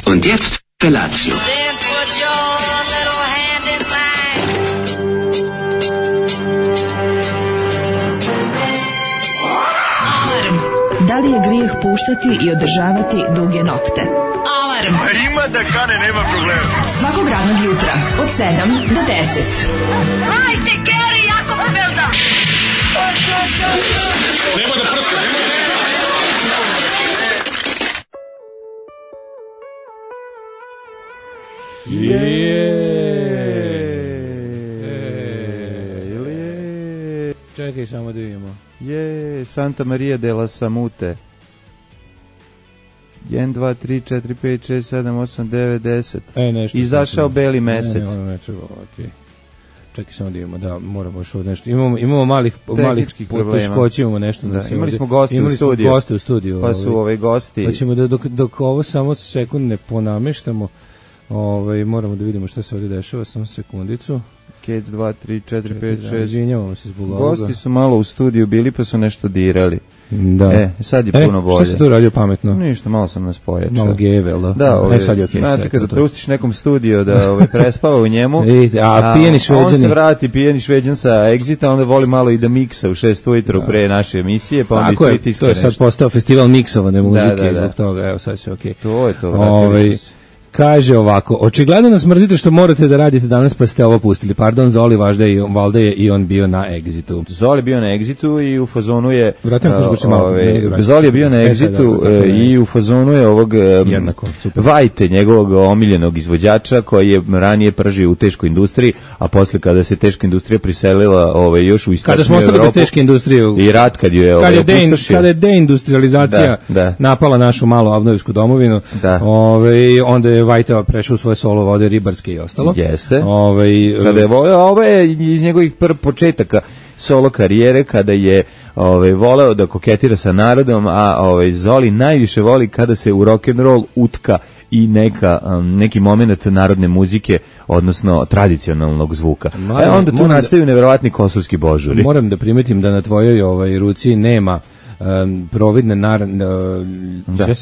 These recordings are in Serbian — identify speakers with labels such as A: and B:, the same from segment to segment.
A: Und jetzt Felatio.
B: Then put your little hand in mine.
C: Alarm. Da li je grijeh puštati i održavati duge nokte? Alarm.
D: A ima da kane, nema problema.
C: Svakog radnog jutra od 7 do 10.
B: Hajde, Geri, jako se velda.
D: Nema da prska, nema da...
E: Čekaj, samo da vidimo.
F: Santa Maria della Samute. 1, 2, 3, 4, 5, 6, 7, 8, 9, 10.
E: Nešto.
F: Izašao beli mesec.
E: Ne treba, okej. Čekaj, samo da vidimo, da, moramo još od nešto. Imamo malih poteškoća, imamo nešto.
F: Da, imali smo goste u studiju. Pa su gosti.
E: Pa ćemo dok ovo samo sekund ne ponameštamo, moramo da vidimo šta se ovdje dešava, samo sekundicu.
F: Kec 2, 3, 4, 5, 6.
E: Izvinjavamo se zbog ovoga.
F: Gosti su malo u studiju bili pa su nešto dirali.
E: Da.
F: Sad je puno bolje.
E: Šta si tu radio pametno?
F: Ništa, malo sam nas pojačao.
E: Malo gevel, da?
F: Da,
E: sad je okej.
F: Znači, kada pustiš nekom studiju da prespava u njemu,
E: a pijeni šveđani.
F: On se vrati pijeni šveđan sa Exita, onda voli malo i da miksa u 6 ujutru pre naše emisije, pa onda pritiska nešto.
E: To je sad postao festival miksovane muzike, zbog toga, evo sad se okej.
F: To je to, vratili smo se.
E: Kaže ovako, očigledno nas mrzite što morate da radite danas pa ste ovo pustili. Pardon, Zoli, valjda je i on bio na Exitu.
F: Zoli bio na Exitu i u fazonu je...
E: Zoli
F: je bio na Exitu i u fazonu je ovog Vajte, njegovog omiljenog izvođača koji je ranije pržio u teškoj industriji, a posle kada se teška industrija priselila još u istočnu Evropu... Kada
E: smo ostali bez teške industrije...
F: I rat kad ju je opustošio.
E: Kada je deindustrializacija napala našu malu avnojevsku domovinu, onda je Vajta prešao u svoje solo vode ribarske i ostalo.
F: Jeste. Kada je ovo je iz njegovih početaka solo karijere, kada je voleo da koketira sa narodom, a Zoli najviše voli kada se u rock and roll utka i neki moment narodne muzike, odnosno tradicionalnog zvuka. Onda tu nastaju neverovatni kosovski božuri.
E: Moram da primetim da na tvojoj ruci nema providne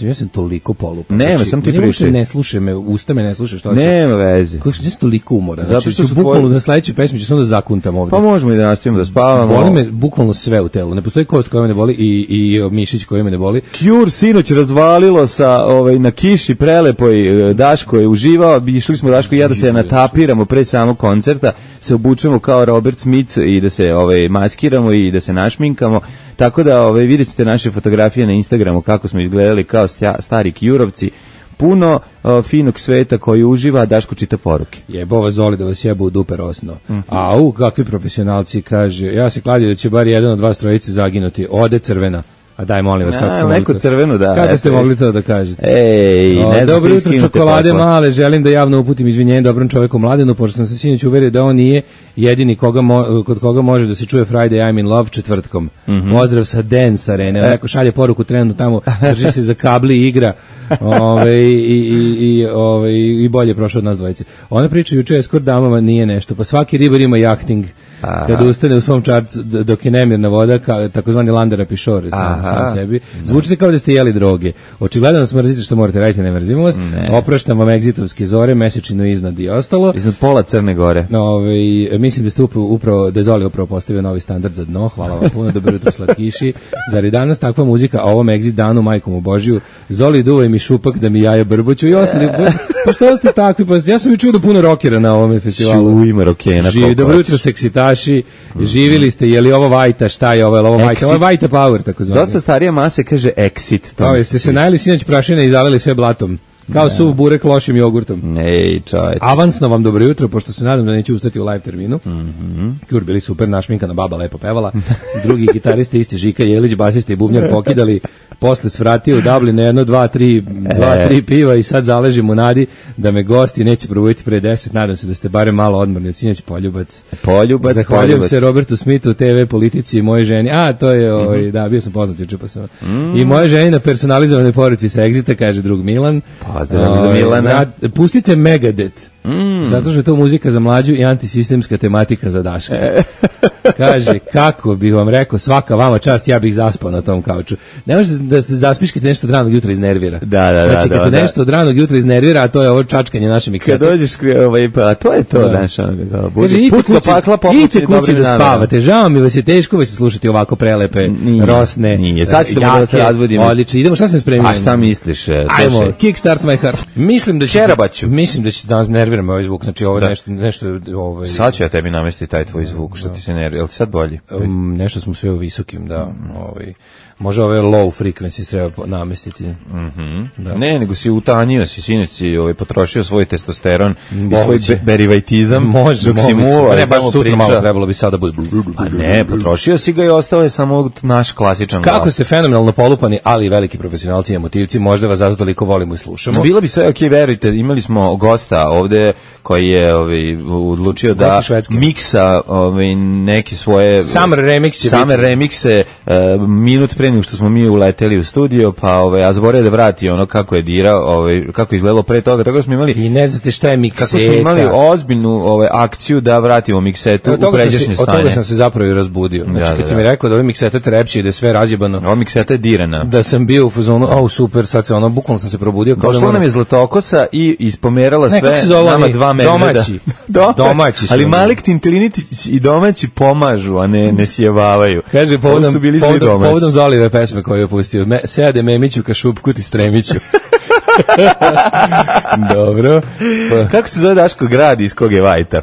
E: ja sam toliko polupan.
F: Nema, sam ti pričaj.
E: Ne slušaj me, usta me ne slušaj što.
F: Nema veze.
E: Kako sam toliko umoran. Zato što bukvalno na sledećoj pesmi ću samo da zakuntam ovde.
F: Pa možemo i da nastavimo da spavamo.
E: Boli me bukvalno sve u telu. Ne postoji kost koja me ne boli i mišić koji me ne boli.
F: Cure sinoć razvalilo sa na kiši prelepoj. Daško je uživao, išli smo Daško i ja da se natapiramo pre samog koncerta, se obučemo kao Robert Smith i da se maskiramo i da se našminkamo. Tako da vidjet ćete naše fotografije na Instagramu kako smo izgledali kao stari Curovci. Puno finog sveta koji uživa, Daško čita poruke.
E: Jebova Zoli da vas jeba u dupe rosno. Au, kakvi profesionalci, kaže, ja se kladio da će bar jedan od vas trojice zaginuti. Ode crvena. A daj, molim vas, kako ste mogli
F: neko crveno, da.
E: Kako ste mogli to da kažete?
F: Ne znam,
E: dobro jutro, čokolade male, želim da javno uputim izvinjenje dobrom čoveku Mladenu, pošto sam se sinoć uverio da on nije jedini kod koga može da se čuje Friday I'm in Love četvrtkom. Pozdrav sa Dance Arene, neko šalje poruku trenutno tamo, drži se za kabli i igra i bolje prošao od nas dvojice. Ona priča juče eskort damama nije nešto, pa svaki ribar ima jahting. Kad ustane u svom čarcu dok je nemirna voda, takozvani Landera Pišore sam sebi. Zvučite kao da ste jeli droge. Očigledno nas mrzite što morate raditi, ne mrzimo vas. Opraštam vam egzitovske zore, mesečinu iznad i ostalo.
F: Iznad pola Crne Gore.
E: Mislim da ste da je Zoli upravo postavio novi standard za dno. Hvala vam puno, dobro jutro slatkiši. Zar je danas takva muzika, a ovom Exit danu, majkom u Božiju, Zoli duvaj mi šupak da mi jaja brboću i ostali. Pa što ste takvi? Ja sam i čuo da puno rokera na ovom festivalu.
F: Ima rokena.
E: Dobro jutro seksitaši, živili ste, je li ovo Vajta, šta je ovo, je li ovo Vajta? Ovo je Vajta Power, tako zvani.
F: Dosta starija mase kaže Exit.
E: Jeste se najeli sinoć prašine i zalili sve blatom. Kao suv burek lošim jogurtom. Avansno vam dobro jutro, pošto se nadam da neće ustati u live terminu. Cure bili super, našminkana baba lepo pevala. Drugi gitariste isti Žika Jelić, basista i bubnjar pokidali. Posle svratio u Dublin na 1, 2, 3 piva i sad zaležim u nadi da me gosti neće probujiti pre 10. Nadam se da ste barem malo odmorni od sinoć. Poljubac. Zahvaljujem se Robertu Smithu, TV politici i moje ženi. To je, da, bio sam poznat juče pa sam. I moje ženi na personalizovanoj poruci sa Exita, kaže drug Milan.
F: Pozdrav za Milana.
E: Pustite Megadeth. Zato što je to muzika za mlađu i antisistemska tematika za Daška. Kaže, kako bih vam rekao, svaka vama čast, ja bih zaspao na tom kauču. Ne može da se zaspiš kad te nešto od ranog jutra iznervira. Znači, kad te nešto od ranog jutra iznervira, a to je ovo čačkanje naše miksete.
F: Kad dođeš, pa to je to, znaš,
E: idite kući da spavate. Žao mi vas je teško vas slušati ovako prelepe, rosne,
F: nije. Sad ćemo da se razvodimo.
E: Odlično, idemo, šta sam spremio?
F: A šta misliš?
E: Ajmo, kickstart my heart. Mislim da će danas nerviramo ovaj zvuk, znači ovo nešto
F: sad ću ja tebi namestiti taj tvoj zvuk, što ti se nervira. Jel ti sad bolji?
E: Nešto smo sve u visokim, da. Može ove low frequencies treba namestiti.
F: Da. Ne, nego si utanjio, sinoć si potrošio svoj testosteron i svoj berivajtizam.
E: Može,
F: dok si muva.
E: Ne, baš sutra malo trebalo bi sada bude.
F: A ne, potrošio si ga i ostao je samo naš klasičan glas.
E: Kako ste fenomenalno polupani, ali i veliki profesionalci i emotivci, možda vas zato toliko volimo i slušamo.
F: Bilo bi sve okej, verujte, imali smo gosta ovde koji je odlučio da miksa neke svoje
E: Summer
F: remikse minut pre nego što smo mi uleteli u studio, pa a zaboravio da vrati ono kako je dirao, kako je izgledalo pre toga, tako da smo imali.
E: I ne znate šta je mikseta.
F: Kako smo imali ozbiljnu akciju da vratimo miksetu u pređašnje stanje.
E: Od toga sam se zapravo i razbudio. Znači kad sam mi rekao da ove mikseta trepće i da je sve razjebano.
F: Ova mikseta je dirana.
E: Da sam bio u fazonu, super, sad se bukvalno sam se probudio.
F: Došla nam je Zlatokosa i ispomerala sve nama 2 medveda.
E: Domaći su.
F: Ali Malik Tintilinić i domaći pomažu, a ne sjevavaju.
E: Kaže, povodom Zolive pesme koju je pustio. Sede Memiću ka šupku ti stremiću. Dobro.
F: Kako se zove Daško grad iz kog je Vajta?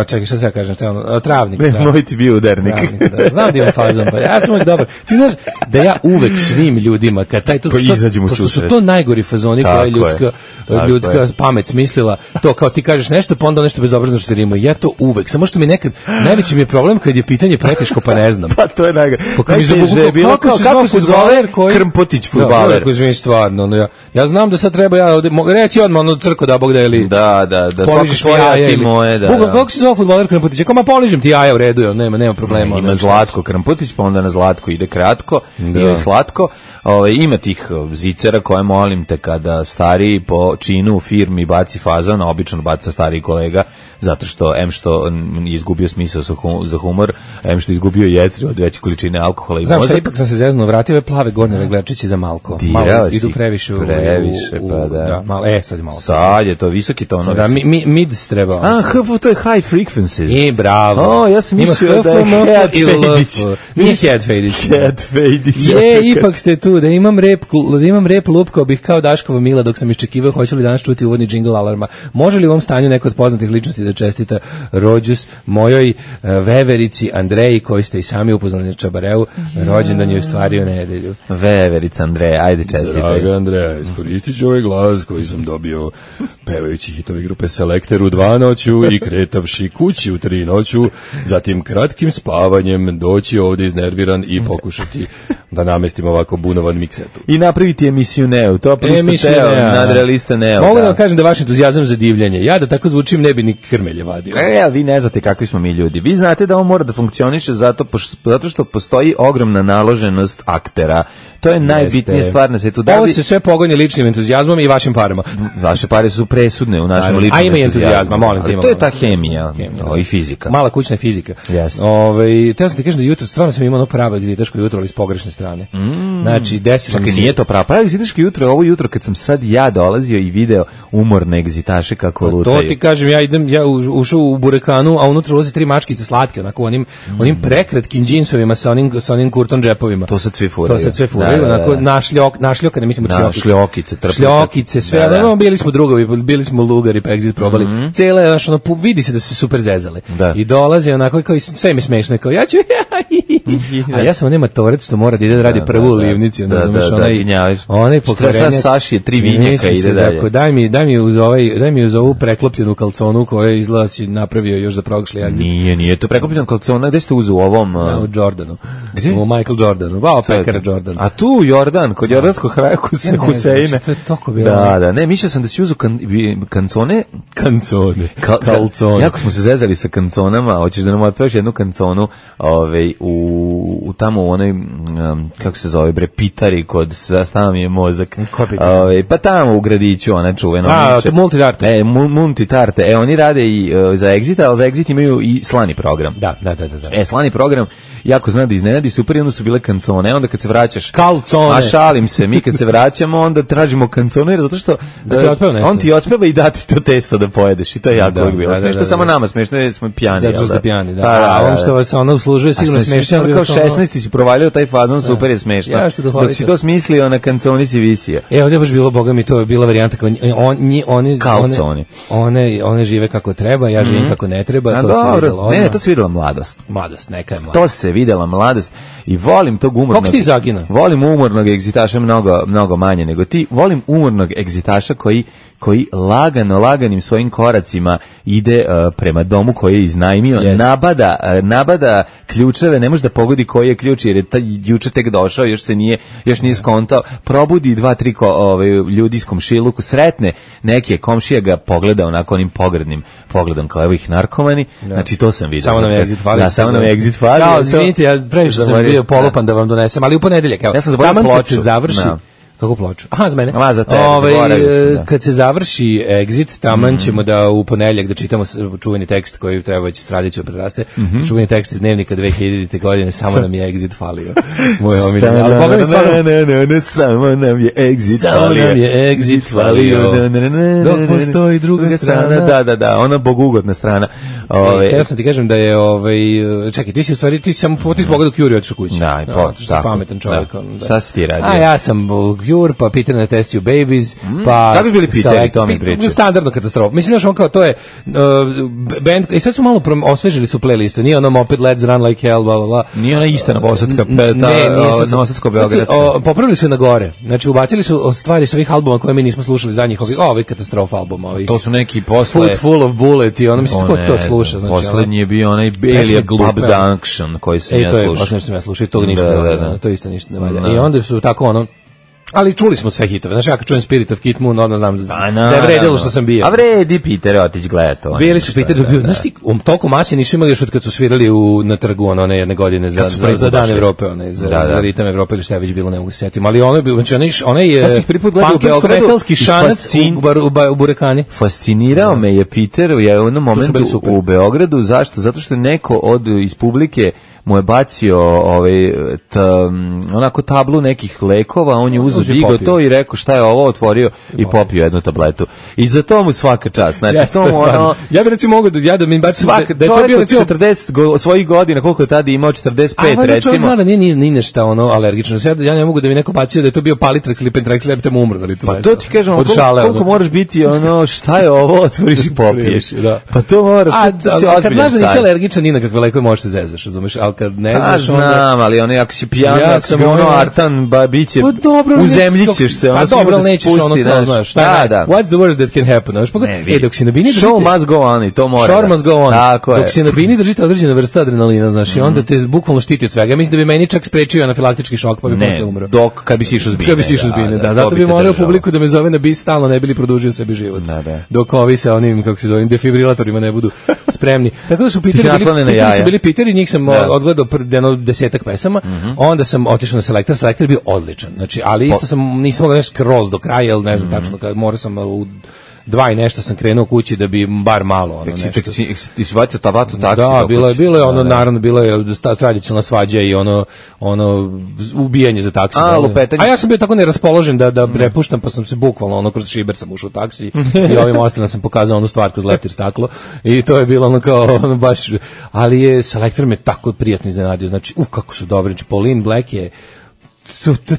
E: Čekaj, šta se ja kažem? Travnik.
F: Moj ti bio udarnik.
E: Da. Znam da imam fazon, pa ja sam uvijek dobar. Ti znaš da ja uvek svim ljudima, kad taj pošto su to najgori fazoni koje je ljudska pamet smislila, to kao ti kažeš nešto, pa onda nešto bezobrazno što se rima. Ja to uvek, samo što mi nekad, najveći mi je problem kad je pitanje preteško, pa ne znam.
F: Pa to je najgore.
E: Kako se zove
F: Krmpotić fudbaler?
E: Stvarno, ja znam da sad treba reći odmah crko da Bog da ili
F: da svako svoje ti moje, da.
E: Kako se zove fudbaler Krmpotić? Ako poližem ti jaja u redu, nema problema.
F: Ima Zlatko Krmpotić, pa onda na Zlatko ide kratko, ide slatko. Ima tih zicera koje molim te kada stariji po činu u firmi baci fazon, obično baca stariji kolega, zato što što izgubio smisao za humor, što izgubio jetri od veće količine alkohola i mozak.
E: Znam, ipak sam se zeznuo, vratio ove plave gornje reglerčići za malko. Malo idu previše,
F: pa da.
E: Sad je malo.
F: Sad je to visoki tonovi.
E: Da, mids treba.
F: To je high frequencies.
E: Bravo.
F: Ja sam mislio da je Head Fejdić.
E: Nije Head Fejdić.
F: Head Fejdić.
E: Ipak ste tu, da imam rep lupkao bih kao Daškova Mila dok sam iščekivao hoće li danas čuti uvodni džingl alarma. Može li u ovom stanju neko od poznatih ličnosti da čestita rođus mojoj veverici Andreji koju ste i sami upoznali na Čabareu, rođendan je ostvario nedelju.
F: Veverica Andreja, ajde čestitaj.
E: Draga Andreja, iskoristit ću ovaj glas koji sam dobio pevajući hitovi grupe Selekter u 2 noću i kretavši kući u 3 noću, zatim kratkim spavanjem doći ovdje iznerviran i pokušati da namestim ovako bunovan miksetu.
F: I napraviti emisiju Neo, to prosto Teo, nadrealista Neo.
E: Mogu da vam kažem da vaš entuzijazam za divljanje. Ja da tako zvučim ne bi ni krmelje vadio.
F: Vi ne znate kakvi smo mi ljudi. Vi znate da on mora da funkcioniše zato što postoji ogromna naloženost aktera. To je najbitnija stvar na svijetu.
E: Ovo se sve pogonje ličnim entuzijazmom i vašim parama.
F: Vaše pare su presudne u našem ličnom
E: entuzijazmu. A ima i entuzijazma, molim te.
F: To je ta hemija i fizika.
E: Mala kućna fizika. Teo sam ti kažem da jutro stvarno sam imao pravo egzitaško jutro, ali s pogrešne strane. Znači, desilo mi se.
F: Nije to pravo egzitaško jutro, ovo jutro kad sam sad ja dolazio i video umorne egzitaše kako lutaju.
E: To ti kažem, ja ušao u burekanu, a unutra ulazi 3 mačkice slatke, onako onim prekratkim džinsovima sa onim kurton džepovima.
F: To sad sve furaju.
E: Onako našljoka, ne mislimo
F: šljokice,
E: sve, bili smo drugovi, bili smo lugari, pa egzit probali. Cele, vidi se da su se super zezale. I dolazi onako, kao sve mi smešno, kao ja ću, a ja sam nema torec što mora da ide da radi prvu u livnici, onaj pokvarenje.
F: Saši je 3 vinjaka ide dalje.
E: Daj mi uz ovu preklopljenu kalconu koju izgleda si napravio još za prošli.
F: Nije to preklopljena kalcona, gde ste uzeo u ovom?
E: U Jordanu. U Michael Jordanu, pekara Jordan.
F: A tu Jordan, kod jordanskog Huseina.
E: To je toko bilo.
F: Da, ne, mišljao sam da si uzu kancone.
E: Kalcone.
F: Jako smo se zezali sa kanconama, hoćeš da nam otpevaš jednu kanconu u tamo u onoj, kako se zove, bre, Pitari, kod stava mi je mozak. Pa tamo u gradiću, ona čuvena.
E: Multitarte.
F: Multitarte. Oni rade i za Exit, ali za Exit imaju i slani program.
E: Da.
F: Slani program, jako zna da iznenadi, super, i onda su bile kancone, onda kad se vraćaš...
E: Kalcone.
F: A šalim se, mi kad se vraćamo, onda tražimo kancone, zato što on ti otpeva i dati to testo da pojedeš, i to je jako uvijek bilo smiješno. Samo nama smiješno, jer smo pijani.
E: Zato što ste pijani, da. A on što vas ono uslužuje sigurno smiješno.
F: Kao 16 si provalio taj fazon, super je smiješno. Dok si to smislio, na kanconi si visio.
E: Ovdje je baš bilo, boga mi, to je bila varijanta kao
F: kalconi.
E: One žive kako treba, ja živim kako ne treba, to se videlo.
F: Ne, to se videla mladost.
E: Mladost, neka je mladost.
F: To se videla mladost i volim tog umornog...
E: Kako ti zagina?
F: Volim umornog egzitaša mnogo manje nego ti. Volim umornog egzitaša koji laganim svojim koracima ide prema domu koji je iznajmio, nabada ključeve, ne može da pogodi koji je ključ, jer je juče tek došao, još nije skontao, probudi 2-3 ljudi iz komšiluku, sretne neke, komšija ga pogleda onako onim pogrdnim pogledom, kao evo ih narkomani, znači to sam vidio.
E: Samo nam je exit fali.
F: Da, samo nam je exit fali.
E: Kao, izvinite, ja previše sam bio polupan da vam donesem, ali u ponedeljak, evo,
F: ja sam zaboravio ploču.
E: Kako ploču? Aha, za mene.
F: Za tebe,
E: kad se završi Exit, taman ćemo da u ponedeljak da čitamo čuveni tekst koji treba već tradiciju preraste. Čuveni tekst iz dnevnika 2000. godine, samo nam je Exit falio. Moj omiljeni. Ali Boga mi stvarno... Samo nam je Exit falio. Dok postoji druga strana.
F: Da, ona bogugodna strana.
E: Ja sam ti kažem da je... Čekaj, ti si u stvari, ti sam potis Boga dok Juri otišao kući.
F: Da, tako.
E: Pametan čovjek.
F: Šta si ti radio?
E: A ja sam Cure, pa Peter na Test You Babies, pa...
F: Kako su bili Peteri, to mi pričaju?
E: Standardno katastrofa. Mislim, znaš, on kao, to je band, i sad su malo osvežili su playlistu, nije ono Moped Let's Run Like Hell, bla, bla, bla.
F: Nije ona ista novosadska peta, novosadsko-beogradska.
E: Popravili su je na gore, znači ubacili su stvari s ovih albuma koje mi nismo slušali zadnjih ovih katastrofa albuma.
F: To su neki posle...
E: Foot Full of Bullet i ono, mislim, ko to sluša?
F: Poslednji je bio onaj Alien Pub Junction koji sam ja slušao.
E: To je sam ja slušao i toga ništa ne valja, to isto ništa ne valja. I onda su tako ono, ali čuli smo sve hitove. Znaš, ja kad čujem Spirit of Kid Moon, odmah znam da je vredilo što sam bio.
F: A vredi Peter otić gleda to.
E: Bili su Peter dobio. Znaš ti, toliko masije nisu imali još od kad su svirali na trgu one jedne godine za Dan Evrope, za ritam Evrope ili šta je već bilo, ne mogu se setim. Ali ono je bilo, znači onaj punkirsko-metalski šanac u Burekani.
F: Fascinirao me je Peter u jednom momentu u Beogradu. Zašto? Zato što je neko iz publike mu je bacio onako tablu nekih lekova, on je uzeo, digao to i rekao šta je ovo, otvorio i popio jednu tabletu. I za to mu svaka čast. Znači,
E: ja bih recimo mogu da mi bacim
F: da je to bio recimo 40 svojih godina, koliko je tada imao, 45 recimo.
E: Čovjek zna da nije nešto alergično. Ja ne mogu da mi neko bacio da je to bio Palitrax ili Pentrax, ja bih tamo umro.
F: Pa to ti kažem, koliko moraš biti šta je ovo, otvoriš i popiješ. Pa to mora.
E: Kad znaš da nisi alergičan, ni na kakve lekove možeš se zezaš, razumeš, ali kad ne znaš onda...
F: Znam, ali ako si pijan, artan, biće, uzemljićeš se,
E: pa dobro, ali nećeš ono, šta je, what's the worst that can happen, dok si na bini držite...
F: Show must go on, i to mora.
E: Show must go on, dok si na bini držite određena vrsta adrenalina, znaš, i onda te bukvalno štiti od svega. Mislim da bi meni čak sprečio anafilaktički šok, pa bi posle umro.
F: Kad bi si išao
E: zbine. Da, zato bi morao publiku da me zove na bis stalno, ne bili produžio sebi život. Dok ovi sa onim, kako se zove, defibrilatorima ne budu spremni. Tako da su bili Piteri, njih sam odgledao jedno 10-ak pesama, onda sam otišao na Selektor je bio odličan, znači, ali isto nisam mogao nešto skroz do kraja, jer ne znam tačno, morao sam u 2 i nešto sam krenuo kući da bi bar malo
F: ti si vatio tabatu taksi?
E: Da, bilo je ono, naravno, bilo je tradicionalna svađa i ono ubijanje za taksi. A ja sam bio tako neraspoložen da prepuštam, pa sam se bukvalno kroz šiber sam ušao u taksi i ovim ostalim sam pokazao onu stvar kroz leptir staklo i to je bilo ono kao baš, ali je Selektor me tako prijatno iznenadio, znači kako su dobri, znači Pauline Black je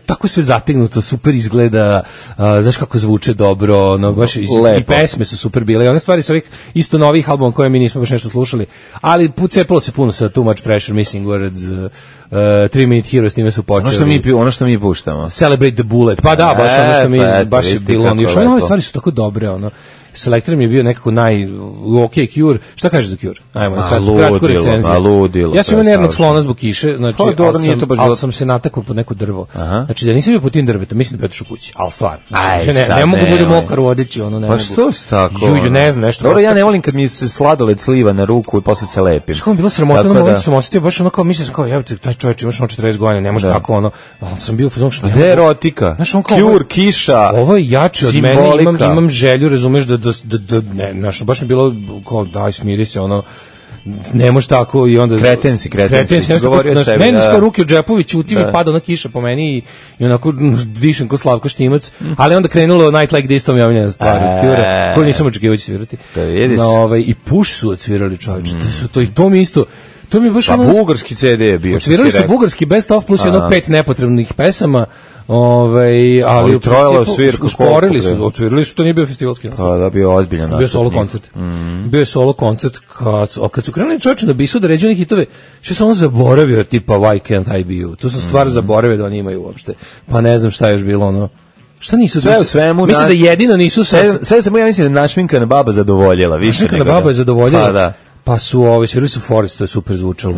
E: tako sve zategnuto, super izgleda, znaš kako zvuče dobro, baš i pesme su super bile i one stvari sa ovih isto novih albuma koje mi nismo baš nešto slušali, ali cepalo se puno sa Too Much Pressure, Missing Words, 3 Minute Hero, s njime su počeli.
F: Ono što mi puštamo.
E: Celebrate the Bullet, pa da, baš ono što mi baš je bilo, još ove nove stvari su tako dobre, Selector mi je bio nekako ok Cure. Šta kažeš za Cure? Ajmo, kratko recenziju. Ja sam imao nervnog slona zbog kiše, znači, ali sam se natakao pod neko drvo. Znači, da nisam bio pod tim drvetom, mislim da bi otišao kući, ali stvarno. Ne mogu bude mokar u odeći, ono ne mogu.
F: Pa što si tako?
E: Ne znam, nešto.
F: Dobro, ja ne volim kad mi se sladoled sliva na ruku i posle se lepim.
E: Što mi bilo sramota, na momentu sam osjetio baš ono kao, mislim kao, jebote, taj čovjek imaš 40 godina, ne može tako ono, ali sam bio u fazonu što
F: ne erotika, Cure, kiša,
E: ovo je jače od mene, imam želju, razumeš, da baš mi bilo kao, daj, smiri se, ono, ne može tako i onda
F: kretensi govorio sebi.
E: Meni skoro ruke u džepovi, ćuti mi pada ona kiša po meni i onako dišem ko Slavko Štimac, ali onda krenulo Night Like This, to mi je omiljena stvar od Cure, koju nisam očekivao će svirati. I Push su odsvirali, čovječe, to mi isto. To mi je baš ono...
F: bugarski CD je bio.
E: Odsvirali su bugarski Best of plus jedno 5 nepotrebnih pesama, ali usporili su, odsvirali su, to nije bio festivalski nastup.
F: Da, bio ozbiljan nastup.
E: Bio solo koncert. Bio je solo koncert kad su krenuli čovječe da bisu da ređu one hitove, što sam ono zaboravio tipa Why Can't I Be You. To sam stvar zaboravio da oni imaju uopšte. Pa ne znam šta je još bilo ono. Šta nisu
F: sve u svemu?
E: Mislim da jedino nisu
F: sve samo ja mislim da našminkana baba zadovoljila više.
E: Našminkana baba je zadovoljila. Pa da. Pa su svirali su Forest, to je super zvučalo.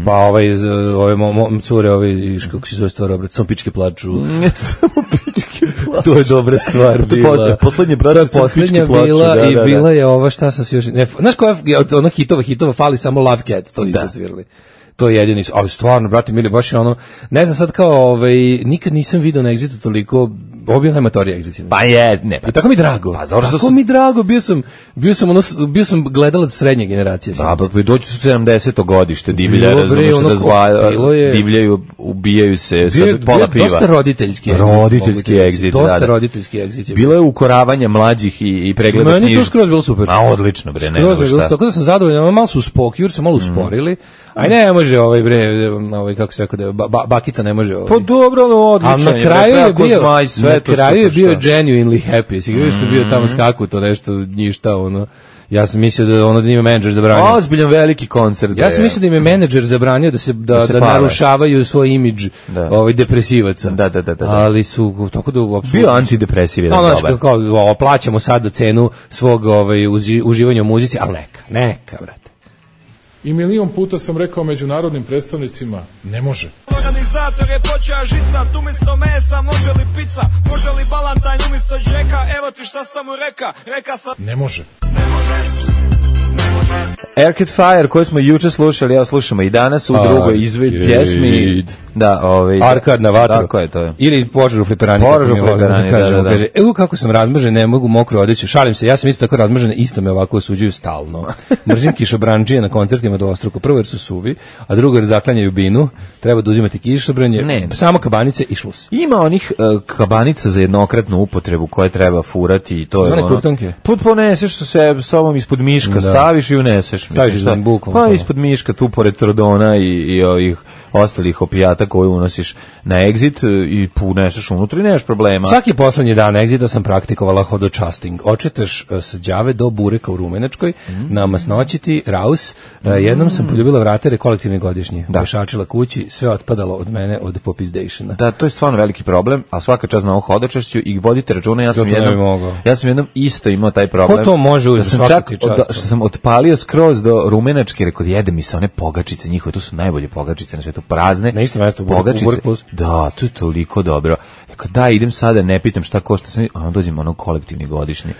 E: Pa ove cure, kako se zove stvar, obrat, samo pičke plaču.
F: Samo pičke plaču.
E: To je dobra stvar bila.
F: Poslednje brate, samo pičke plaču.
E: I bila je ova, šta sam se još... Znaš koja je ona hitova, fali samo Love Cats, to nisu odsvirali. To je jedini, ali stvarno, brate mili, baš je ono, ne znam sad kao, nikad nisam video na Exitu toliko, ovo bio najmatorija Exit.
F: Pa je, ne.
E: I tako mi drago. Pa tako mi drago, bio sam gledalac srednje generacije.
F: Da, pa dođu su 70. godište, divlja, razumiješ da divljaju, ubijaju se, sad pola piva.
E: Dosta roditeljski
F: Exit.
E: Dosta roditeljski Exit.
F: Bilo je ukoravanje mlađih i pregleda knjižica.
E: Meni to skroz bilo super.
F: A odlično, bre, ne znam šta.
E: Tako da sam zadovoljan, malo su Cure su malo usporili. Aj ne može kako se rekao da bakica ne može
F: Pa dobro, odlično.
E: A na kraju je bio genuinely happy. Sigurno što je bio tamo skaku to nešto ništa ono. Ja sam mislio da da njima menadžer zabranio.
F: Ozbiljan veliki koncert.
E: Ja sam mislio da im je menadžer zabranio da narušavaju svoj imidž depresivaca.
F: Da.
E: Ali su tako da apsolutno
F: bio antidepresiv jedan dobar.
E: Kao plaćamo sad cenu svog uživanja u muzici, al neka brate.
A: I milion puta sam rekao međunarodnim predstavnicima, ne može.
G: Organizator je počeo žicat, umjesto mesa može li pizza, može li balantajn umjesto džeka, evo ti šta sam mu reka sam...
A: Ne može.
F: Arcade Fire koju smo juče slušali, evo slušamo i danas u drugoj pjesmi. Da,
E: Arkad na vatru.
F: Tako je to.
E: Ili požar u fliperani.
F: Da.
E: Kaže, evo kako sam razmržen, ne mogu mokro odeći. Šalim se, ja sam isto tako razmržen, isto me ovako osuđuju stalno. Mržim kišobranđije na koncertima dvostruko. Prvo jer su suvi, a drugo jer zaklanjaju binu. Treba da uzimati kišobranje, samo kabanice i šlus.
F: Ima onih kabanica za jednokratnu upotrebu koje treba furati i to je
E: ono. Kurtonke.
F: Poneseš se sobom ispod miška, staviš i uneseš.
E: Staviš za bukom.
F: Pa ispod miška tu pored trodona i ovih ostalih opijata koje unosiš na Exit i puneseš unutra i nemaš problema.
E: Svaki poslednji dan Exita sam praktikovala hodočasting. Očetaš sa đave do bureka u Rumenačkoj, na masnoćiti, raus. Jednom sam poljubila vratere kolektivne godišnje. Pešačila kući, sve otpadalo od mene od popizdejšina.
F: Da, to je stvarno veliki problem, a svaka čast na ovo hodočašću i vodite računa, ja sam jednom isto imao taj problem.
E: Ko to može
F: da sam čak, što sam otpalio skroz do Rumenačke, rekao, jede mi se one pogačice njihove, to su najbolje pogačice na svetu, prazne.
E: Na isto mesto
F: pogačice. Da, to je toliko dobro. Rekao, da, idem sada, ne pitam šta košta sam, a dođem ono kolektivni godišnji.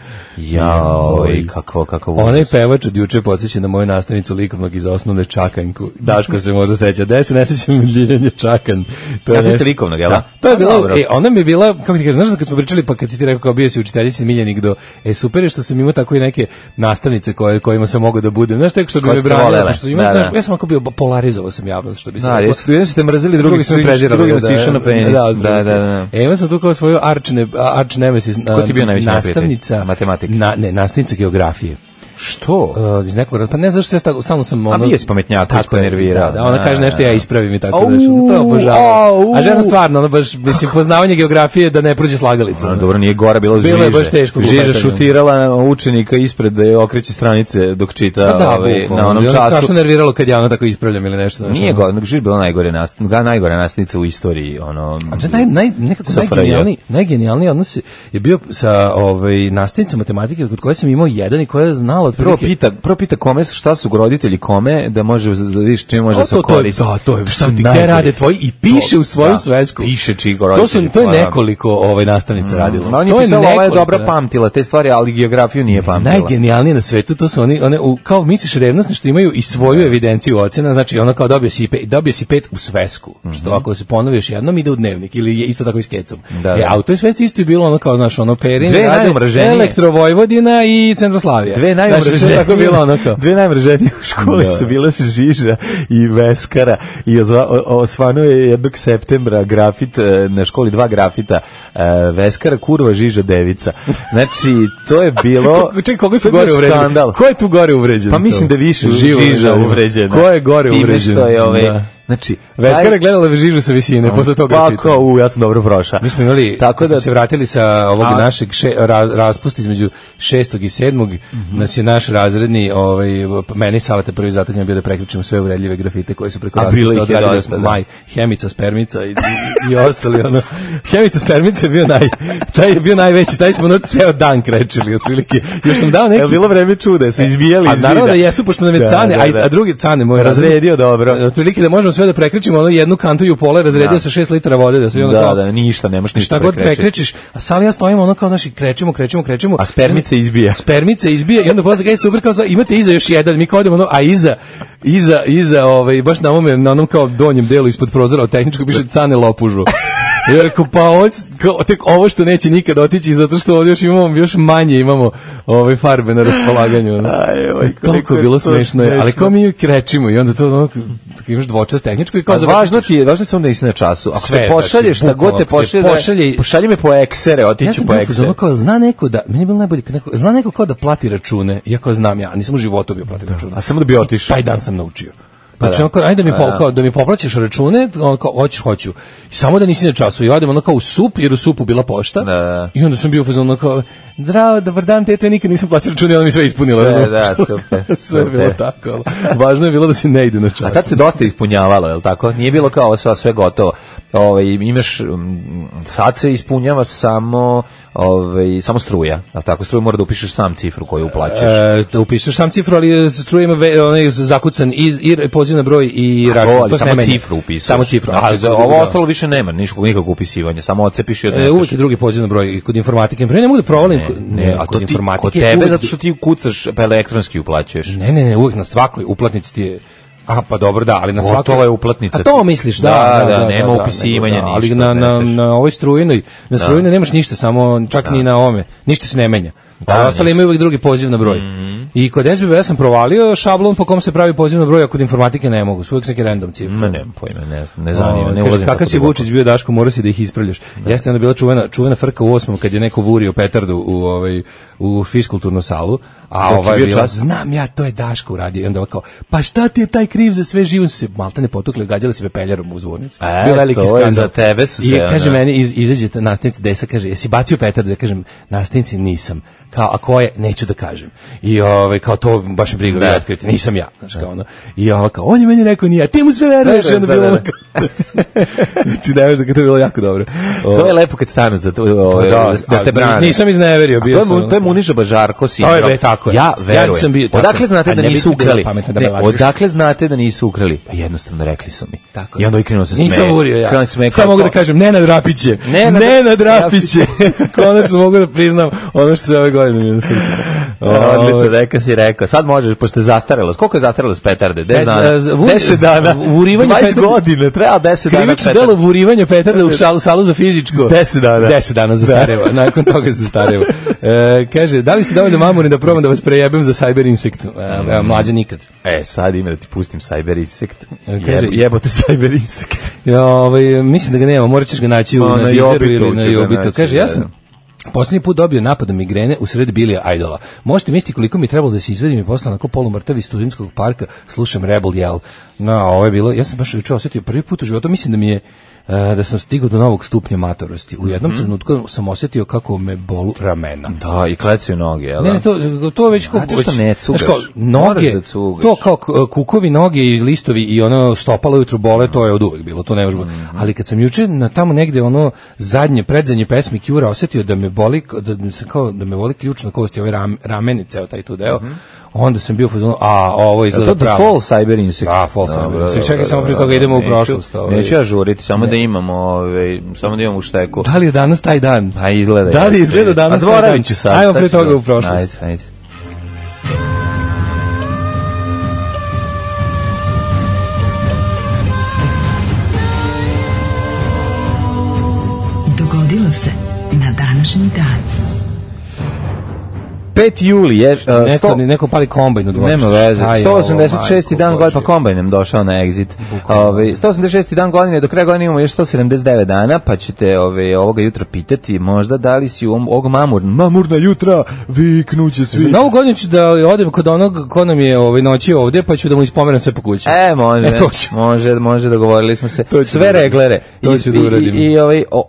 F: Kakav
E: onaj pevač od juče podsjeća na moju nastavnicu likovnog iz osnovne Čakanjku. Daško se možda seća. Da se ne sećam Ljiljanje Čakan.
F: Nastavnica likovnog, jel?
E: Da, to je bilo, ona mi je bila, kako ti kažeš, znaš kad smo pričali, pa kad si ti rekao kao bio si učiteljici Miljenik do, super je što sam imao tako i neke nastavnice kojima sam mogao da budem. Znaš, tako što bi me branila, što ja sam ako bio polarizovao sam javnost, što bi se rekao.
F: Jedni su te mrzeli, drugi su išao na penis.
E: Da. Imao sam tu kao svoju arch nemesis
F: nastavnica
E: matematika. Nastavnica geografije.
F: Što?
E: Iz nekog pa ne znaš sve stalno sam
F: ono. A mi je pametnjaka tako nervirao.
E: Da, ona kaže nešto ja ispravim i tako da to obožavam. A žena stvarno, ona baš mislim poznavanje geografije da ne prođe slagalicu.
F: Dobro, nije gora bilo Žiža.
E: Bilo je baš teško.
F: Žiža šutirala učenika ispred da je okreće stranice dok čita na onom času.
E: Strašno nerviralo kad ja ono tako ispravljam ili nešto.
F: Nije gore, nego Žiža bila najgore nastavnica u istoriji.
E: Nekako najgenijalniji odnos je bio sa nastavnicom matematike kod koje sam imao jedan i koja je znala otprilike.
F: Prvo pita kome šta su roditelji kome da može vidiš čime može se koristiti.
E: Da, to je šta ti gde rade tvoji i piše u svoju svesku.
F: Piše čiji roditelji.
E: To je nekoliko nastavnica radilo.
F: On je pisala, ova je dobra pamtila te stvari, ali geografiju nije pamtila.
E: Najgenijalnije na svetu to su one kao misliš revnosne što imaju i svoju evidenciju ocena, znači ono kao dobio si 5 u svesku, što ako se ponovi još jednom ide u dnevnik ili je isto tako i s kecom. A u toj svesci isto je bilo ono kao znaš ono Perin, Elektrovojvodina i Centroslavija.
F: Dve najmraženije u školi su bile Žiža i Veskara i osvanuo je 1. septembra grafit na školi 2 grafita Veskara, kurva, Žiža, devica. Znači, to je bilo
E: čekaj, koga su gore uvređeni? Ko je tu gore uvređen?
F: Pa mislim da više Žiža uvređena.
E: Ko je gore uvređen?
F: Znači,
E: Veskara je gledala Žižu sa visine, posle toga
F: pa kao, ja sam dobro prošao.
E: Mi smo imali, tako da se vratili sa ovog našeg raspusta između 6. i 7. Nas je naš razredni, meni Salata prvi zatanjem bio da prekričimo sve uvredljive grafite koje su preko raspusta odradili smo Maj, Hemica, Spermica i ostali. Hemica, Spermica je bio najveći, taj smo ceo dan krečili, otprilike. Još nam dao neki...
F: Je bilo vreme čuda, su izbijali iz zida.
E: A naravno da jesu, pošto nam je Cane, a drugi Cane moj
F: razredio dobro.
E: Otprilike da možemo sve da prekrećimo jednu kantu i u pola razredio sa 6 litara vode da sve
F: da ništa nemaš ništa
E: šta god prekrećiš, a Sali ja stojimo ono kao znači krećemo
F: a spermice
E: izbija i onda posle kaže super kao imate iza još jedan, mi kao odemo a iza baš na onom kao donjem delu ispod prozora od tehničkog piše Cane lopužu. Ja rekao, pa tek ovo što neće nikad otići, zato što ovdje još manje imamo farbe na raspolaganju. Toliko je bilo smešno, ali kao mi krećimo i onda to imaš dvočas tehničko i kao
F: važno je samo da nisi na času. Ako te pošalješ, šta god te pošalji me po eksere, otiću po eksere.
E: Zna neko da, meni je bilo najbolje, zna neko kao da plati račune, iako znam ja, nisam u životu bio plati račune.
F: A samo da bi otišao.
E: Taj dan sam naučio. Znači, ajde da mi poplaćaš račune, on kao, hoću. I samo da nisi na času. I odem ono kao u SUP, jer u SUP-u bila pošta. I onda sam bio ono kao, zdravo, dobar dan, tete, nikad nisam plaćao račune, ona mi sve ispunila.
F: Super.
E: Sve je bilo tako. Važno je bilo da se ne ide na čas.
F: A tad se dosta ispunjavalo, je li tako? Nije bilo kao sve gotovo. Imaš, sad se ispunjava samo struja. A tako, struju mora da upišeš sam cifru koju uplaćaš.
E: Da upišeš sam cifru, ali struja ima zakucan i poziv na broj i račun. To
F: samo cifru upisuješ.
E: Samo cifru.
F: Znači, ovo ostalo više nema nikakvog upisivanja, samo odcepiš i odneseš.
E: Uvijek je drugi poziv na broj kod informatike. Ne mogu da provalim.
F: A to ti kod tebe, zato što ti kucaš pa elektronski uplaćuješ.
E: Ne, uvijek na svakoj uplatnici ti je. A pa dobro, da, ali na svakoj
F: to je uplatnica.
E: A to misliš, da,
F: nema upisivanja ništa.
E: Ali na ovoj strujinoj, nemaš ništa, samo čak ni na ovome. Ništa se ne menja. A ostali imaju uvijek drugi poziv na broj. I kod SBB ja sam provalio šablon po kom se pravi poziv na broj, a kod informatike ne mogu. Su uvijek neki random cifre.
F: Nemam pojma, ne zanima. Ne ulazim.
E: Kakav si Vučić bio, Daško, mora si da ih ispravljaš. Jeste onda bila čuvena frka u 8. kad je neko vurio petardu u fiskulturnu salu. A znam ja, to je Daško uradio. I onda kao, pa šta ti je taj kriv za sve živo? Su se maltene potukli, gađali se pepeljarom u zvornici. Bio veliki skandal.
F: Za tebe su se.
E: I kaže meni, izađe nastavnica Desa, kaže, jesi bacio petardu? Ja kažem, nastavnici nisam. Kao, a ko je? Neću da kažem. I kao to baš me briga, ja otkriti, nisam ja. Znači, kao ono. I kao, on je meni rekao nije, a ti mu sve veruješ. I onda bilo ono kao, znači, ne veš da to je bilo jako dobro.
F: To je lepo kad stanu za to, da te brane.
E: Nisam izneverio, bio
F: sam. To je Muniža Bažarko sindrom.
E: To je tako.
F: Ja verujem. Odakle znate da nisu ukrali? Odakle znate da nisu ukrali? Pa jednostavno rekli su mi. I onda krenuo se smeje.
E: Nisam urio ja. Samo mogu da kažem, Nenad Rapić je. Nenad Rapić je. Konačno mogu da priznam ono što se ove godine mi na srcu.
F: Odlično, neka si rekao. Sad možeš, pošto je zastarelo. Koliko je zastarelo s petarde? 10 dana.
E: 20
F: godina, treba 10 dana.
E: Krivično delo vurivanje petarde u salu za fizičko.
F: 10 dana.
E: 10 dana zastareva. Nakon toga zastareva. Kaže, da li ste dovoljno mamuri da probam da vas prejebem za Cyber Insect? Mlađe nikad.
F: Sad ima da ti pustim Cyber Insect. Jebote Cyber Insect.
E: Mislim da ga nema, morat ćeš ga naći na Deezeru ili na Jobitu. Kaže, ja sam Posljednji put dobio napad od migrene u sred Bilija Idola. Možete misliti koliko mi je trebalo da se izvedim i posle onako polumrtav iz studentskog parka slušam Rebel Yell. No, ovo je bilo, ja sam baš juče osetio prvi put u životu, mislim da mi je da sam stigao do novog stupnja matorosti. U jednom trenutku sam osetio kako me bolu ramena.
F: Da, i klecaju noge, jel?
E: Ne, to već kao...
F: Znate što ne cugaš?
E: Noge,
F: da cugaš.
E: to kao kukovi noge i listovi i ono stopalo ujutru bole, to je od uvek bilo, to ne može biti. Ali kad sam juče na tamo negde ono predzadnje pesmi Cure osetio da me boli, da me boli ključna kost i ove rameni, ceo taj tu deo, onda sam bio fazonu, ovo izgleda pravo.
F: To je Fall Cyber Insect.
E: Da, Fall Cyber Insect. Čekaj, samo prije toga idemo u prošlost.
F: Neću ja žuriti, samo da imamo u šteku.
E: Da li je danas taj dan?
F: Pa izgleda.
E: Da li izgleda danas taj dan?
F: Zvoravit ću sad.
E: Ajmo prije toga u prošlost.
F: Ajde.
C: Dogodilo se na današnji dan.
F: 5. juli je...
E: Neko pali kombajn u dvorištu.
F: Nema veze. 186. dan godine, pa kombajnem došao na Exit. 186. dan godine, do kraja godine imamo još 179 dana, pa ćete ovoga jutra pitati možda da li si u ovog mamurna jutra viknuće svi.
E: Za novu godinu ću da odem kod onog ko nam je noći ovdje, pa ću da mu ispomeram sve po kući.
F: Može, dogovorili smo se. Sve reglere.
E: To ću da uradim.
F: I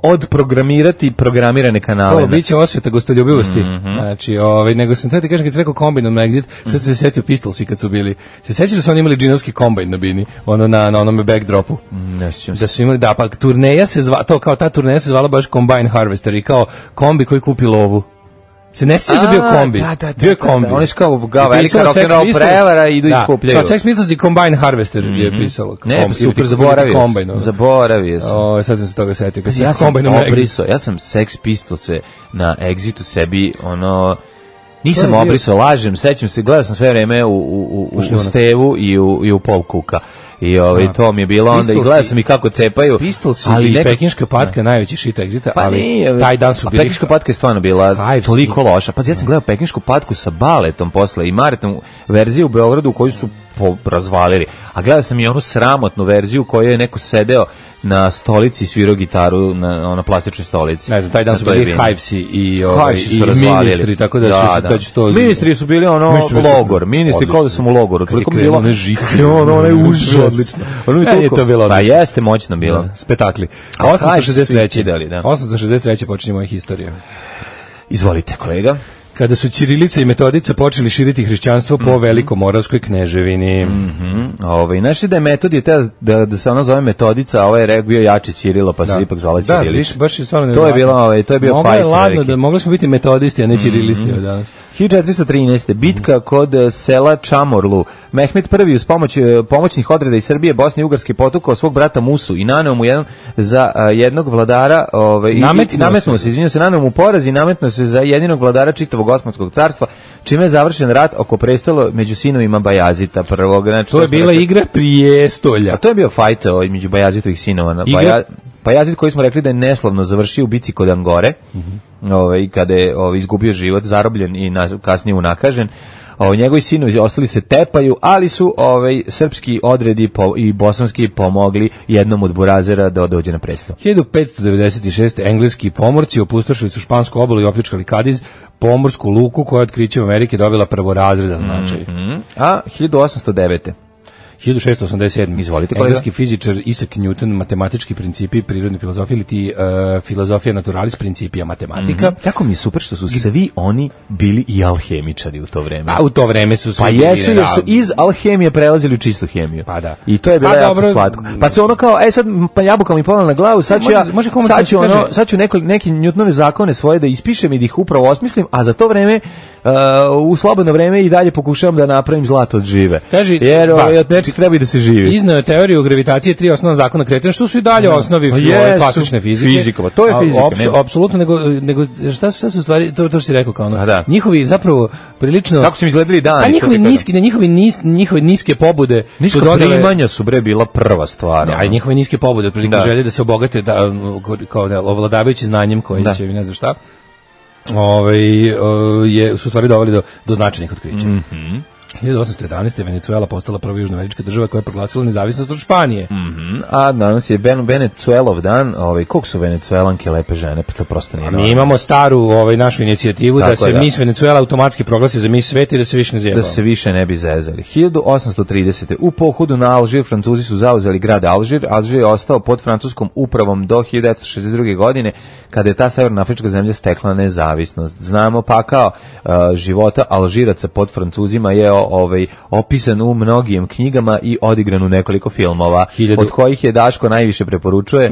F: odprogramirati programirane kanale.
E: To biće osveta gostoljubivosti. Znači, nego sam tada kažem kad se rekao kombajnom na Exit, sad se setio Pistolsi kad su bili. Se sećaš da su oni imali džinovski kombajn na bini, na onome backdropu? Da su imali, pa turneja se zvala, ta turneja se zvala baš Combine Harvester i kao kombi koji kupi lovu. Se ne sjećaš da bio kombi? Bio je kombi.
F: Oni su kao velika rock'n'roll prevara i idu iskupljaju.
E: Kao Sex Pistols i Combine Harvester je pisalo.
F: Ne, super, zaboravio sam.
E: Sad sam se toga setio.
F: Ja sam Sex Pistols na Exitu sebi, nisam obrisao, lažem, sećam se, gledao sam sve vreme u Stevu i u Pol Kuka. I to mi je bilo onda i gledao sam i kako cepaju.
E: Pistolsi i Pekinška patka najveći shit Exita, ali taj dan su bili...
F: Pekinška patka je stvarno bila toliko loša. Pa ja sam gledao Pekinšku patku sa baletom posle i Maretnom verziju u Beogradu koju su razvalili. A gledao sam i onu sramotnu verziju koju je neko sedeo na stolici i svirao gitaru na plastičnoj stolici.
E: Ne znam, taj dan su bili Hivesi i ministri, tako da će to...
F: Ministri su bili logor, ministri kao da sam u logoru.
E: Kad je krenuo one žice.
F: Ono je užas. Odlično.
E: Je to bilo odlično.
F: Pa jeste moćno bilo.
E: Spektakli. 863. počinje moja historija.
F: Izvolite, kolega.
E: Kada su ćirilica i metodica počeli širiti hrišćanstvo po Velikomoravskoj kneževini.
F: Našli da je Metodije da se ono zove Metodica, a ovaj je bio jače Ćirilo, pa se ipak zvala Ćirilica.
E: Da, baš je stvarno
F: to je bio fight.
E: Mogli smo biti metodisti, a ne ćirilisti od danas.
F: 1413. Bitka kod sela Čamorlu. Mehmet I uz pomoć pomoćnih odreda iz Srbije, Bosne i Ugarske potukao svog brata Musu i naneo mu za jednog vladara, naneo mu poraz i nametnuo se za jedinog vladara čitavog Osmanskog carstva, čime je završen rat oko prestolo među sinovima Bajazita prvog. Znači,
E: to je bila igra prijestolja.
F: A to je bio fajt među Bajazitovih sinova. Bajazit koji smo rekli da je neslavno završio u bici kod Angore, kada je izgubio život, zarobljen i kasnije unakažen. Njegovi sinovi ostali se tepaju, ali su srpski odredi i bosanski pomogli jednom od burazera da dođe na presto.
E: 1596. engleski pomorci opustošili su špansku obalu i opljačkali Kadiz, pomorsku luku koja je otkrićem Amerike dobila prvorazredan značaj.
F: A 1809.
E: 1687.
F: Izvolite, kolega.
E: Engleski fizičar Isaac Newton, matematički principi prirodne filozofije ili ti filozofija naturalis principija matematika.
F: Tako mi je super što su svi oni bili i alhemičari u to vreme.
E: A u to vreme su
F: svi bili. Pa jesu, jer su iz alhemije prelazili u čistu hemiju.
E: Pa da.
F: I to je bilo jako slatko. Pa se ono kao, sad pa jabuka mi pala na glavu, sad ću neke Newtonove zakone svoje da ispišem i da ih upravo osmislim, a za to vreme u slobodno vreme i dalje pokušavam da napravim zlato od žive. Jer od nečeg treba i da se živi.
E: Izneo je teoriju gravitacije, 3 osnovna zakona kretanja, što su i dalje osnovi klasične fizike.
F: Fizika, to je fizika.
E: Apsolutno, nego šta su stvari, to što si rekao kao ono. Njihovi zapravo prilično...
F: Kako su im izgledali dani?
E: A njihove niske pobude...
F: Niska primanja su prva stvar.
E: A njihove niske pobude, prilike želje da se obogate kao ovladavajući znanjem koji će, ne znam šta, su stvari doveli do značajnih otkrića. 1811. Venezuela postala prva južnoamerička država koja je proglasila nezavisnost od Španije.
F: A danas je Venezuelov dan, koliko su Venezuelanke lepe žene, pa to prosto nije.
E: Mi imamo staru našu inicijativu da se Miss Venezuela automatski proglasi za Miss sveta i da se više ne zjebamo.
F: Da se više ne bi zezali. 1830. U pohodu na Alžir Francuzi su zauzeli grad Alžir. Alžir je ostao pod francuskom upravom do 1962. godine, kada je ta severnoafrička zemlja stekla nezavisnost. Znamo pakao života Alžiraca pod Francuzima je opisan u mnogim knjigama i odigran u nekoliko filmova, od kojih je Daško najviše preporučuje.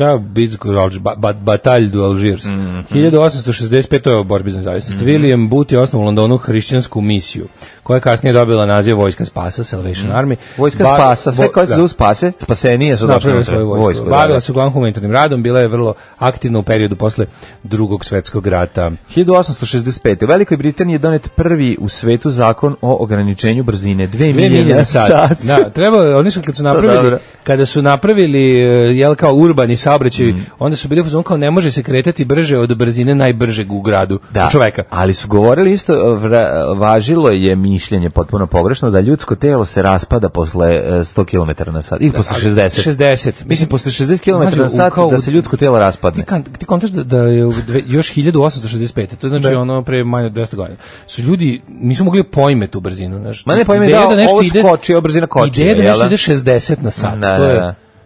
E: Batalj du Algiers. 1865. to je o borbi za nezavisnost. William Booth je osnovao u Londonu hrišćansku misiju, koja je kasnije dobila naziv Vojska spasa, Salvation Army.
F: Vojska spasa, sve koje se zovu spase, spasenije su
E: napravili svoju vojsku. Bavila se uglavnom humanitarnim radom, bila je vrlo aktivna u periodu posle Drugog svetskog rata.
F: 1865. U Velikoj Britaniji je donet prvi u svetu zakon o ograničenju brzine 2 milje na sat.
E: Da, treba, oni su kada su napravili kao urbani saobraćaj, onda su bili u fazonu kao ne može se kretati brže od brzine najbržeg u gradu čoveka.
F: Ali su govorili isto, važilo je mišljenje potpuno pogrešno da ljudsko telo se raspada posle 100 km na sat ili posle 60. Mislim, posle 60 km na sat da se ljudsko telo raspadne.
E: Ti kontaš da je još 1865. To znači pre manje od 200 godina. Su ljudi nisu mogli pojme tu brzinu.
F: Ma ne pojme da ovo skoči, ovo brzina koči.
E: Ideja da nešto ide 60 na sat.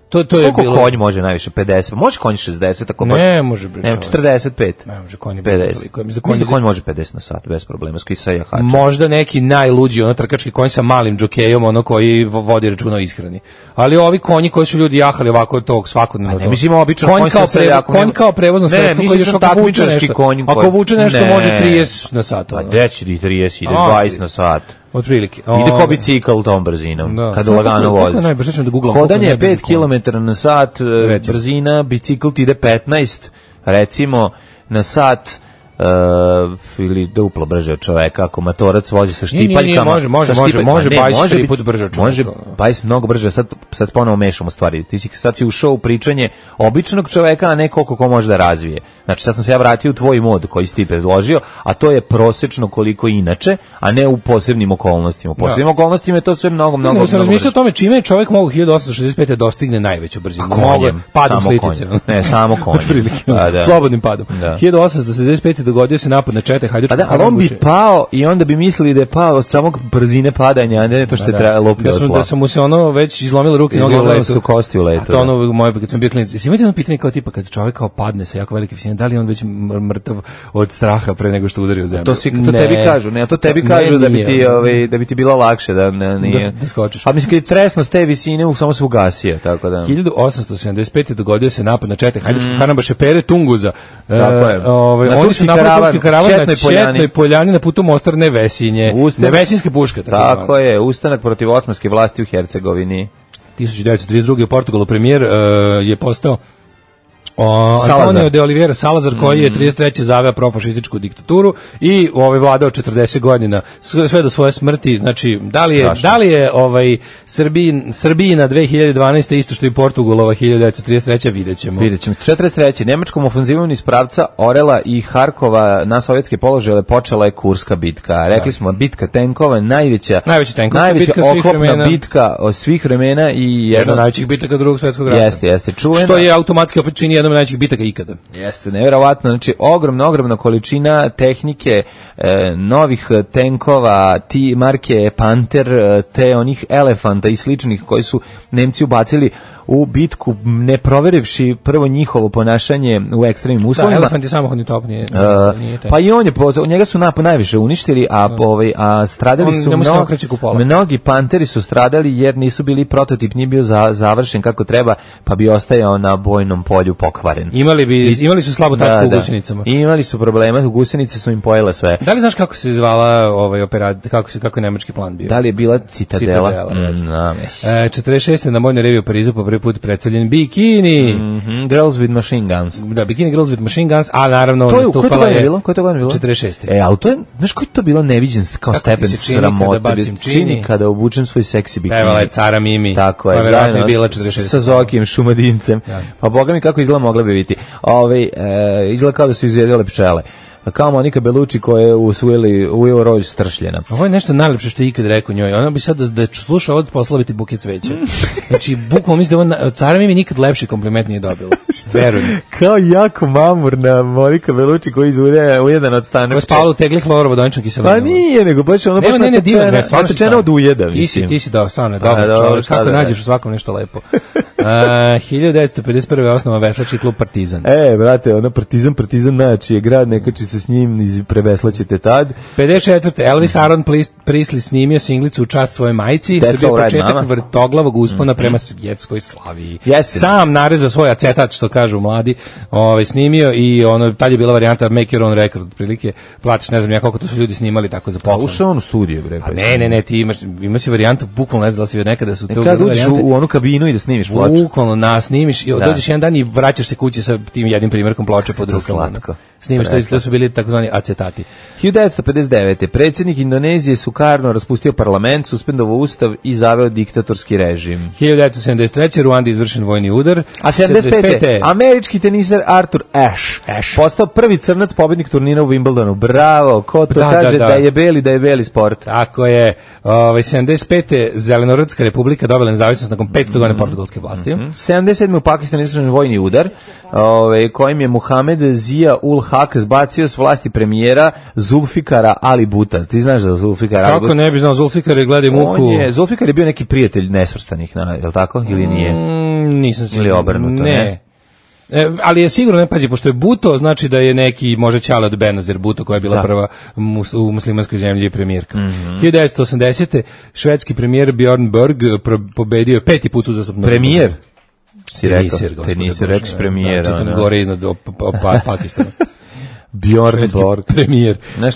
E: To je
F: koliko
E: bilo.
F: Konj može najviše 50. Može konj 60 ako baš.
E: Ne može bre.
F: 45.
E: Ne može konj
F: 50. Mislim da konj može 50 na sat bez problema, skisa jahača.
E: Možda neki najluđi trkački konj sa malim džokejom, koji vodi računa o ishrani. Ali ovi konji koji su ljudi jahali ovako tog svakodnevno.
F: Ne mislim običan konj
E: konj kao prevozno sredstvo koji još
F: takmičarski konj.
E: Ako vuče nešto može 30 na sat.
F: Pa deći 30 ide 20 na sat.
E: Otprilike.
F: Ide ko bicikl tom brzinom, kada lagano voziš. Hodanje je 5 km na sat, brzina, bicikl ti ide 15, recimo, na sat, ili duplo brže od čoveka, ako matorac vozi sa štipaljkama.
E: Može bajs 3 put brže od čoveka.
F: Može bajs mnogo brže, sad ponovo mešamo stvari. Sad si ušao u pričanje običnog čoveka, a ne koliko ko može da razvije. Znači sad sam se ja vratio u tvoj mod koji si ti predložio, a to je prosečno koliko inače, a ne u posebnim okolnostima. U posebnim okolnostima je to sve mnogo brže.
E: Ne, sam razmišljao o tome čime je čovek mogu 1865. dostigne najveću brzinu. Padom s litice.
F: Ne, samo konjem.
E: Slobodnim padom. 1875. dogodio se napad na čete Hajdučkog
F: Karambuše. Ali on bi pao i onda bi mislili da je pao od samog brzine padanja, a ne to što je trebalo lopio od tla.
E: Da su mu se već izlomile ruke i noge u letu.
F: Su kosti u letu.
E: A to moje, kad sam bio klinac. Jesi imate pitanje kao tipa, kad čovjek padne sa jako velike visine, da li on već mrtav od straha pre nego što udari u zemlju?
F: To tebi kažu, to tebi kažu da bi ti bilo lakše da skočiš. A mislim, kad je tresno s te visine, samo se ugasio, tako da.
E: 1875. dogodio se napad na čete Hajdučkog Karambuše Pere Tunguza.
F: Tako je.
E: Oni su napravili karavan na Četnoj poljani na putu Mostar Nevesinje. Nevesinske puške.
F: Tako je, ustanak protiv osmanske vlasti u Hercegovini.
E: 1932. u Portugalu premijer je postao Antonio de Oliveira Salazar, koji je 33. zaveo profašističku diktaturu i vladao 40 godina sve do svoje smrti. Znači, da li je Srbijina 2012. isto što i Portugalova 1933. Videćemo.
F: 43. Nemačkom ofenzivom iz pravca Orela i Harkova na sovjetske položaje počela je Kurska bitka. Rekli smo, bitka tenkova, najveća oklopna bitka od svih vremena i
E: jedna od najvećih bitaka Drugog svjetskog rata.
F: Jeste, čuvena.
E: Što je automatski opet čini jednom od najvećih bitaka ikada.
F: Jeste, nevjerovatno. Znači, ogromna količina tehnike, novih tenkova, marke Panter, te onih Elefanta i sličnih koji su Nemci ubacili u bitku, ne proverivši prvo njihovo ponašanje u ekstremnim uslovima.
E: Da, Elefant je samohodni top, nije
F: pa i njega su najviše uništili, a stradali su mnogi Panteri su stradali jer nisu bili prototip, nije bio završen kako treba, pa bi ostajao na bojnom polju pokvaren.
E: Imali su slabu tačku u gusenicama.
F: Imali su problema, u gusenice su im pojele sve.
E: Da li znaš kako se zvala operacija, kako je nemački plan bio?
F: Da li je bila Citadela?
E: 46. na Vojnoj reviji u Parizu po prvi put predstavljen bikini.
F: Girls with Machine Guns.
E: Da, Bikini Girls with Machine Guns, a naravno
F: nastupala je... Koje to godine bilo?
E: 46.
F: Ali to je, znaš koji to bilo neviđen kao stepen sramote? Čini kada obučem svoj seksi bikini.
E: Evo je Cara Mimi.
F: Tako je, zajedno sa Zokijem Šumadincem. Pa boga mi kako izgleda mogla bi biti. Izgleda kao da su izvedele pčele. kao Monika Bellucci koja je ujeo rolj stršljena.
E: Ovo je nešto najlepše što je ikad rekao njoj. Ona bi sad da sluša ovo poslala biti buket cveća. Znači, bukvalno mislim da cara mi nikad lepši kompliment nije dobila. Verujem.
F: Kao jako mamurna Monika Bellucci koja izuje ujedan od stanak.
E: Koja spala u tegli hlorovodoničnog kiselinom.
F: Pa nije, nego baš ono baš natečena od ujeda.
E: Ti si da, stvarno, dobar čovjek. Kako nađeš u svakom nešto lepo. 1951. osnova veslački klub Partizan.
F: Brate, ono Partizan znači je grad, nekači se s njim preveslaćete tad.
E: 54. Elvis Aaron Presley snimio singlicu u čast svoje majci, što je bio početak vrtoglavog uspona prema svjetskoj slaviji. Sam narezao svoj acetat, što kažu mladi, snimio i ono, tad je bila varijanta Make Your Own Record, otprilike, platiš, ne znam ja koliko to su ljudi snimali tako za poklon.
F: Ušao on u studiju, bre.
E: Ne, ti imaš varijantu, bukvalno ne znam da si nekada su te
F: kad uđeš u onu kabinu i da snimiš ploču.
E: Bukvalno snimiš i dođeš jedan dan i vraćaš se kući sa tim jednim primjerkom ploče pod rukama. Snimiš, to su bili takozvani acetati.
F: 1959. Predsjednik Indonezije Sukarno raspustio parlament, suspendovao ustav i zaveo diktatorski režim.
E: 1973. Ruandi izvršen vojni udar.
F: A 75. američki teniser Arthur Ashe postao prvi crnac pobednik turnira u Wimbledonu. Bravo, ko to kaže da je beli sport.
E: Tako je. 75. Zelenorodska republika dobila nezavisnost nakon 500 godina portugalske vlasti.
F: 77. u Pakistanu izvršen vojni udar, kojim je Muhamed Zia ul Haq zbacio s vlasti premijera Zulfikara Ali Bhuta. Ti znaš za Zulfikara?
E: Kako ne bi znao, Zulfikar je gledaj muku.
F: Zulfikar je bio neki prijatelj nesvrstanih, je li tako? Ili nije?
E: Nisam sigurno.
F: Ili obrnuto, ne?
E: Ali je sigurno, ne pazi, pošto je Bhutto, znači da je neki, može Ćale od Benazir Bhutto, koja je bila prva u muslimanskoj zemlji premijerka. 1980. švedski premijer Björn Borg pobedio 5. put uzastopno.
F: Premijer? Si rekao premijera.
E: Čitam gore iznad Pakistana.
F: Bjorn Borg.
E: Premijer.
F: Naš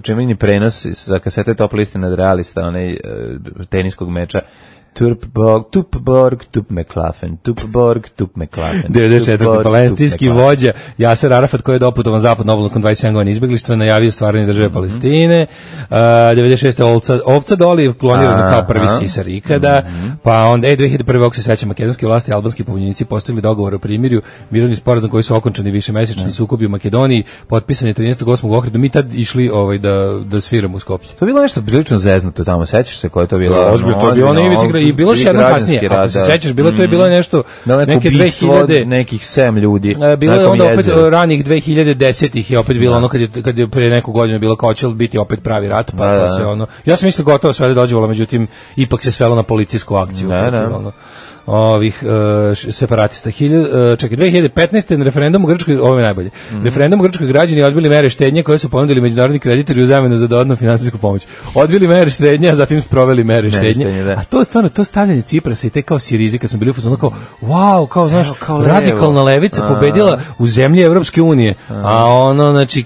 F: čuveni prenos sa kasete Top liste nad realista, onaj teniskog meča. Tupborg, Tup McLaughlin.
E: 94. palestinski vođa Jaser Arafat, koji je doputovan zapadno obalno nakon 27 godina izbeglištva, najavio stvaranje države Palestine. 96. Ovca Doli kloniran kao prvi sisar ikada. Pa onda 2001. ako se seća, makedonske vlasti i albanski pobunjenici postigli dogovor o primirju, mirovni sporazum koji su okončani višemesečni sukobi u Makedoniji, potpisan je 13.8. u Ohridu. Mi tad išli da sviramo u Skopje.
F: To je bilo nešto prilično zeznuto tamo, sećaš se koje to bilo?
E: Ozbiljno, to je bilo na ivici i bilo še jedno kasnije, ako se sećaš, bilo to je bilo nešto, neke 2000,
F: nekih 7 ljudi.
E: Bilo je onda opet ranih 2010-ih i opet bilo ono kad je pre neku godinu bilo kao će biti opet pravi rat, pa se ono, ja sam mislio gotovo sve da dođevalo, međutim, ipak se svelo na policijsku akciju. Ovih separatista. 2015. na referendumu u Grčkoj, ovo je najbolje. Referendum u Grčkoj građani odbili mere štednje koje su ponudili međunarodni kreditori u zamenu za dodatnu finansijsku pomoć. Odbili mere štednje, a zatim sproveli mere štednje. A to je stvarno to stavljanje Ciprasa i te kao Sirizi kad smo bili u fazonu kao wow, kao znaš, radikalna levica pobedila u zemlji Evropske unije. A ono znači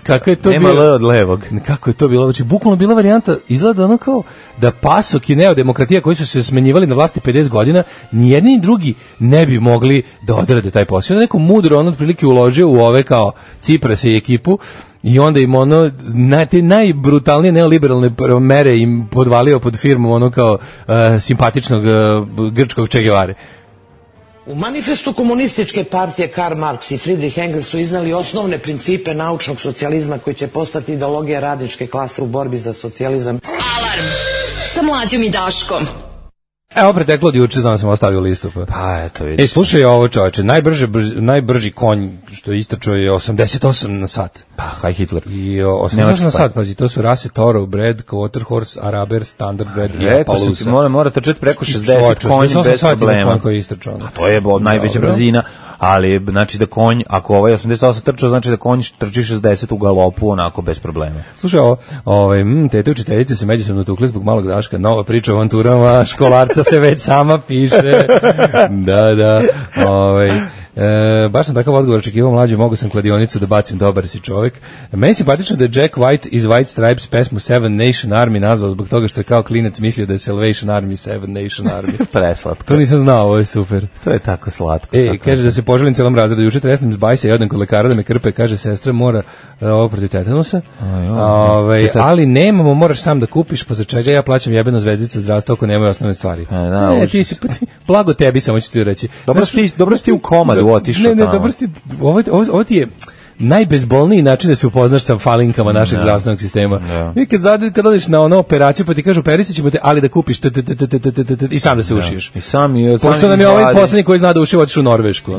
E: kako je to bilo?
F: Nema L od levog.
E: Kako je to bilo? Znači bukvalno bila varijanta, izgleda ono kao da PASOK i neodemokratija koji su se smenjivali na vlasti 50 godina, ni jedni ni drugi ne bi mogli da odrade taj posao. Neko mudro on otprilike uložio u ove kao Ciprasa i ekipu i onda im ono te najbrutalnije neoliberalne mere im podvalio pod firmom ono kao simpatičnog grčkog Che Guevare.
H: U manifestu komunističke partije Karl Marx i Friedrich Engels su iznali osnovne principe naučnog socijalizma koji će postati ideologija radničke klase u borbi za socijalizam.
C: Alarm sa Mlađom i Daškom.
E: Evo preteklo od juče, znam sam ostavio listu.
F: Pa eto vidiš.
E: Slušaj ovo čoveče, najbrži konj što je istračao je 88 na sat.
F: Pa, High Hitler.
E: I 88 na sat, pazi, to su rase Thoroughbred, Quarter Horse, Araber, Standardbred i Appaloosa.
F: Mora trčati preko 60 konj bez problema. To je najveća brzina, ali znači da konj, ako ovaj 88 trčao, znači da konj trči 60 u galopu, onako bez problema.
E: Slušaj ovo, tete učiteljice se međusobno tukle zbog malog Daška, nova priča o avanturama, školarca se već sama piše. Da. Baš sam takav odgovor očekivao mlađe, mogu sam kladionicu da bacim, dobar si čovjek. Meni je simpatično da je Jack White iz White Stripes pesmu Seven Nation Army nazvao zbog toga što je kao klinac mislio da je Salvation Army Seven Nation Army.
F: Preslatko.
E: To nisam znao, ovo je super.
F: To je tako slatko.
E: Kaže da se poželim celom razredu, juče tresnem s bajsa i odem kod lekara da me krpe, kaže sestra mora ovo protiv tetanusa. Ali nemamo, moraš sam da kupiš, pa za čega ja plaćam jebeno zvezdica zdravstva ako nemaju osnovne stvari. Ti si, blago tebi, samo ću ti reći.
F: Dobro si ti u komadu otišao.
E: Ne, dobro si ti, ovo ti je, najbezbolniji način da se upoznaš sa falinkama našeg zdravstvenog sistema. I kad odeš na ono operaciju pa ti kažu operisit ćemo te, ali da kupiš i sam da se ušiješ.
F: I sam
E: pošto nam je ovaj poslednji koji zna da ušiva otišao u Norvešku.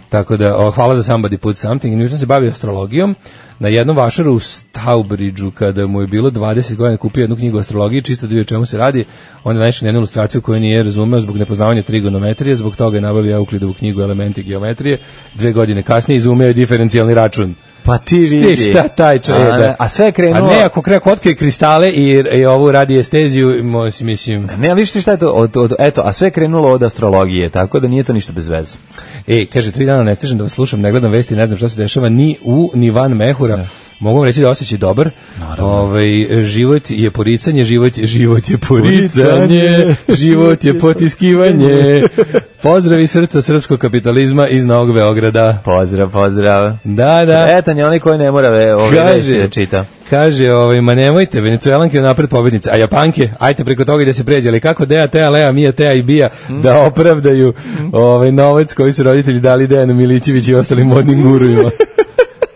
E: Tako da, hvala za Somebody Put Something. Newton se bavi astrologijom. Na jednom vašaru u Stourbridgeu, kada mu je bilo 20 godina, kupio jednu knjigu o astrologiji, čisto da vidi o čemu se radi. On je naišao na jednu ilustraciju koju nije razumeo zbog nepoznavanja trigonometrije, zbog toga je nabavio Euklidovu knjigu Elementi geometrije. 2 godine kasnije izumeo je diferencijalni račun.
F: Pa ti vidi.
E: Šta taj čovjek?
F: A sve je krenulo...
E: A ne, ako otkrije kristale i ovu radiesteziju, mislim...
F: Ne, ali šta je to? Eto, a sve je krenulo od astrologije, tako da nije to ništa bez veze.
E: Kaže, 3 dana ne stižem da vas slušam, ne gledam vesti, ne znam šta se dešava, ni ni van mehura. Mogu vam reći da osjećaj dobar. Život je poricanje, život je poricanje, život je potiskivanje. Pozdravi srca srpskog kapitalizma iz Novog Beograda.
F: Pozdrav.
E: Da.
F: Sretan je onaj koji ne mora vesti da čita.
E: Kaže, ma nemojte, Venecuelanke napred pobednice, a Japanke, ajte preko toga da se pređe, ali kako Dea, Tea, Lea, Mija, Tea i Bija da opravdaju novac koji su roditelji dali Dejanu Milićević i ostalim modnim gurujima.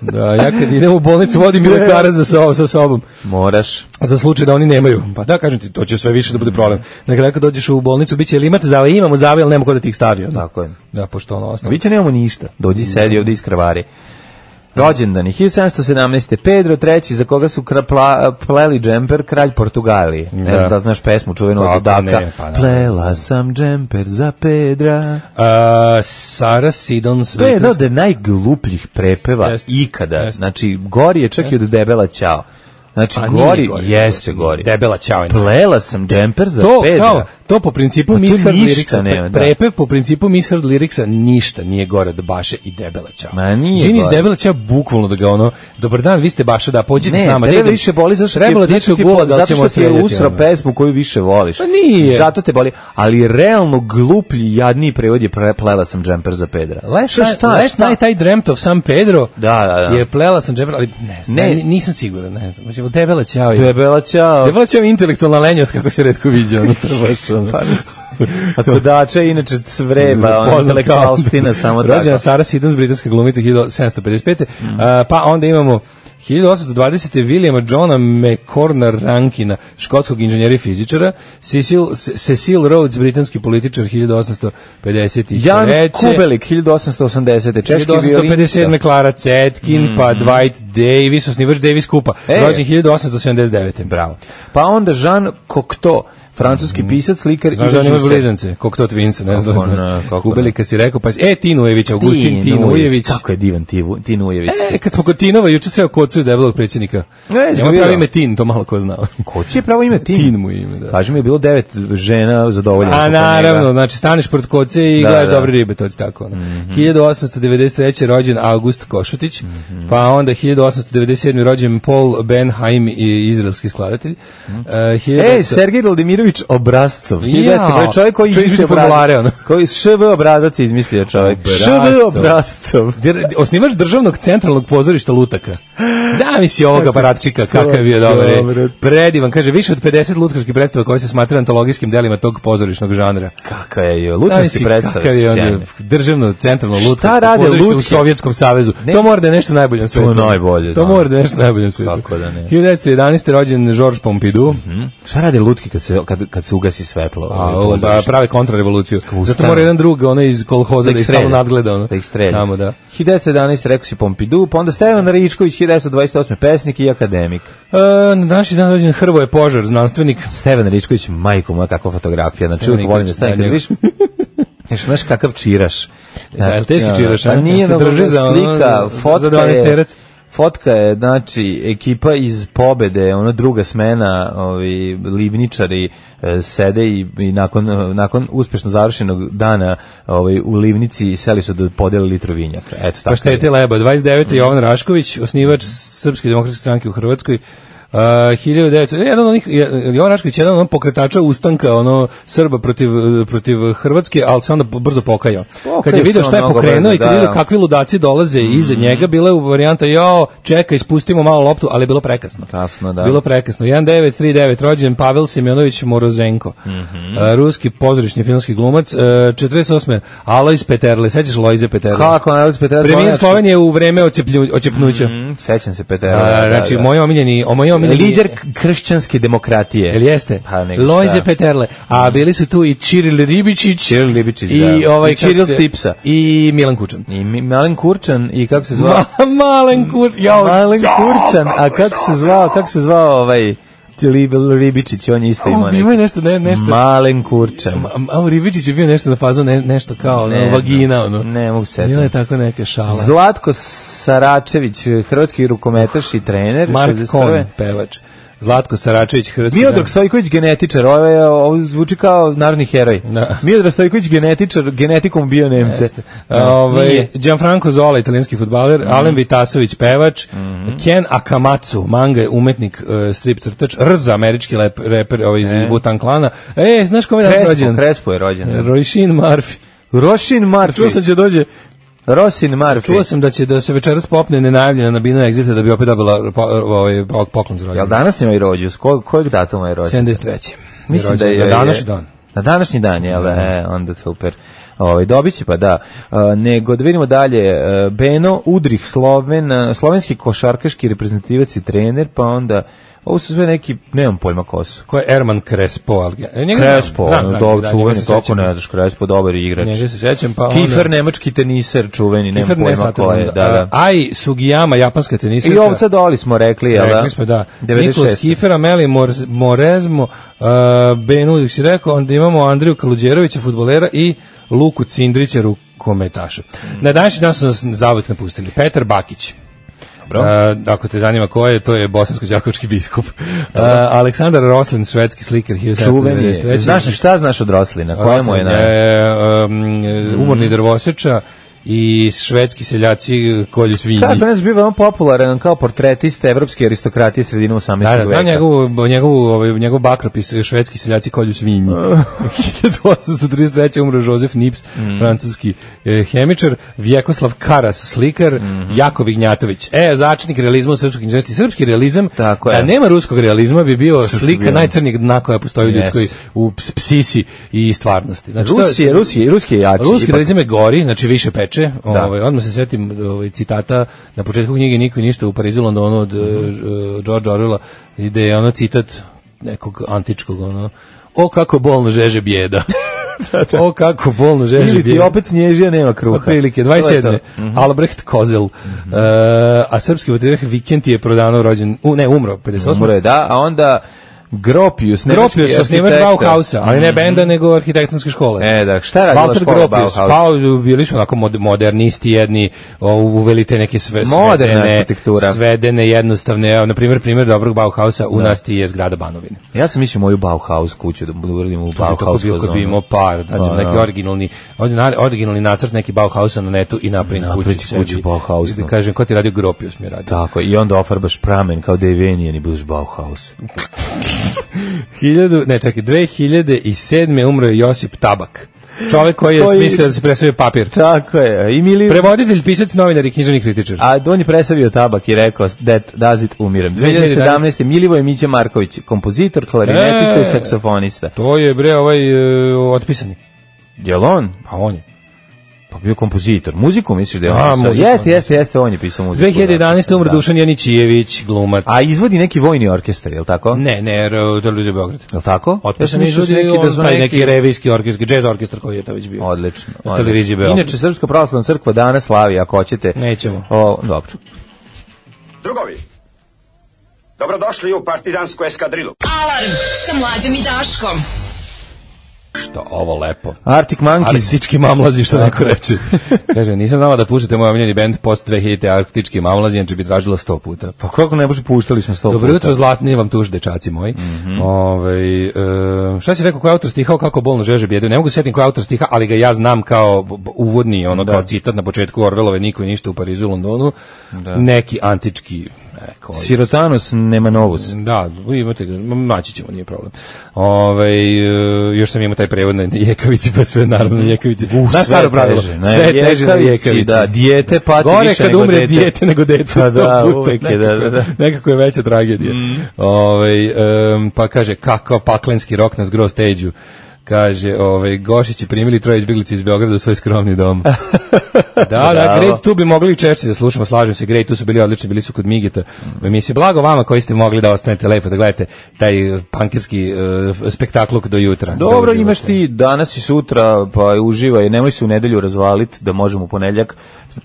E: Da, ja kad idem u bolnicu vodim i lekara sa sobom.
F: Moraš.
E: A za slučaj da oni nemaju. Pa da, kažem ti, to će sve više da bude problem. Nekada kad dođeš u bolnicu, biće ili imate zave, imamo zave, ali nema ko da ti ih stavio.
F: Tako je.
E: Da, pošto ono ostalo.
F: Biće nemamo ništa. Dođi sedi ovdje iz krvari. Rođendani 1717. Pedro III, za koga su pleli džemper, kralj Portugalije. Ne znam da znaš pesmu čuvenu od Daka. Plela sam džemper za Pedra.
E: Sara Sidons.
F: To je jedan od najglupljih prepeva ikada. Znači, gori je čak i od Debela Ćao. Znači, jeste gori.
E: Debela Ćao.
F: Plela sam džemper za Pedra.
E: To po principu Misheard Lyricsa, prepev po principu Misheard Lyricsa ništa nije gore od Baše i Debela Ćao.
F: Ma nije
E: Žini iz Debela Ćao bukvalno da ga dobar dan, vi ste Baša, da pođite s nama.
F: Ne, tebe više boli zato što ti je usro pesmu koju više voliš.
E: Pa nije.
F: Zato te boli, ali realno gluplji, jadniji prevod je plela sam džemper za Pedra.
E: Last night I dreamt of San Pedro je plela sam džemper, ali ne znam, nisam siguran, ne znam. Mislim, Debela Ćao je intelektualna lenjost, kako se retko viđa, ono trbaš.
F: A kodača inače cvreba, intelektualstina samo tako.
E: Rođena Sara Sidons, britanska glumica 1755. Pa onda imamo 1820. Williama Johna McCorna Rankina, škotskog inženjera i fizičara, Cecil Rhodes, britanski političar 1853.
F: Jan Kubelik 1880. Češki violinista.
E: 1857. Clara Zetkin, pa Dwight Davis, osnivač Davis Kupa, rođen 1879.
F: Bravo. Pa onda Jean Cocteau, francuski pisac, slikar i režiser.
E: Znaš da blizance, Cocteau Twins, ne znam. Kubelika si rekao, pa Tinujević, Augustin Tinujević.
F: Kako je divan Tinujević.
E: Kad smo kod Tinova, juče sve o Kocu iz debelog predsjednika. Nema pravo ime Tin, to malo ko znao.
F: Koci je pravo ime Tin?
E: Tin mu ime, da.
F: Kaži mi je bilo 9 žena zadovoljeno.
E: A naravno, znači staneš pred Koce i gledaš dobre ribe, to ti tako. 1893. rođen August Košutić, pa onda 1897. rođen Paul Benheim, izraelski skladatelj.
F: Sergej Vladimirović Obrazcov. Čovjek koji izmislio formulare, koji ŠV obrazac izmislio čovjek. ŠV Obrazcov.
E: Osnivač državnog centralnog pozorišta Lutaka. Zamisli ovog aparatčika, kakav je bio dobar. Predivan, kaže, više od 50 lutkarskih predstava koje se smatraju antologijskim delima tog pozorišnog žanra.
F: Kakav je lutkarski predstava?
E: Kakav je on državno centralno lutkarsko pozorište u Sovjetskom savezu. To mora da je nešto najbolje na svijetu.
F: To
E: mora da je nešto najbolje na svijetu. 1911. rođen Georges Pompidou.
F: Šta rade lutki kad se ugasi svetlo?
E: Prave kontrarevoluciju. Zato mora jedan drug, onaj iz kolhoza da ih stalno nadgleda.
F: Da ih strelja. 1911. rekao si Pompidou, pa onda Stevan Ričković, 1928. pesnik i akademik.
E: Na današnji dan rođen Hrvoje Požar, znanstvenik.
F: Stevan Ričković, majko moja, kakva fotografija. Znači, uvijek volim da stavim, kad viš, znaš kakav čiraš.
E: Da, teški čiraš, a?
F: Pa nije slika, fotka je, znači, ekipa iz Pobede, ono druga smena, livničari sede i nakon uspešno završenog dana u livnici seli su da podele litru vinjaka. Eto, tako.
E: Pa štete leba. 29. Jovan Rašković, osnivač Srpske demokratske stranke u Hrvatskoj, 1900, jedan od onih, Jovan Rašković, jedan od onih pokretača ustanka, Srba protiv Hrvatske, ali se onda brzo pokajao. Kad je vidio šta je pokrenuo i kad je vidio kakvi ludaci dolaze iza njega, bila je varijanta, čekaj, spustimo malo loptu, ali je bilo prekasno.
F: Kasno, da.
E: Bilo prekasno. 1939, rođen Pavel Semjonović Morozenko, ruski pozorišni filmski glumac, 48. Alojz Peterle, sećaš Lojze Peterle?
F: Kako, Alojz Peterle?
E: Premijer Slovenije u vreme oćepnuća.
F: Sećam se Peterle.
E: Znači, moj omiljeni
F: lider kršćanske demokratije.
E: Jel jeste? Lojze Peterle. A bili su tu i Čiril Ribičić. I ovaj
F: Čiril Stipsa.
E: I Milan Kučan.
F: I Malen Kurčan i kako se zvao?
E: Malen
F: Kurčan. A kako se zvao ovaj Ribičić, on je isto imao
E: nešto.
F: Malen Kurčan.
E: Ribičić je bio nešto na fazu, nešto kao vagina.
F: Ne mogu setiti.
E: Bila je tako neke šale.
F: Zlatko Saračević, hrvatski rukometaš i trener.
E: Mark Kohn, pevač. Zlatko Saračević, hrvatski.
F: Miodrag Stojković, genetičar, ovo zvuči kao narodni heroj. Miodrag Stojković, genetičar, genetikom bio Nemce.
E: Gianfranco Zola, italijanski fudbaler, Alen Vitasović, pevač, Ken Akamatsu, manga, umetnik, strip crtač, Rza, američki reper iz Wu-Tang klana. Znaš kome je rođen?
F: Krespo je rođen.
E: Roisin Murphy. Čuo sam će dođe
F: Roisin Murphy.
E: Čuo sam da se večeras popne nenajavljena na Binu Exita da bi opet dobila poklon za rođendan.
F: Jel danas ima i rođus? Kojeg datuma je rođendan?
E: 73.
F: Mislim da je današnji dan. Na današnji dan, jel? Onda super. Dobit će pa da. Nego da vidimo dalje. Beno Udrih, slovenski košarkaški reprezentativac i trener, pa onda ovo su sve neki, nemam pojma ko su.
E: Ko je Erman Crespo?
F: Crespo, dobro, čuveni, kako ne znaš, Crespo, dobar igrač.
E: Njega se sećam, pa
F: Kiefer, nemački teniser, čuveni, nemam pojma ko je.
E: Ai Sugiyama, japanska teniserka.
F: I Ovca Doli smo rekli, jel da?
E: Rekli smo, da. Nikolas Kiefer, Ameli Morezmo, Ben Udrih si rekao, onda imamo Andriju Kaluđerovića, fudbalera i Luku Cindrića, rukometaša. Na današnji dan su nas zavijek napustili. Petar Bakić. Ako te zanima ko je, to je bosansko-đakovački biskup. Aleksandar Roslin, švedski slikar, 1793.
F: Šta znaš od Roslina? Koja mu je
E: umorni drvoseča i švedski seljaci kolju svinji.
F: Kako nas bio veoma popularan kao portretista evropske aristokratije sredine 18. veka.
E: Da, znam njegov bakropis švedski seljaci kolju svinji. 1833. umro Josef Nips, francuski hemičar, Vjekoslav Karas, slikar, Jakov Ignjatović. Začetnik realizma u srpskoj književnosti. Srpski realizam, da nema ruskog realizma, bi bio slika najcrnijeg dna koja postoji u ljudskoj, u psisi i stvarnosti.
F: Ruski je jači.
E: Ruski realizam je gori, znači više peče. Odmah se setim citata na početku knjige Niko i ništa u Parizu, Londonu od George Orwella, gde je citat nekog antičkog, o kako bolno žeže bijeda. O kako bolno žeže bijeda.
F: Ili ti opet snježija, nema kruha.
E: Prilike, 27. Albrecht Kozel. A srpski vatrijarh Vikent je prodano rođen, umro, 58.
F: Umro je, da, a onda Gropius,
E: osnivač Bauhausa, ali ne benda, nego arhitektonske škole.
F: Da, šta je radila škola Bauhaus?
E: Pa, bili su onako modernisti jedni, uveli te neke svedene, jednostavne, na primjer dobrog Bauhausa u nas ti je zgrada Banovine.
F: Ja sam mislio moju Bauhaus kuću da uradimo u Bauhaus
E: fazonu. Kad bi imao par, neki originalni nacrt neki Bauhausa na netu i napravim kuću
F: Bauhausnu.
E: Kažem, ko ti radio Gropius mi je radio.
F: Tako, i onda ofarbaš pramen kao Devenijan i budeš Bauhaus.
E: 2007. umro je Josip Tabak. Čovjek koji je smislio da se presavio papir.
F: Tako je.
E: Prevoditelj, pisac, novinar i književni kritičar.
F: A on je presavio tabak i rekao that does it, umirem. 2017. Milivoje Mića Marković, kompozitor, klarinetista i saksofonista.
E: To je otpisani.
F: Jel on?
E: Pa on je.
F: Pa bio kompozitor. Muziku misliš da je on pisao? Jeste, on je pisao muziku.
E: 2011. umro Dušan Janićijević, glumac.
F: A izvodi neki vojni orkestar, je li tako?
E: Ne, Televizija Beograd.
F: Je li tako?
E: Otpisan izvodi neki revijski orkestar, džez orkestar koji je to već bio.
F: Odlično.
E: Televizija Beograd.
F: Inače, Srpska pravoslavna crkva danas slavi, ako hoćete.
E: Nećemo.
F: Dobro.
I: Drugovi, dobrodošli u partizansku eskadrilu.
C: Alarm sa Mlađom i Daškom.
E: Što ovo lepo.
F: Arctic Monkeys.
E: Arktički mamlazi, što neko reče. Kaže, nisam znala da puštate moj omiljeni band post 2000 Arktički mamlazi, znači bi tražila 100 puta.
F: Pa kako ne bože, puštali smo 100 puta.
E: Dobro jutro, zlatni vam tuž, dečaci moji. Šta si rekao, ko je autor stiha, kako bolno žeže bijedu? Ne mogu setim ko je autor stiha, ali ga ja znam kao uvodni, kao citat na početku Orwellove, Niko i ništa u Parizu i Londonu. Neki antički
F: Sirotanus Nemanovus.
E: Da, imate ga, naći ćemo, nije problem. Još sam imao taj prevod na jekavici, pa sve naravno na jekavici. Da, staro pravilo, sve teže na jekavici.
F: Da, dijete pati
E: gore
F: više
E: kad
F: nego
E: umre
F: dete.
E: dijete nego dete.
F: Pa da, uvek je, da.
E: Nekako je veća tragedija. Pa kaže, kakav paklenski rok na zgro stage-u. Kaže, Gošić je primili 3 izbjeglice iz Beograda u svoj skromni dom. Da, Great, tu bi mogli i Čerci da slušamo, slažem se, Great, tu su bili odlični, bili su kod Migeta. Mi se blago vama koji ste mogli da ostanete lepo, da gledate taj pankerski spektakluk do jutra.
F: Dobro, imaš ti danas i sutra, pa uživaj, nemoj se u nedelju razvaliti, da možemo u ponedjeljak,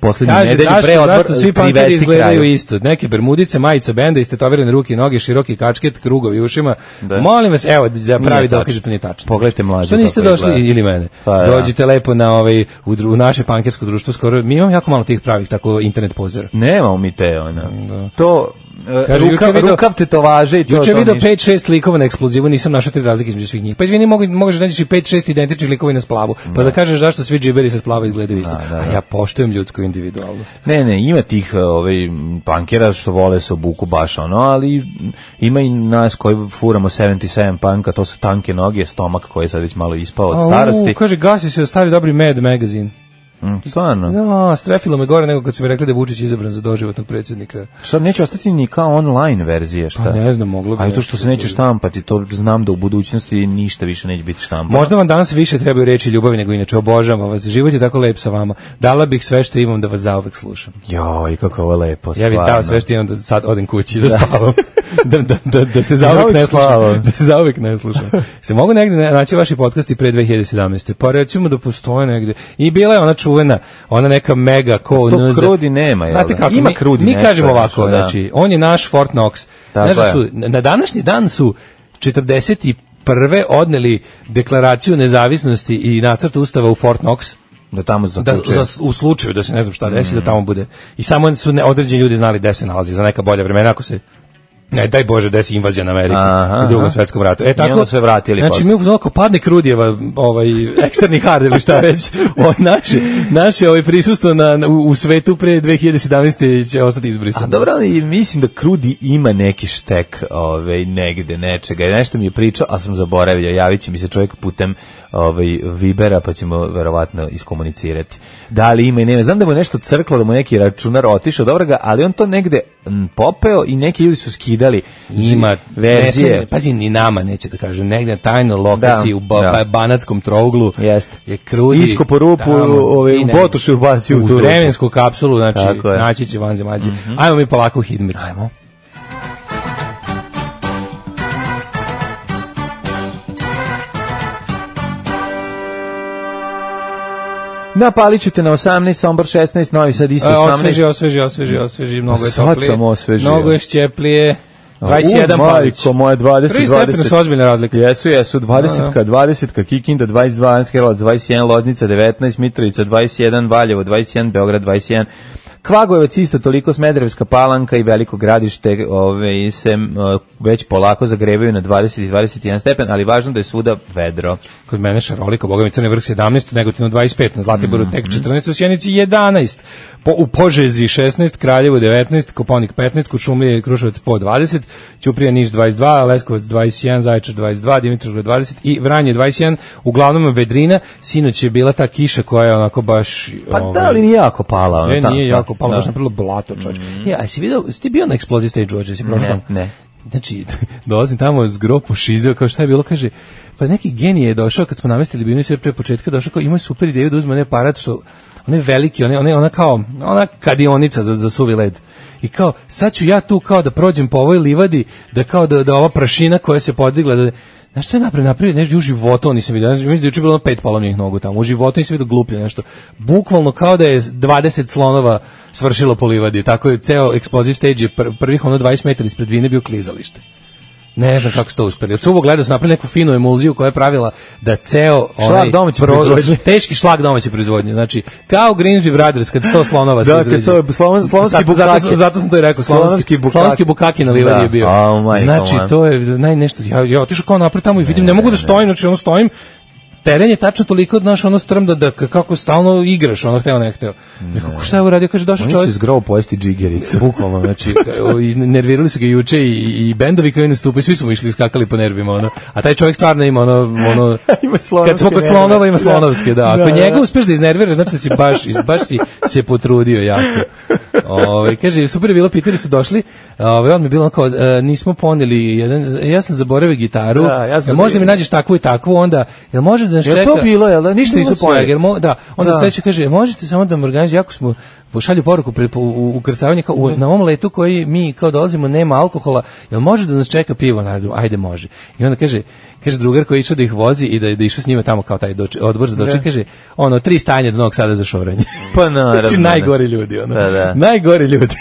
F: poslednju nedelju pre odmor
E: zašto svi pankeri
F: privesti
E: izgledaju
F: kraju.
E: Isto? Neke bermudice, majica benda, istetovirane ruke i noge, široki kačket, krugovi u ušima. Da. Molim vas, evo, da pravi dokaz da to nije tačno.
F: Pogledajte mlađe.
E: Što niste došli ili mene?
F: Pa,
E: dođite lepo na u naše pankersko društvo, skoro mi imamo jako malo tih pravih tako internet pozora.
F: Nemamo mi te to
E: kaže,
F: rukav tetovaže i to.
E: Juče video 5-6 likova na eksplozivu, nisam našao 3 razlike između svih njih. Pa izvini, možeš naći 5-6 identičnih likova na splavu, pa da kažeš zašto svi džiberi sa splava izgledaju isto. A ja poštujem ljudsku individualnost.
F: Ne, ima tih pankera što vole se obuku baš ali ima i nas koji furamo 77 panka, to su tanke noge, stomak koji je sad već malo ispao od starosti.
E: Kaže, gasi se stari dobri Mad magazine.
F: Stvarno?
E: No, strefilo me gore nego kad su mi rekli da je Vučić izabran za doživotnog predsjednika.
F: Šta, neće ostati ni kao online verzije, šta?
E: Pa ne znam, moglo bi.
F: A to što se neće štampati, to znam da u budućnosti ništa više neće biti štampano.
E: Možda vam danas više trebaju reći ljubavi nego inače, obožavam vas, život je tako lep sa vama. Dala bih sve što imam da vas zauvek slušam.
F: Joj, kako je ovo lepo, stvarno.
E: Ja bih dao sve što imam da sad odem kući i da spavam. da se zauvek ne slušam. Da se zauvek ne slušam. Se mogu negde naći vaši podcasti pre 2017. Pa recimo da postoje negde. I bila je ona čuvena, ona neka mega ko
F: to krudi nema,
E: znate kako,
F: ima krudi
E: mi kažemo ovako, znači, on je naš Fort Knox. Znači su, na današnji dan su 41. odneli deklaraciju nezavisnosti i nacrt ustava u Fort Knox.
F: Da tamo
E: u slučaju da se ne znam šta desi, da tamo bude. I samo su određeni ljudi znali gde se nalazi za neka bolja vremena, ako se ne, daj Bože, desi invazija na Ameriku u Drugom svetskom ratu. Tako
F: sve vratili.
E: Znači, mi uzmano padne Krudijeva, eksterni hard ili šta već, naše prisustvo u svetu pre 2017. će ostati izbrisano.
F: A dobro, ali mislim da Krudi ima neki štek negde, nečega. Nešto mi je pričao, a sam zaboravio, javit će mi se čovjek putem Vibera, pa ćemo verovatno iskomunicirati. Da li ima i nema. Znam da mu je nešto crklo, da mu neki računar otišao, dobro ga, ali on to negde popeo i neki ljudi su skidali
E: ima
F: verzije.
E: Pazi, ni nama neće da kaže, negde na tajnoj lokaciji u Banatskom trouglu je Krudi.
F: Iskopo rupu, u Botoši ubacio u tu
E: vremensku kapsulu, znači naći će vanzemaljci. Ajmo mi polako u Hidmir.
F: Ajmo. Na Paliću na 18, Sombor 16, Novi Sad isto 18.
E: Osveži, mnogo je
F: toplije. Sad sam osvežio.
E: Mnogo je šćeplije. 21 Palić.
F: Moje 20.
E: 3 stepena su ozbiljne razlike.
F: Jesu, 20, Kikinda 22, Anskelac 21, Loznica 19, Mitrovica 21, Valjevo 21, Beograd 21, Kvagojevac isto toliko, Smederevska Palanka i Veliko Gradište se već polako zagrevaju na 20 i 21 stepen, ali važno da je svuda vedro.
E: Kod mene šaroliko, Boga mi, Crni Vrh 17, Negotivno 25, na Zlatiboru tek 14, u Sjenici 11, u Požezi 16, Kraljevo 19, Kopaonik 15, Kuršumlija i Kruševac po 20, Ćuprija Niš 22, Leskovac 21, Zaječar 22, Dimitrovgrad 20 i Vranje 21, uglavnom vedrina. Sinoć je bila ta kiša koja je onako baš...
F: Pa da li nije jako pala?
E: Nije jako palo, baš napravilo blato, čovječ. A si ti bio na Explosive Stage uoče, si prošao?
F: Ne.
E: Znači, dolazim tamo s gropo šizeo, kao šta je bilo, kaže, pa neki genije je došao, kad smo namestili binu sve pre početka, došao kao, imao super ideju da uzme onaj aparat, što, onaj veliki, ona kadionica za suvi led. I kao, sad ću ja tu kao da prođem po ovoj livadi, da kao da ova prašina koja se podigla, da... Znaš što je napravio nešto, u životu nisam vidio, mislim da je juče bilo 5 polovnih nogu tamo, u životu nisam vidio gluplje nešto, bukvalno kao da je 20 slonova svršilo po livadi, tako je ceo Explosive Stage, prvih 20 metara ispred vine bio klizalište. Ne znam kako su to uspeli. Od suvog gledao su napravili neku finu emulziju koja je pravila da ceo
F: šlag domaće proizvodnje,
E: teški šlag domaće proizvodnje. Znači, kao Grimsby Brothers kad 100 slonova se izrađe.
F: Slovenski bukaki.
E: Zato sam to i rekao, slovenski bukaki na livadi je bio. Znači, to je nešto, ja otišao kao napred tamo i vidim, ne mogu da stojim, znači stojim, teren je tačno toliko naš ono strm da kako stalno igraš, ono hteo ne hteo. Rekao, šta je uradio? Kaže, došao čovjek.
F: On će zgrovo pojesti džigericu.
E: Bukvalno, znači, nervirali su ga juče i bendovi koji nastupaju, svi su mu išli skakali po nervima, ono. A taj čovjek stvarno ima ono kad smo kod slonova, ima slonovske, da. Ako njega uspeš da iznerviraš, znači da si baš si se potrudio jako. Kaže, super je bilo, pitali su došli, on mi je bilo kao, nismo poneli ja sam zaboravio gitaru, možda mi nađeš takvu i takvu, onda, jel može da nas čeka?
F: Je to bilo, jel da? Ništa nisu poneli.
E: Da, onda sledeće kaže, možete samo da me organizujete, jako smo pošalju poruku u ukrcavanje, kao, na ovom letu koji mi kao dolazimo nema alkohola, jel može da nas čeka pivo? Ajde, može. I onda kaže drugar koji išao da ih vozi i da išao s njima tamo kao taj odbor za doček, kaže, 3 stanja do Novog Sada za šoranje.
F: Pa naravno.
E: Znači, najgori ljudi, najgori ljudi.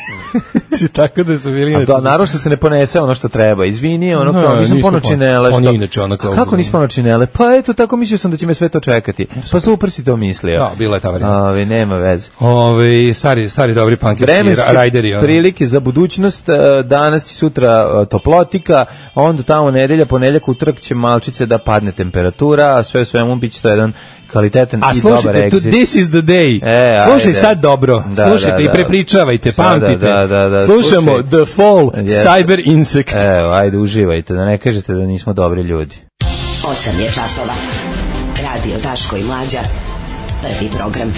E: Znači, tako da su bili...
F: A naravno što se ne ponese ono što treba. Izvini, kao, nisam ponočinele.
E: On je inače ono kao...
F: Kako nisam ponočinele? Pa eto, tako mislio sam da će me sve to čekati. Pa super si to mislio.
E: Da, bila je ta varijanta.
F: Nema veze.
E: Stari dobri pankerski rajderi.
F: Prilike za budućnost, danas i sutra toplotika, onda tamo nedelja, ponedjeljak, utorak će malčice da padne temperatura, a sve u svemu biće to jedan kvalitetan i dobar exit.
E: This is the day. Slušaj sad dobro. Slušajte i prepričavajte, pamtite. Slušamo The Fall, Cyber Insect.
F: Evo, ajde, uživajte, da ne kažete da nismo dobri ljudi.
C: 8 je časova. Radio Daško i Mlađa. Prvi program.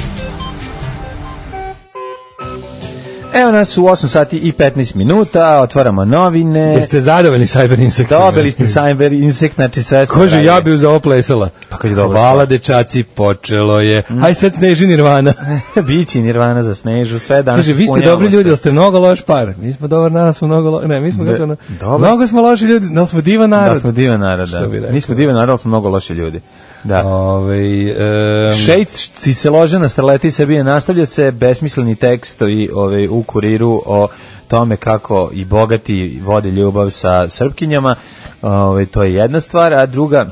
F: Evo nas u 8 sati i 15 minuta, otvaramo novine.
E: Jeste zadovoljni Cyber Insect?
F: Dobili ste Cyber Insect, znači sve smo...
E: Kože, ja bi uz ovo plesala.
F: Pa kad je dobro.
E: Hvala dečaci, počelo je. Aj sad Sneži Nirvana.
F: Bići Nirvana za Snežu, sve danas.
E: Kaže, vi ste dobri ljudi, ali ste mnogo loš par. Mi smo dobar narod, smo mnogo loš... Ne, mi smo kako... Mnogo smo loši ljudi, ali smo divan narod.
F: Da, smo divan narod, da. Mi smo divan narod, ali smo mnogo loši ljudi. Da. Šejci se lože na starleti Srbije, nastavlja se besmisleni tekstovi u Kuriru o tome kako i bogati vode ljubav sa Srpkinjama, to je jedna stvar, a druga,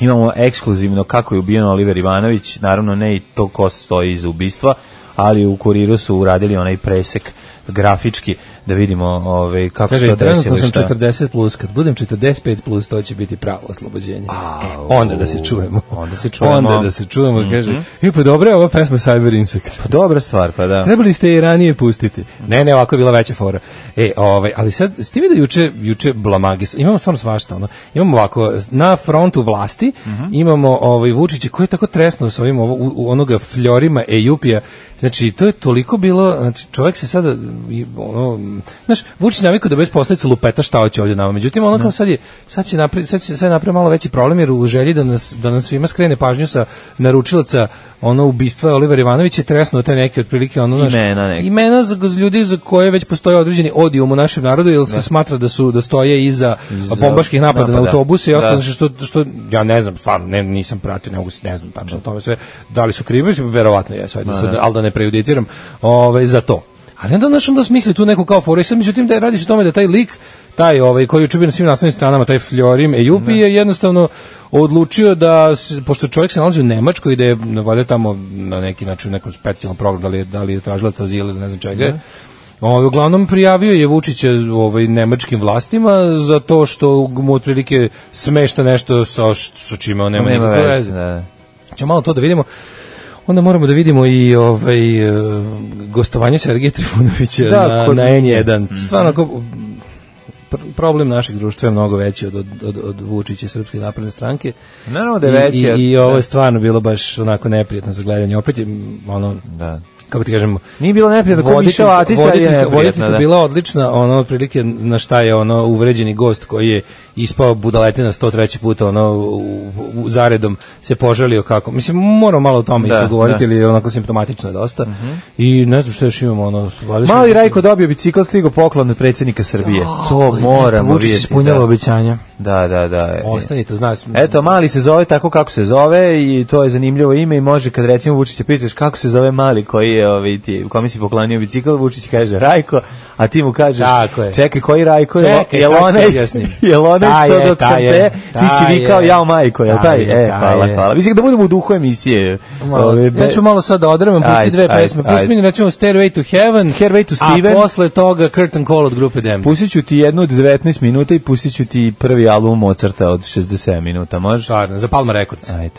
F: imamo ekskluzivno kako je ubijen Oliver Ivanović, naravno ne i to ko stoji iza ubistva, ali u Kuriru su uradili onaj presek grafički da vidimo kako se to desilo.
E: Trenutno sam 40 plus, kad budem 45 plus, to će biti pravo oslobođenje. Onda da se čujemo. Onda da se čujemo, kaže, pa dobro je ova pesma Cyber Insect.
F: Pa dobra stvar, pa da.
E: Trebali ste je ranije pustiti. Ne, ovako je bila veća fora. Ali sad, ste vidio juče blamagis, imamo stvarno svašta, imamo ovako, na frontu vlasti, imamo Vučića koji je tako tresno s ovim onoga fljorima Ejupija. Znači, to je toliko bilo, znači, čovjek se sada, znaš, Vučić navikao da bez posljedica lupeta šta hoće ovdje nama. Međutim, ono kao sad će napraviti malo veći problem, jer u želji da nas svima skrene pažnju sa naručilaca ubistva Oliver Ivanović je tresnuo te neke otprilike imena za ljudi za koje već postoje određeni odijum u našem narodu, jer se smatra da stoje iza bombaških napada na autobuse i ostalo što ja ne znam, stvarno nisam pratio, ne znam tačno o tome sve, da li su krivi, verovatno jesu, ali da ne prejudiciram za to. Ali onda smisli tu neku kao foru i sad, međutim, da radi se o tome da taj lik, taj koji je učubio na svim naslovnim stranama, taj Fljorim Ejupi je jednostavno odlučio da, pošto čovjek se nalazi u Nemačkoj, da je valjda tamo na neki način u nekom specijalnom programu, da li je tražilac azila ili ne znam čega, uglavnom prijavio je Vučića nemačkim vlastima za to što mu otprilike smešta nešto sa čime on nema nikakve veze. Ćemo malo to da vidimo. Onda moramo da vidimo i gostovanje Sergeja Trifunovića na N1. Stvarno, problem našeg društva je mnogo veći od Vučića i Srpske napredne stranke.
F: Naravno da je veći.
E: I ovo je stvarno bilo baš onako neprijatno za gledanje. Opet je kako ti kažemo,
F: nije bilo neprijatno, ko Mišel Acić je neprijatno.
E: Voditeljka bila odlična, otprilike na šta je uvređeni gost koji je ispao budaletina 103. puta zaredom se požalio kako. Mislim, moramo malo o tome isto govoriti, ili je onako simptomatično je dosta. I ne znam što još imamo.
F: Mali Rajko dobio bicikl, stigo poklon od predsjednika Srbije. To moramo vidjeti.
E: Vučić ispunjava obećanja.
F: Da.
E: Ostanite, znaš.
F: Eto, Mali se zove tako kako se zove i to je zanimljivo ime i može kad recimo Vučića pitaš kako se zove Mali koji je kome si poklonio bicikl, Vučić kaže Rajko, a ti mu kažeš čekaj, koji Rajko je? Jel onaj što dok sam te, ti si vikao jao majko, jel taj? Hvala. Mislim da budemo u duhu emisije.
E: Ja ću malo sad da odremam, pusti dve pesme. Pusti mi recimo Stairway to Heaven, a posle toga Curtain Call od grupe Dem.
F: Pustit ću ti jednu od 19 minuta i pustit ću ti prvi album Mozarta od 67 minuta, može?
E: Stvarno, za Palma Records.
F: Ajde.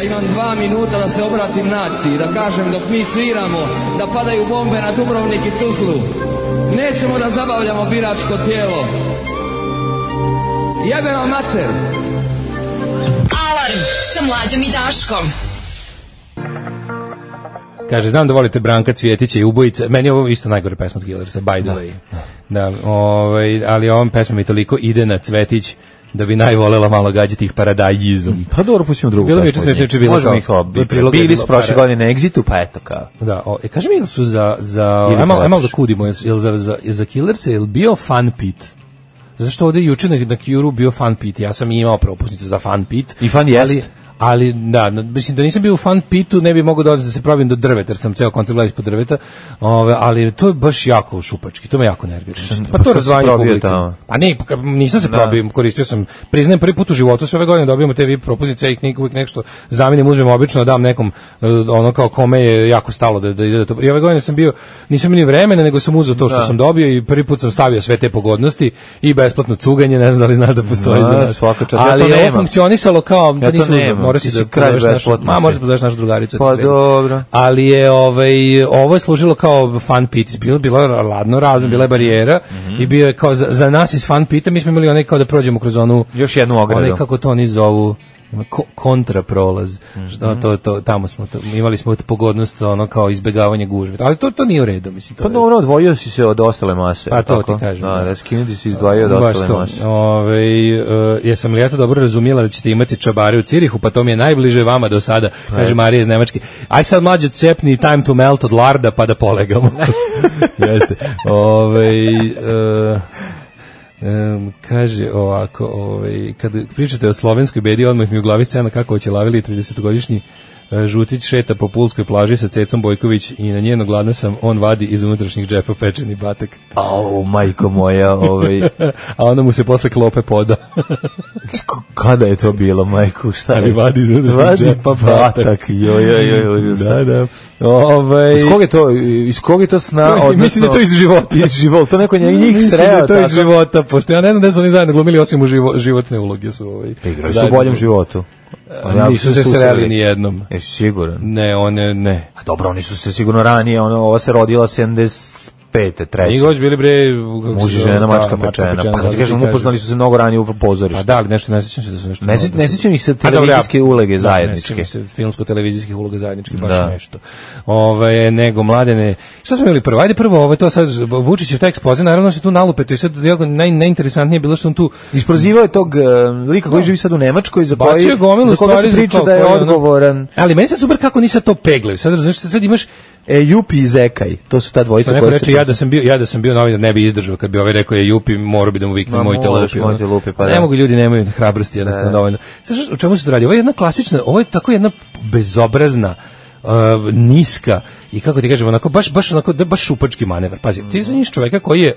J: Imam 2 minuta da se obratim naciji, da kažem dok mi sviramo, da padaju bombe na Dubrovnik i Tuzlu. Nećemo da zabavljamo biračko tijelo. Jebe vam mater!
K: Alarm sa Mlađom i Daškom.
E: Kaže, znam da volite Branka Cvjetića i Ubojica. Meni je ovo isto najgore pesma od Killersa, by the way. Da, ali ovom pesma mi toliko ide na Cvjetić da bi najvolela malo gađati ih paradajizom.
F: Pa dobro, pustimo drugu
E: pesmu.
F: Možemo ih bili su prošle godine na Exitu, pa eto kao.
E: Da, kaži mi, jel su ajmo da kudimo, jel za Killersa je bio Fun Pit? Zato što ovdje juče na Cure bio Fun Pit, ja sam imao propusnicu za Fun Pit.
F: I Fun jest.
E: Ali da, mislim da nisam bio u Fun Pitu, ne bi mogao da se probim do drveta, jer sam ceo koncert gledao ispod drveta, ali to je baš jako šupački, to me jako nervira. Pa to razvanje publike. Pa ne, nisam se probio, koristio sam, priznajem prvi put u životu, sve ove godine dobijamo te VIP propoznice i uvijek nešto zamenim, uzmem obično, dam nekom, ono kao kome je jako stalo da ide to. I ove godine sam bio, nisam imao ni vremena, nego sam uzeo to što sam dobio i prvi put sam stavio sve te pogodnosti i besplatno cuganje, ne znam da li znaš da postoji za nas. Ali je ovo funkcionisalo kao, da nisam moraš da pozoveš našu drugaricu.
F: Pa dobro.
E: Ali je ovo je služilo kao Fun Pit. Bilo je ladno razno, bila je barijera i bio je kao za nas iz Fun Pita, mi smo imali onaj kao da prođemo kroz onu
F: još jednu ogradu.
E: Onaj kako to oni zovu kontraprolaz. To tamo smo imali smo pogodnost ono kao izbegavanje gužve. Ali to nije u redu, mislim.
F: Pa dobro, odvojio si se od ostale mase.
E: Pa to ti kažem.
F: Da, skinuti si izdvojio od ostale mase.
E: Jesam li ja to dobro razumjela da ćete imati čabare u Cirihu, pa to mi je najbliže vama do sada, kaže Marija iz Nemačke. Aj sad mlađe cepni Time to Melt od Larda pa da polegamo. Jeste. Kaže ovako, kad pričate o slovenskoj bedi, odmah mi u glavi scena kako će lavili 30-godišnji Žutić šeta po Pulskoj plaži sa Cecom Bojković i na njeno gladna sam, on vadi iz unutrašnjih džepa pečeni batak.
F: Au, majko moja,
E: a onda mu se posle klope poda.
F: Kada je to bilo, majko, šta je?
E: Ali vadi iz unutrašnjih džepa batak.
F: Joj.
E: Da.
F: Iz kog je to sna?
E: Mislim da je to iz života.
F: Iz života, to neko njih sreo.
E: Mislim da je to iz života, pošto ja ne znam da su oni zajedno glumili osim u životne uloge.
F: Igrali su u boljem životu.
E: Nisu se sreli ni jednom.
F: Jesi siguran?
E: Ne.
F: A dobro, oni su se sigurno ranije, ova se rodila 75. treće.
E: Njih goć bili bre...
F: Muž i žena, mačka pečena. Pa kad ti kažem, upoznali su se mnogo ranije u pozorištu.
E: Pa da, ali nešto, ne sjećam se da su nešto...
F: Ne sjećam ih se televizijske uloge zajedničke.
E: Ne sjećam se filmsko-televizijskih uloga zajedničke, baš nešto. Nego, Mladene... Šta smo imali prvo? Ajde prvo, to sad, Vučićev taj ekspoze, naravno se tu nalupeto i sad najinteresantnije bilo što on tu...
F: Isprozivao je tog lika koji živi sad u Nemačkoj, za koga se priča da je odgovoran.
E: Ali meni sad super kako nisi to peglaju. Sad razumiješ, sad imaš
F: Jupi i Zekaj, to su ta dvojica koja
E: se... Ja da sam bio novinar, ne bi izdržao kad bi ovaj rekao je Jupi, morao bi da mu vikne mojte lupi.
F: Pa
E: ne mogu, ljudi nemaju hrabrosti jednostavno dovoljno. Znaš, o čemu se to radi? Ovo je jedna klasična, ovo je tako jedna bezobrazna, niska i kako ti kažemo, onako, baš šupački manevar. Pazi, ti znaš čoveka koji je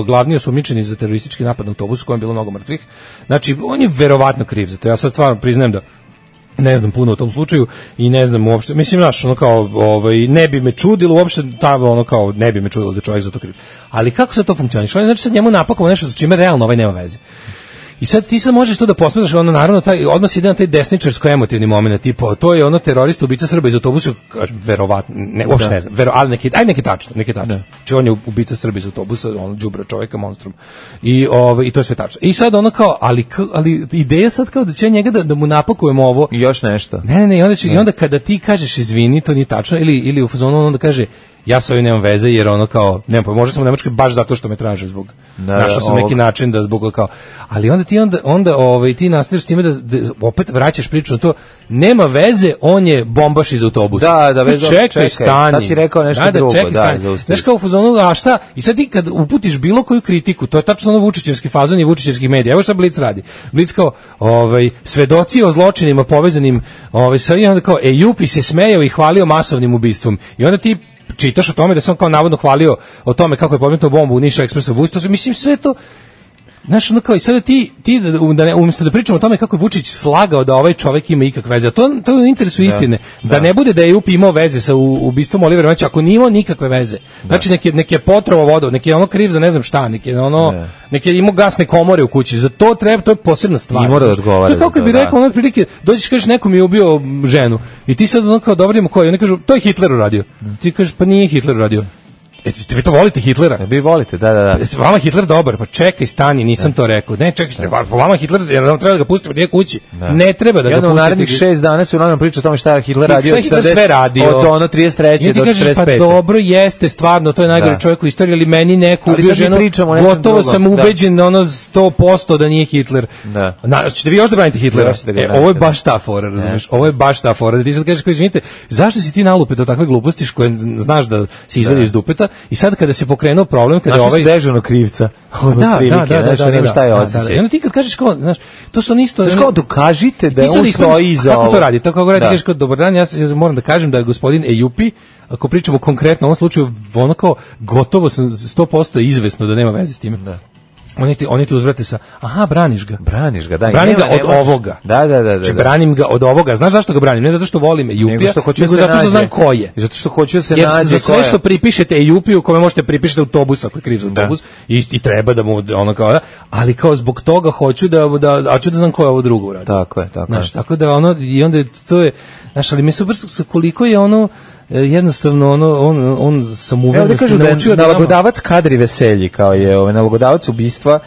E: glavni osumnjičeni za teroristički napad na autobus u kojem je bilo mnogo mrtvih. Znači, on je verovatno kriv za to. Ja sad stvarno priznajem da ne znam puno o tom slučaju i ne znam uopšte, mislim, znaš, ono kao, ne bi me čudilo uopšte, ono kao, ne bi me čudilo da je čovjek za to kriv. Ali kako se to funkcioniše? Znači, sad njemu napakovo nešto sa čime realno nema veze. I sad ti sad možeš to da posmetraš, ono naravno odnos ide na taj desničarsko-emotivni moment, tipa to je ono terorista, ubica Srba iz autobusa, verovatno, ne, uopšte ne znam, ali neki tačno. Znači on je ubica Srba iz autobusa, on đubra čovjeka, monstrum. I to je sve tačno. I sad ono kao, ali ideja sad kao da će njega da mu napakujemo ovo.
F: I još nešto.
E: Ne, i onda kada ti kažeš izvini, to nije tačno, ili u fazonu onda kaže ja sa ovim nemam veze jer ono kao, nemam pa možda sam u Nemačkoj baš zato što me traže zbog, našao sam neki način da zbog kao, ali onda ti nastaviš s time da opet vraćaš priču na to, nema veze, on je bombaš iz autobusa.
F: Da,
E: čekaj, stani.
F: Sad si rekao nešto drugo.
E: Znaš kao u fazonu, a šta? I sad ti kad uputiš bilo koju kritiku, to je tačno ono Vučićevski fazon i Vučićevskih medija. Evo šta Blic radi. Blic kao, svedoci o zločinima povezanim, sa i onda kao, Jupi se smejao i hvalio masovnim ubistvom. I onda ti čitaš o tome da sam kao navodno hvalio o tome kako je podmetnuo bombu u Niš Ekspresu. Mislim, sve to Znaš, ono kao i sada ti umjesto da pričamo o tome kako je Vučić slagao da ovaj čovjek ima ikakve veze, to je u interesu istine, da ne bude da je UP imao veze sa ubistvom Olivera Ivanovića, ako nije imao nikakve veze. Znači, neki je potrovao vodu, neki je ono kriv za ne znam šta, neki je imao gasne komore u kući, za to treba, to je posebna stvar.
F: I mora da odgovara.
E: To je kao kad bi rekao, ono prilike, dođeš kažeš neko mi je ubio ženu i ti sad ono kao dobrijemo koji, oni kažu, to je Hitler uradio. Ti kažeš, pa nije Hitler uradio. Vi to volite Hitlera?
F: Vi volite, da.
E: Vama Hitler dobar, pa čekaj, stani, nisam to rekao. Ne, čekaj, vama Hitler, jer nam treba da ga pustimo nije kući. Ne treba da ga pustimo.
F: U narednih 6 dana se u nama priča o tome šta je Hitler radio.
E: Hitler sve radio.
F: Od ono 33. do 45.
E: Pa dobro, jeste, stvarno, to je najgori čovjek u istoriji, ali meni neko ubio ženu, gotovo sam ubeđen na ono 100% da nije Hitler. Ćete vi još da branite Hitlera? Ovo je baš ta fora, razumiješ? Ovo je baš ta fora. Da ti sad kažeš, izvinite, zašto si ti nalupet od takve gluposti koje znaš da se izvadi iz dupeta? I sad kada se pokrenuo problem, kada
F: ovaj dežurno krivca,
E: da,
F: šta je osjećaj.
E: I onda ti kad kažeš kao, znaš, to su isto,
F: znaš kao dokažite da je on stoji iza ovo.
E: Kako to radi? Tako radi, kažeš kao dobar dan, ja moram da kažem da je gospodin Ejupi, ako pričamo konkretno u ovom slučaju, ono kao gotovo sam 100% izvesno da nema veze s time. Da. Oni ti uzvrate sa, aha, braniš ga, da. Branim ga od ovoga.
F: Da.
E: Znači, branim ga od ovoga. Znaš zašto ga branim? Ne zato što volim Ejupija, nego zato što znam ko je.
F: Zato što hoću da se
E: nađe.
F: Jer
E: za sve što pripišete Ejupiju, kome možete pripišiti autobus, ako je kriv za autobus, i treba da mu, ono kao, ali kao zbog toga hoću da znam ko je ovo drugo uradio.
F: Tako je.
E: Znaš, tako da ono, i onda to je, znaš, ali mi super koliko je ono, jednostavno on sam uveren
F: da kažu naučio da nalagodavac kadri veselji kao je nalagodavac ubistva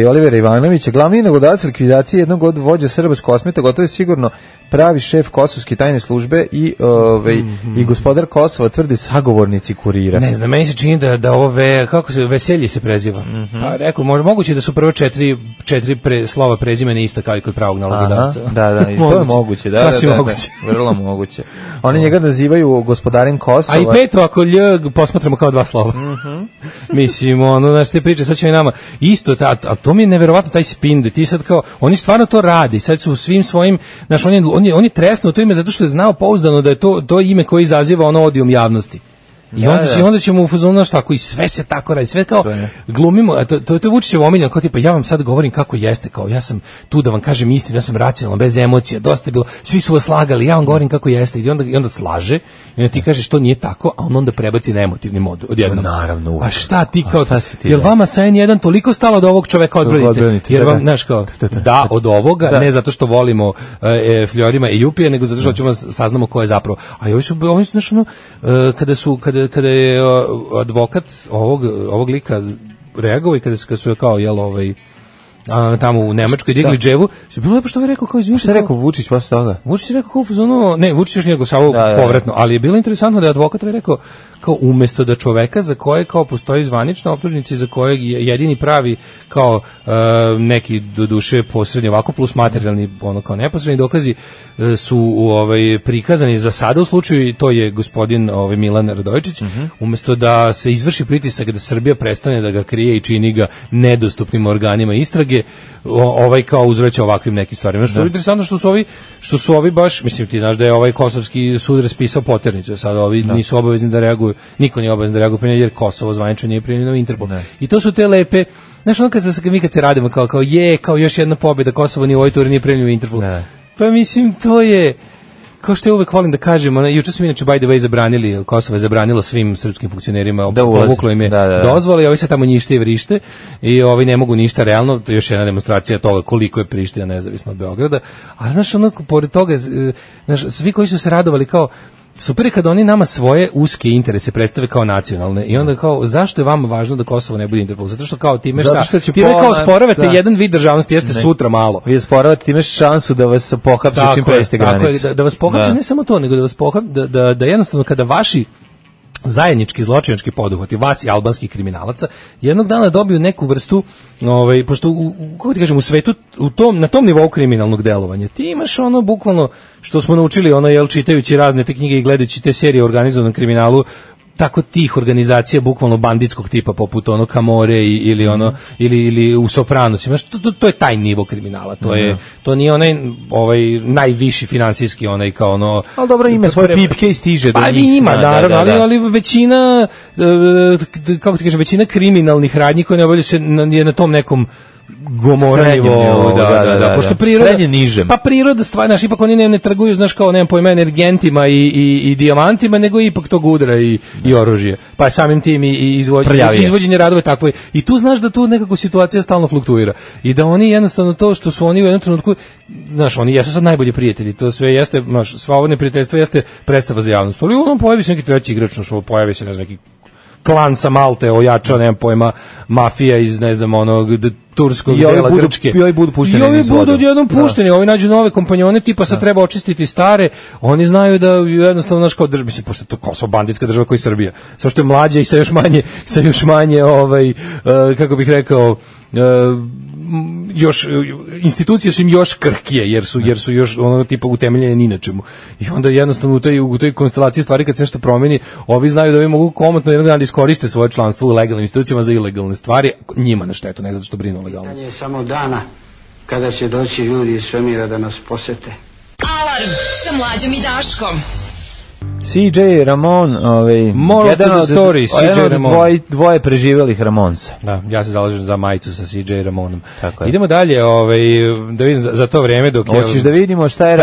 F: Olivera Ivanovića, glavni nalagodavac likvidacije jednog od vođa Srba s Kosmeta, gotovo je sigurno pravi šef kosovske tajne službe i gospodar Kosova, tvrde sagovornici Kurira.
E: Ne znam, meni se čini da ovo kako se Veselji se preziva. Pa rekao, moguće da su prvo četiri slova prezimena ista kao i kod pravog nalagodavca.
F: Da, i to je moguće, da. Vrlo moguće. Oni njega nazivaju gospodarem Kosova.
E: A i peto ako posmatramo kao dva slova. Mislim, znaš, te priče, sad će mi nama isto, a to mi je neverovatno taj spin, da ti sad kao, oni stvarno to radi, sad su u svim svojim, znaš, oni tresnu to ime zato što je znao pouzdano da je to ime koje izaziva odijum javnosti. I onda ćemo u fazonu tako i sve se tako radi, sve kao glumimo, a to je Vučićev omiljeno, kao tipa ja vam sad govorim kako jeste, kao ja sam tu da vam kažem istinu, ja sam racionalan, bez emocija, dosta je bilo, svi su vas slagali, ja vam govorim kako jeste, i onda slaže, i onda ti kažeš to nije tako, a on onda prebaci na emotivni mod odjednom.
F: Naravno.
E: A šta ti kao, jel vama sa N1 toliko stalo od ovog čoveka odbranite? Jer vam, znaš kao, da, od ovoga, ne zato što volimo Fljorima i Jupije, nego zato što ćemo saznamo ko je zapravo. A ovi su znaš, kada je advokat ovog lika reagovao i kada su kao tamo u Nemačkoj digli dževu, je bilo lepo što je rekao kao izvinite.
F: Šta je rekao Vučić posle toga?
E: Vučić je rekao Vučić još nije glasavao povratno, ali je bilo interesantno da je advokat rekao kao umjesto da čoveka za koje kao postoji zvanična optužnica za kojeg je jedini pravi kao neki doduše posredni ovako plus materijalni kao neposredni dokazi su prikazani za sada u slučaju, to je gospodin Milan Radojičić, umjesto da se izvrši pritisak da Srbija prestane da ga krije i čini ga nedostupnim organima istrage, kao uzvraća ovakvim nekim stvarima. Što je interesantno što su ovi baš, mislim ti znaš da je kosovski sud raspisao poternicu, sad ovi nisu obavezni da reaguju, niko nije obavezan da reaguje jer Kosovo zvanično nije primljeno u Interpol. I to su te lepe, znaš kad se radimo kao još jedna pobjeda, Kosovo nije u ovoj turi nije primljeno u Interpol. Pa mislim to je kao što ja uvek volim da kažem, juče su inače by the way zabranili, Kosovo je zabranilo svim srpskim funkcionerima, povuklo im je dozvole i ovi se tamo njište i vrište i ovi ne mogu ništa realno, to je još jedna demonstracija toga koliko je Priština nezavisno od Beograda, ali znaš pored toga, znaš, svi koji su se radovali kao super je kad oni nama svoje uske interese predstave kao nacionalne i onda kao zašto je vama važno da Kosovo ne bude Interpol? Zato što kao time time kao sporavate jedan vid državnosti, jeste sutra malo.
F: Vi sporavate time šansu da vas pohapse čim prejste granicu.
E: Da vas pohapse ne samo to, nego da vas da jednostavno kada vaši zajednički zločinački poduhvati vas i albanskih kriminalaca jednog dana dobiju neku vrstu pošto kako ti kažem u svetu na tom nivou kriminalnog delovanja ti imaš bukvalno što smo naučili čitajući razne te knjige i gledajući te serije o organizovanom kriminalu tako tih organizacija bukvalno banditskog tipa poput ono Camorre ili ono ili u Sopranosima, to je taj nivo kriminala, to nije onaj najviši finansijski onaj kao ono.
F: Al dobro, ima svoje pipke i stiže do njih.
E: Ima naravno, ali većina kako ti kažem, većina kriminalnih radnji koje ne obavljaju se na tom nekom Gomorrevo, da, pošto priroda,
F: srednje nižem.
E: Pa priroda stvar, znaš, ipak oni ne trguju, znaš, kao, nemam pojma, energentima i dijamantima, nego ipak tog udra i oružje. Pa je samim tim i izvođenje radove takvo. I tu znaš da tu nekako situacija stalno fluktuira. I da oni jednostavno to što su oni u jednom trenutku, znaš, oni jesu sad najbolji prijatelji, to sve jeste, znaš, sva ovo neprijateljstvo jeste predstava za javnost. Ali on pojavi se neki treći igrač, pojavi se, ne znam, neki klan sa Malte ojača, nemam pojma, mafija iz, ne znam, onog turskog dela Grčke.
F: I ovi budu pušteni.
E: I ovi budu odjednom pušteni, ovi nađu nove kompanjone, tipa sad treba očistiti stare, oni znaju da jednostavno, znaš, kao mislim, pošto to Kosovo banditska država koji Srbija, samo što je mlađa i sa još manje, kako bih rekao, još institucije su im još krhkije jer su još ono tipa utemeljene ni na čemu. I onda jednostavno u toj konstelaciji stvari kad se nešto promeni, ovi znaju da ovi mogu komotno jednog dana iskoriste svoje članstvo u legalnim institucijama za ilegalne stvari, njima na štetu, ne zato što brinu o legalnosti.
L: Pitanje je samo dana kada će doći ljudi iz svemira da nas posete.
K: Alarm sa Mlađom i Daškom.
F: CJ Ramon,
E: jedan od
F: dvoje preživelih Ramonsa.
E: Da, ja se zalažem za majicu sa CJ Ramonom. Idemo dalje, da vidim za to vreme dok je...
F: Hoćeš da vidimo šta je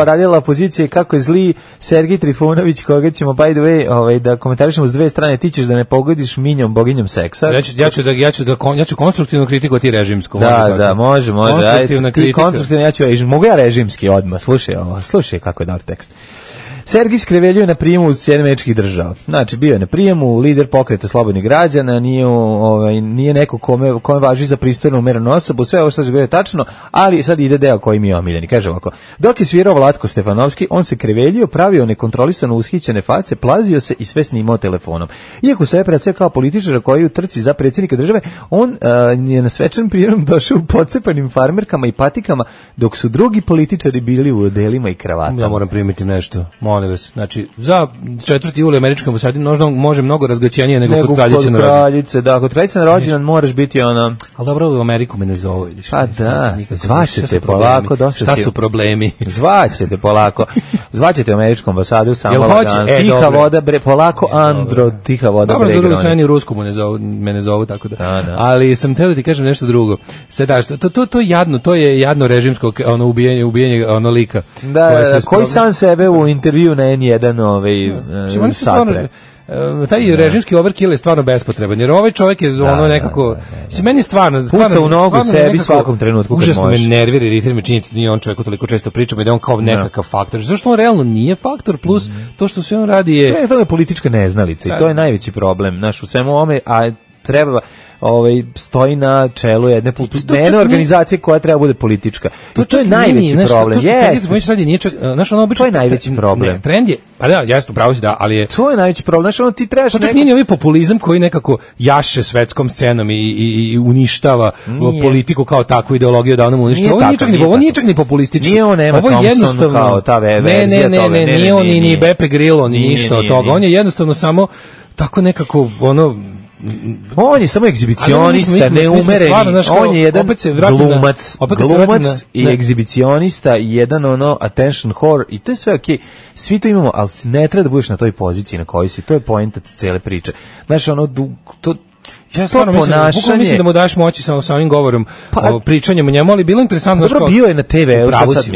F: radila opozicija i kako je zli Sergij Trifunović, koga ćemo, by the way, da komentarišemo s dve strane, ti ćeš da ne pogodiš minjom, boginjom seksa.
E: Ja ću konstruktivno kritikovati režimsko.
F: Da, može. Ti konstruktivno, ja ću režimski. Mogu ja režimski odmah, slušaj kako je dobar tekst. Sergij Skreveljuje na prijemu Sjedinjenih Američkih Država. Znači, bio je na prijemu, lider pokreta slobodnih građana, nije neko kome važi za pristojnu umerenu osobu, sve ovo što se govori tačno, ali sad ide deo koji mi je omiljeni. Kaže ovako, dok je svirao Vlatko Stefanovski, on se kreveljio, pravio nekontrolisano ushićene face, plazio se i sve snimao telefonom. Iako se je predstavio kao političar koji u trci za predsjednika države, on je na svečan prijem došao u pocepanim farmerkama i patikama, dok su drugi političari bili u odelima i kravatama.
E: Ja moram primiti nešto. Znači, za 4. juli američkom ambasadi može mnogo razgaćenije nego kod kraljice na rođendan.
F: Da, kod kraljice na rođendan moraš biti ono...
E: Ali dobro, u Ameriku me ne zove, vidiš.
F: Pa da, zvaćete polako, dosta
E: šta su problemi?
F: Zvaćete polako. Zvaćete američku ambasadu samo dan. Tiha voda, polako, Andro, tiha voda.
E: Dobro, za drugu stranu u Rusku me ne zovu, tako da. Ali sam teo da ti kažem nešto drugo. To je jadno režimsko ubijanje lika.
F: Da, koji sam sebe u intervju na N1 satre.
E: Taj režimski overkill je stvarno bespotreban, jer ovaj čovjek je nekako... Meni stvarno...
F: Puca u nogu sebi svakom trenutku kad može.
E: Užasno me nervira, iritira me činjenica da nije on čovjek toliko često pričamo i da on kao nekakav faktor. Zašto on realno nije faktor, plus to što sve on radi je...
F: To je politička neznalica i to je najveći problem. Znaš, u svemu ovome, a treba... stoji na čelu jedne organizacije koja treba bude politička. To je najveći problem.
E: To je
F: najveći problem.
E: Trend je, pa da, jasno, pravo si da, ali je...
F: To je najveći problem. Znaš, ti trebaš
E: nekako... Nije ovaj populizam koji nekako jaše svetskom scenom i uništava politiku kao takvu ideologiju da onom uništava. Ovo nije čak ni populistički.
F: Nije on Emma Thompson kao ta verzija toga.
E: Ne, nije on ni Beppe Grillo, ni ništa od toga. On je jednostavno samo tako nekako,
F: on je samo egzibicionista, neumereni, on je jedan glumac i egzibicionista i jedan attention whore i to je sve okej. Svi to imamo, ali ne treba da budeš na toj poziciji na kojoj si, to je poenta cele priče. Znaš,
E: ja stvarno mislim da mu daš moći sa ovim govorom, pričanjem o njemu, ali bilo interesantno.
F: Dobro, bio je na TV,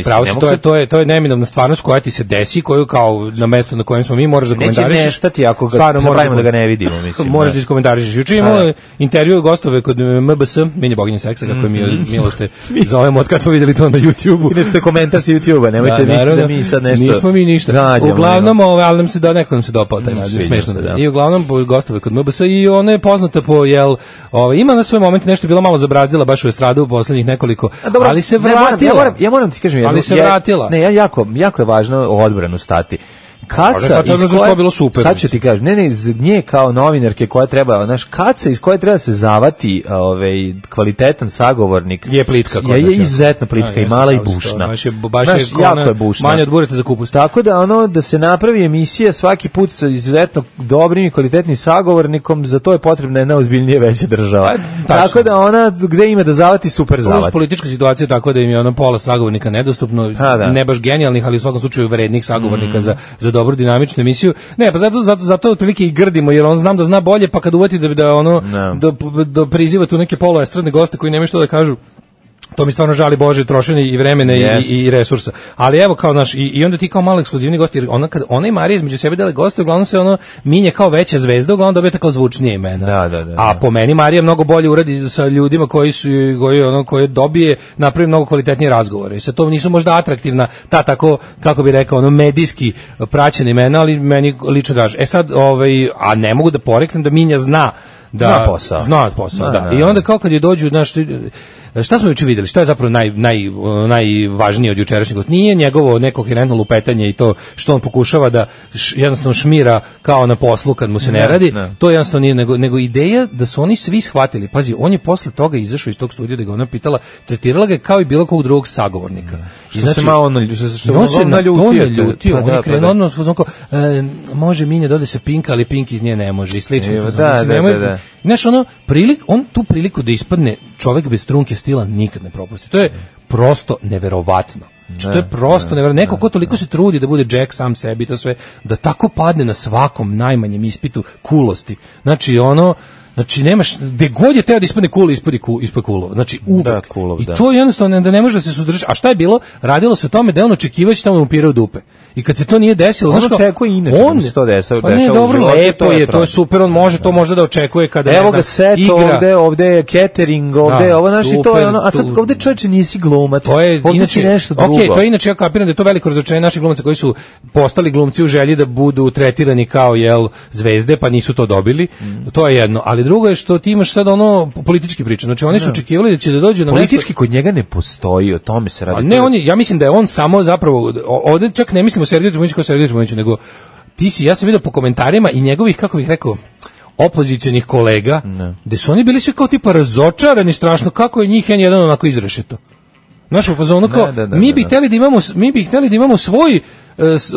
E: pravo si, to je neminovna stvarnost koja ti se desi, koju kao na mestu na kojem smo mi moraš da komentarišeš.
F: Neće nestati ako ga pravimo da ga ne vidimo, mislim.
E: Možeš da iskomentarišeš. Juče imao intervju gostove kod MBS, Minje boginje seksa, kako je Milo ste zovemo od kad smo videli to na YouTube-u.
F: Ideš te komentar sa YouTube-a, nemojte misliti da mi sad nešto...
E: Nismo mi ništa. Uglavnom, ali nam se dopao taj naziv, smešno. I uglavnom gostove kod MBS i ona je poznata po ima na svoj moment nešto bilo malo zabrazdila baš u estradu u poslednjih nekoliko, ali se vratila.
F: Ja moram ti kažem jedno.
E: Ali se vratila.
F: Ne, jako je važno o odbranu stati. Kaca iz koje bilo super. Sad ću ti kažem, ne, nje kao novinarke koja treba, znaš, kaca iz koje treba se zavati, kvalitetan sagovornik.
E: Je plitka.
F: Je izuzetno plitka i mala i bušna.
E: Baš je
F: jako je bušna.
E: Manje od bureta za kupus.
F: Tako da da se napravi emisija svaki put sa izuzetno dobrim i kvalitetnim sagovornikom, za to je potrebna jedna ozbiljnije veća država. Tako da ona gde ima da zavati, super zavati.
E: Uz politička situacija tako da im je pola sagovornika nedostupno, ne baš genijalnih, ali u svakom slučaju vrednih sagovornika za dobru dinamičnu emisiju. Ne, pa zato otprilike i grdimo, jer on znam da zna bolje, pa kad uvati da priziva tu neke poluestradne goste koji nemaju što da kažu, to mi stvarno žali Bože trošenje i vremena i resursa. Ali evo kao i onda ti kao malo ekskluzivni gosti, jer ona i Marija između sebe dele goste, uglavnom se minje kao veća zvezda, uglavnom dobije tako zvučnije imena. A po meni Marija mnogo bolje uradi sa ljudima koji dobije, napravi mnogo kvalitetnije razgovore. I sad to nisu možda atraktivna, tako, kako bi rekao, medijski praćena imena, ali meni lično draže. E sad, a ne mogu da poreknem da Minja zna posao. Da. I onda kao kad je dođu, šta smo juče vidjeli, šta je zapravo najvažnije od jučerašnjeg gosta? Nije njegovo neko koherentno lupetanje i to što on pokušava da jednostavno šmira kao na poslu kad mu se ne radi, to jednostavno nije, nego ideja da su oni svi shvatili. Pazi, on je posle toga izašao iz tog studija da ga ona pitala, tretirala ga kao i bilo kog drugog sagovornika.
F: Što se malo naljutio.
E: On je krenuo odmah može Minja da ode se Pinka, ali Pink iz nje ne može i slično. Znaš, on tu priliku da ispadne čovjek bez trunke stila nikad ne propusti. To je prosto neverovatno. Što je prosto neverovatno. Neko ko toliko se trudi da bude Jack sam sebi, to sve, da tako padne na svakom najmanjem ispitu kulosti. Znači nemaš, gde god je teo da ispadne cool, ispod kulova. Znači uvek. I to jednostavno da ne može da se suzdrži. A šta je bilo? Radilo se o tome da on očekivao će tamo da mu pire u dupe. I kad se to nije desilo,
F: on očekuje inače da se to dešava.
E: Pa ne, dobro, lepo je, to je super, on može to možda da očekuje kada
F: evo ga set ovde je catering, ovde ovo naši to je a sad ovde čoveče nisi glumac.
E: To je inače nešto drugo. Okej, to je inače ja kapiram da je to veliko razočarenje naših glumaca koji su postali glumci u želji da budu tretirani kao zvezde, pa nisu to dobili. To je jedno, ali drugo je što ti imaš sad politički priča. Znači oni su očekivali da će da dođe na
F: politički kod njega ne postoji, o tome se radi.
E: Ne, ja mislim da je on samo zapravo ovde čak ne mislim o Sergeju Trifunoviću, nego ja sam vidio po komentarima i njegovih, kako bih rekao, opozicionih kolega, gde su oni bili svi kao tipa razočarani strašno, kako je njih jedan onako izrešeto. Znaš, u fazonu kao, mi bi hteli da imamo svoj,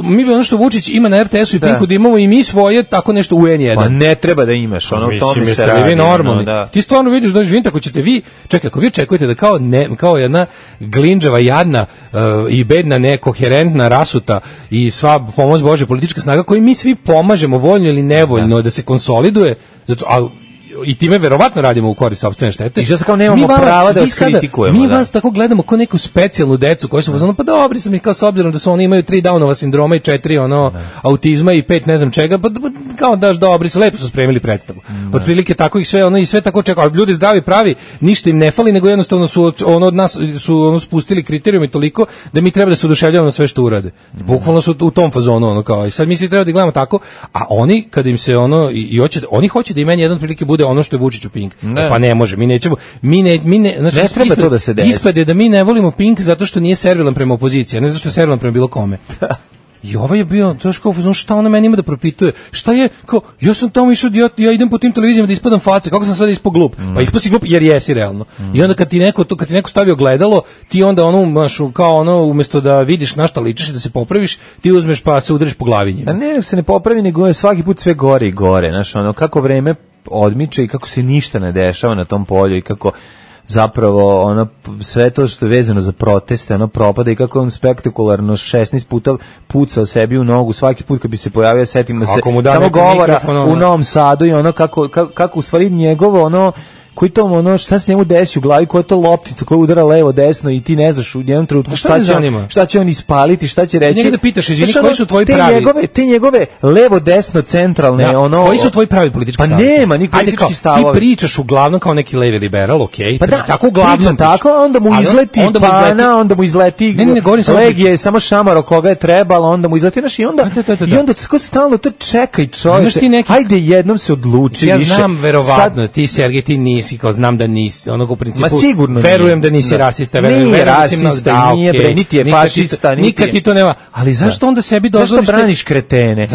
E: mi bi ono što Vučić ima na RTS-u i Pinku da imamo i mi svoje, tako nešto u N1.
F: Pa ne treba da imaš, ono tome se radi.
E: Vi normalni. Ti stvarno vidiš da živite, ako ćete vi, ako vi očekujete da kao jedna glinđava, jadna i bedna, nekoherentna, rasuta i sva pomoć Bože politička snaga koju mi svi pomažemo voljno ili nevoljno da se konsoliduje, zato i time verovatno radimo u korist sopstvene štete.
F: I što se kao nemamo prava da vas kritikujemo.
E: Mi vas tako gledamo kao neku specijalnu decu koji su pa dobri sam ih kao s obzirom da su oni imaju 3 Downova sindroma i 4 autizma i 5 ne znam čega, pa kao daš dobri su, lepo su spremili predstavu. Otprilike tako ih sve i sve tako čeka, ali ljudi zdravi pravi, ništa im ne fali, nego jednostavno su od nas su spustili kriterijum i toliko da mi treba da se oduševljavamo na sve što urade. Bukvalno su u tom fazonu kao i sad mi svi treba da gledamo tako, a oni kad im se oni hoće da im jedan prilike bude ono što je Vučić u Pink. Pa ne može, mi nećemo. Znači,
F: ne treba to da se desi.
E: Ispade da mi ne volimo Pink zato što nije servilan prema opoziciji, ne zato što je servilan prema bilo kome. I ovaj je bio, to je kao, šta ona meni ima da propituje? Šta je, kao, ja sam tamo išao, ja idem po tim televizijama da ispadam face, kako sam sad ispao glup? Pa ispao si glup jer jesi realno. I onda kad ti neko stavi ogledalo, ti onda umjesto da vidiš na šta ličiš i da se popraviš, ti uzmeš pa se udariš po glavi njima.
F: A ne, se ne popravi, nego je svaki put sve gore i gore, znaš, kako vreme odmiče i kako se ništa ne dešava na tom polju i kako zapravo sve to što je vezano za proteste propada i kako on spektakularno 16 puta pucao sebi u nogu svaki put kad bi se pojavio, setimo se samo govora u Novom Sadu i kako u stvari njegovo koji to šta se njemu desi u glavi, koja je to loptica koja udara levo desno i ti ne znaš u jednom trenutku šta će on ispaliti, šta će reći.
E: Njega da pitaš, izvini, koji su tvoji pravi?
F: Te njegove levo desno centralne
E: koji su tvoji pravi politički stavovi?
F: Pa nema ni politički stavovi.
E: Ti pričaš uglavnom kao neki levi liberal, okej.
F: Pa tako uglavnom tako, onda mu izleti Pana, onda mu izleti Legije, samo šamaro koga je trebalo, onda mu izleti naš i onda tako stalno to čekaj čovječe. Ajde jednom se odluči više.
E: Ja znam verovatno, ti Sergej, ti nisi mislim kao znam da nisi, onog u principu.
F: Ma sigurno
E: verujem da nisi rasista, verujem
F: nije
E: da si
F: rasista, nije bre, niti je fašista,
E: nikad ti to nema. Ali zašto onda sebi dozvoliš?
F: Zašto braniš kretene?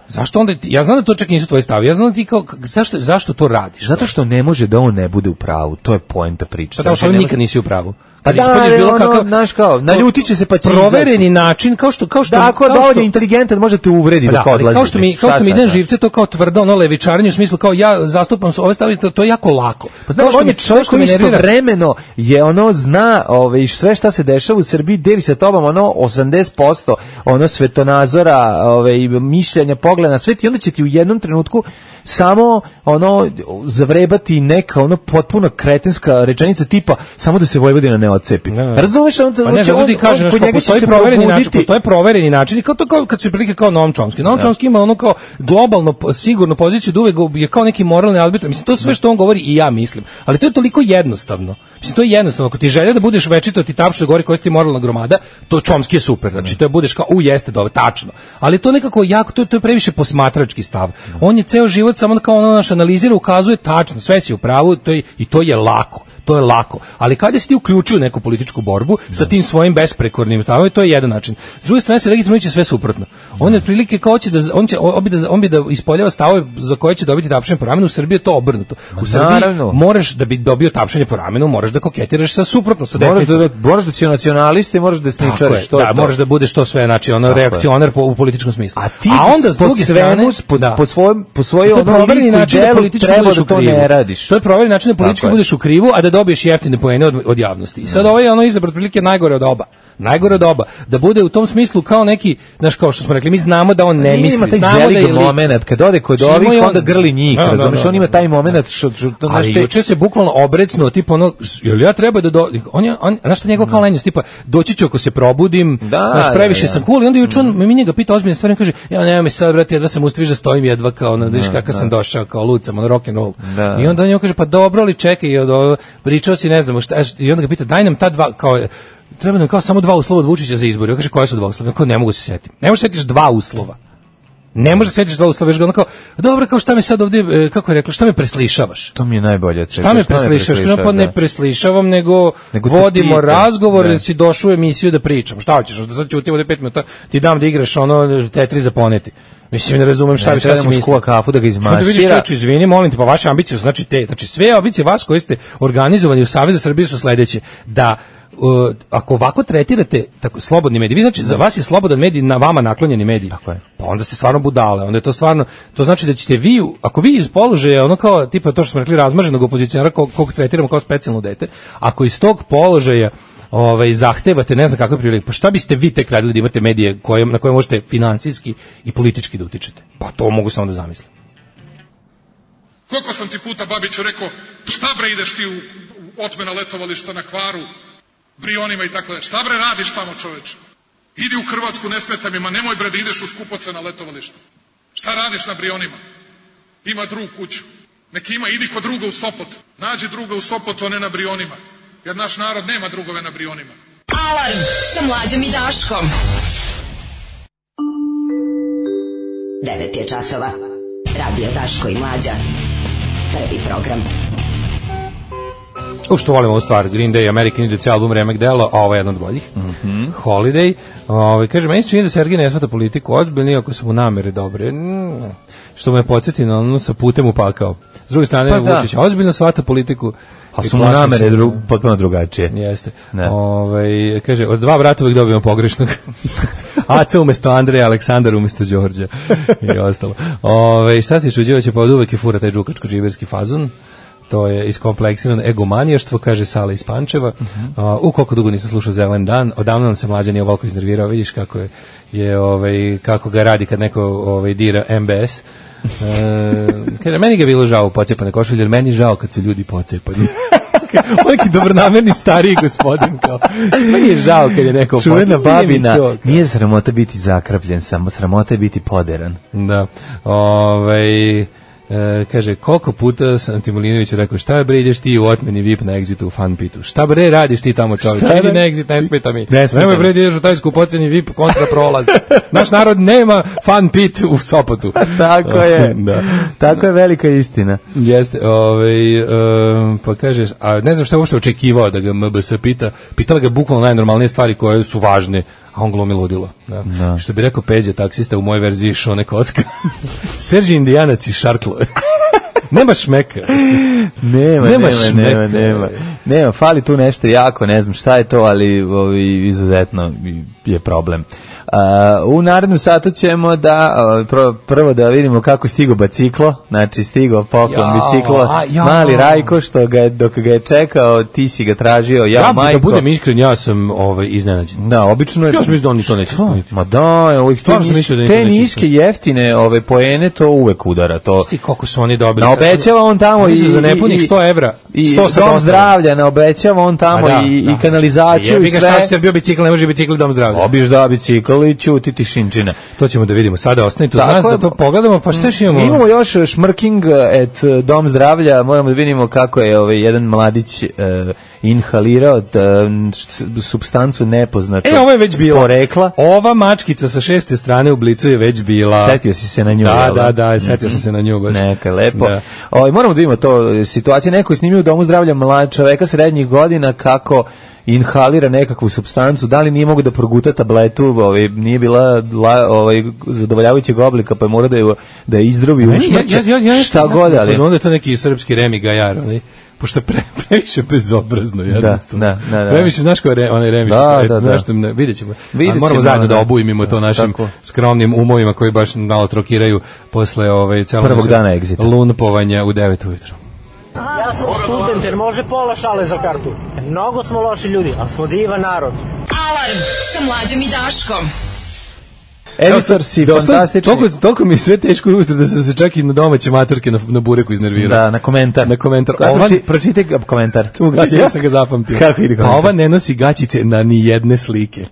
E: Zašto onda? Ja znam da to čak nisu tvoji stav. Ja znam da ti kao zašto to radiš?
F: Zato što ne može da on ne bude u pravu. To je poenta priče.
E: Pa što nikad nisi u pravu.
F: Pa da, bilo kakav, znaš kao, naljutiće se pa će
E: provereni način, kao što
F: da, ako je dovoljno inteligentan, možete uvredi dok odlazi.
E: Kao što mi ide živce, to kao tvrdo, ono levičarenje u smislu kao ja zastupam ove stavove, to je jako lako.
F: Pa znaš, on je čovjek koji istovremeno je ono zna sve šta se dešava u Srbiji, deli se tobom ono 80% ono svetonazora, mišljenja, pogleda na svet i onda će ti u jednom trenutku samo ono zavrebati neka ono potpuno kretenska rečenica tipa samo da se Vojvodina ne odcepi. Razumeš, on
E: ljudi kaže postoji provereni način, kao to kao kad se prilike kao Noam Chomsky. Noam Chomsky ima ono kao globalno sigurnu poziciju da uvek je kao neki moralni arbitrar. Mislim to sve što on govori i ja mislim, ali to je toliko jednostavno. Mislim to je jednostavno, ako ti želja da budeš večito ti tapše govori koja si ti moralna gromada, to Chomsky je super. Znači to budeš kao jeste dobro, tačno. Ali to nekako jako to je previše posmatrački stav. On je ceo život samo kao ono naš analizira, ukazuje tačno, sve si u pravu, to je lako. To je lako. Ali kada si ti uključio u neku političku borbu sa tim svojim besprekornim stavom, to je jedan način. S druge strane se legitimno će sve suprotno. On je otprilike kao će da on bi da ispoljava stavove za koje će dobiti tapšanje po ramenu. U Srbiji je to obrnuto. U Srbiji moraš da bi dobio tapšanje po ramenu, moraš da koketiraš sa suprotno, sa desnicom.
F: Moraš da si nacionalista, moraš da desničariš to.
E: Da, moraš da budeš to sve, znači ono reakcionar u političkom smislu.
F: A onda s druge strane po svojoj
E: provereni način da politički budeš u krivu.
F: To
E: je provereni način da politički budeš u krivu, a da dobiješ jeftine poene od javnosti. I sad ovo je ono izabrat prilike najgore od oba. Da bude u tom smislu kao neki, znaš, kao što smo rekli, mi znamo da on ne misli.
F: Ima taj zelig moment, kad ode kod ovih, onda grli njih, razumiješ, on ima taj moment
E: ali juče se bukvalno obrecnuo, tipa ono, jel ja treba da znaš šta njegov kao lenjost, tipa, doći ću ako se probudim, znaš, previše sam cool, i onda juče mi njega pita ozbiljne stvari, kaže, ja nema mi sad, brate, jedva sam ustaviš da stojim jedva kao, vidiš kakav sam došao, kao lucam, ono rock and roll. I onda on kaže, pa dobro li, čekaj, pričao si, ne znam, i onda ga pita, daj nam ta dva, kao, treba nam kao samo 2 uslova od Vučića za izbor. Ja kaže, koje su 2 uslova? Kao, ne mogu se setiti. Ne možeš setiš 2 uslova. Ne možeš setiš 2 uslova. Već ga ono kao, dobro, kao šta me sad ovdje, kako je rekla, šta me preslišavaš?
F: To mi je najbolje.
E: Šta me preslišavaš? Pa ne preslišavam, nego vodimo razgovor, da si došao u emisiju da pričam. Šta hoćeš? Da sad ćutim ovdje 5 minuta, ti dam da igraš ono Tetris za poneti. Mislim, ne razumem šta si mislio.
F: Kafu da ga izmasira.
E: Vidiš, čoveče, izvini, molim te, pa vaše ambicije su, znači sve ambicije vas koji ste organizovani u Savezu za Srbiju su sledeće, da ako ovako tretirate tako slobodni mediji, vi znači za vas je slobodan medij na vama naklonjeni medij.
F: Tako je.
E: Pa onda ste stvarno budale, onda je to stvarno, to znači da ćete vi, ako vi iz položaja, ono kao tipa to što smo rekli razmaženog opozicionara kog tretiramo kao specijalno dete, ako iz tog položaja zahtevate ne znam kakve prilike, pa šta biste vi tek radili da imate medije na koje možete finansijski i politički da utičete? Pa to mogu samo da zamislim.
M: Koliko sam ti puta, Babiću, rekao, šta bre ideš ti u otmena letovališta na Hvaru, Brionima i tako da. Šta bre radiš tamo, čoveče? Idi u Hrvatsku, ne smeta mi, ma nemoj bre da ideš u skupoce na letovališta. Šta radiš na Brionima? Ima drug kuću. Neki ima, idi kod druga u Sopot. Nađi druga u Sopotu, a ne na Brionima. Jer naš narod nema drugove na Brionima.
K: Alarm sa Mlađom i Daškom.
C: 9 je časova. Radio Daško i Mlađa. Prvi program.
E: Što volim ovu stvar, Green Day, American Idiot, album Remek Delo, a ovo je jedan od boljih. Holiday. Kaže, meni se čini da Sergej ne shvata politiku ozbiljno, iako su mu namere dobre. Što me podsjeti na ono sa putem u pakao. S druge strane, Vučić ozbiljno shvata politiku.
F: A su mu namere potpuno drugačije.
E: Jeste. Kaže, od 2 brata uvijek dobijemo pogrešnog. Aca umjesto Andreja, Aleksandar umjesto Đorđa i ostalo. Šta se čuđivaće, pa od uvijek je fura taj džukačko-džiberski fazon. To je iskompleksirano egomanijaštvo, kaže Sala iz Pančeva. U koliko dugo nisam slušao Zelen dan, odavno nam se Mlađa nije ovoliko iznervirao, vidiš kako kako ga radi kad neko dira MBS. Kaže, meni ga je bilo žao u pocepane košulje, jer meni žao kad su ljudi pocepani. Neki dobronamerni stariji gospodin, kao, meni je žao kad je neko
F: čuvena babina, nije sramota biti zakrapljen, samo sramota je biti poderan.
E: Da. Kaže, koliko puta sam ti Milinoviću rekao, šta bre ideš ti u otmeni VIP na Exitu u Fun Pitu? Šta bre radiš ti tamo, čovječ? Idi na Exit, ne smeta mi. Nemoj bre ideš u taj skupoceni VIP kontra prolaz. Naš narod nema Fun Pit u Sopotu.
F: Tako je. Da. Tako je velika istina.
E: Jeste, pa kažeš, a ne znam šta je uopšte očekivao da ga MBS pita. Pitala ga bukvalno najnormalnije stvari koje su važne, a on glumi ludilo. Da. Što bi rekao Peđa, taksista, u mojoj verziji Šone Koska. Serži Indijanac i šarklo. Nema šmeka.
F: Nema, fali tu nešto jako, ne znam šta je to, ali izuzetno je problem. U narednom satu ćemo da prvo da vidimo kako stigo biciklo, znači stigo poklon biciklo, mali Rajko, što dok ga je čekao, ti si ga tražio, majko.
E: Da budem iskren, ja sam iznenađen.
F: Da, obično je.
E: Ja sam mislio da oni to neće ispuniti.
F: Ma da, te niske jeftine poene, to uvek udara.
E: Šti koliko su oni dobili.
F: Naobećava on tamo
E: i za nepunih 100 evra.
F: I dom zdravlja, naobećava on tamo i kanalizaciju i sve.
E: Šta će bio bicikl, ne može bicikl dom zdravlja.
F: Obiš da bicikl i ćuti tišinčina.
E: To ćemo da vidimo. Sada ostanite uz nas da to pogledamo, pa šta još imamo?
F: Imamo još šmrking et dom zdravlja, moramo da vidimo kako je jedan mladić inhalirao supstancu nepoznatog
E: ovo je već bilo.
F: Porekla.
E: Ova mačkica sa 6. strane u Blicu je već bila.
F: Setio si se na nju.
E: Da, setio sam se na nju. Baš.
F: Neka, lepo. Da. Moramo da vidimo to situacije. Neko je snimio u domu zdravlja mlad čoveka srednjih godina kako inhalira nekakvu supstancu, da li nije mogu da proguta tabletu, nije bila zadovoljavajućeg oblika, pa je mora da je izdrobi usmrće, šta god, ali...
E: Onda je to neki srpski Remi Gajar, pošto previše bezobrazno, jednostavno.
F: Da.
E: Previše, znaš ko je onaj Remi, vidjet ćemo. Moramo zajedno da obujmimo to našim skromnim umovima koji baš malo trokiraju posle
F: prvog dana Exita.
E: Lunapovanja u 9 ujutro.
N: Ja sam student jer može pola šale za kartu. Mnogo smo loši ljudi, ali smo divan narod.
K: Alarm sa Mlađom i Daškom.
F: Editor si fantastični.
E: Toliko mi je sve teško ujutro da sam se čak i na domaće maturke na bureku iznervirao.
F: Da, na komentar. Pročitaj komentar.
E: Ja sam ga zapamtio.
F: Kako ide komentar?
E: A ova ne nosi gaćice na ni jedne slike.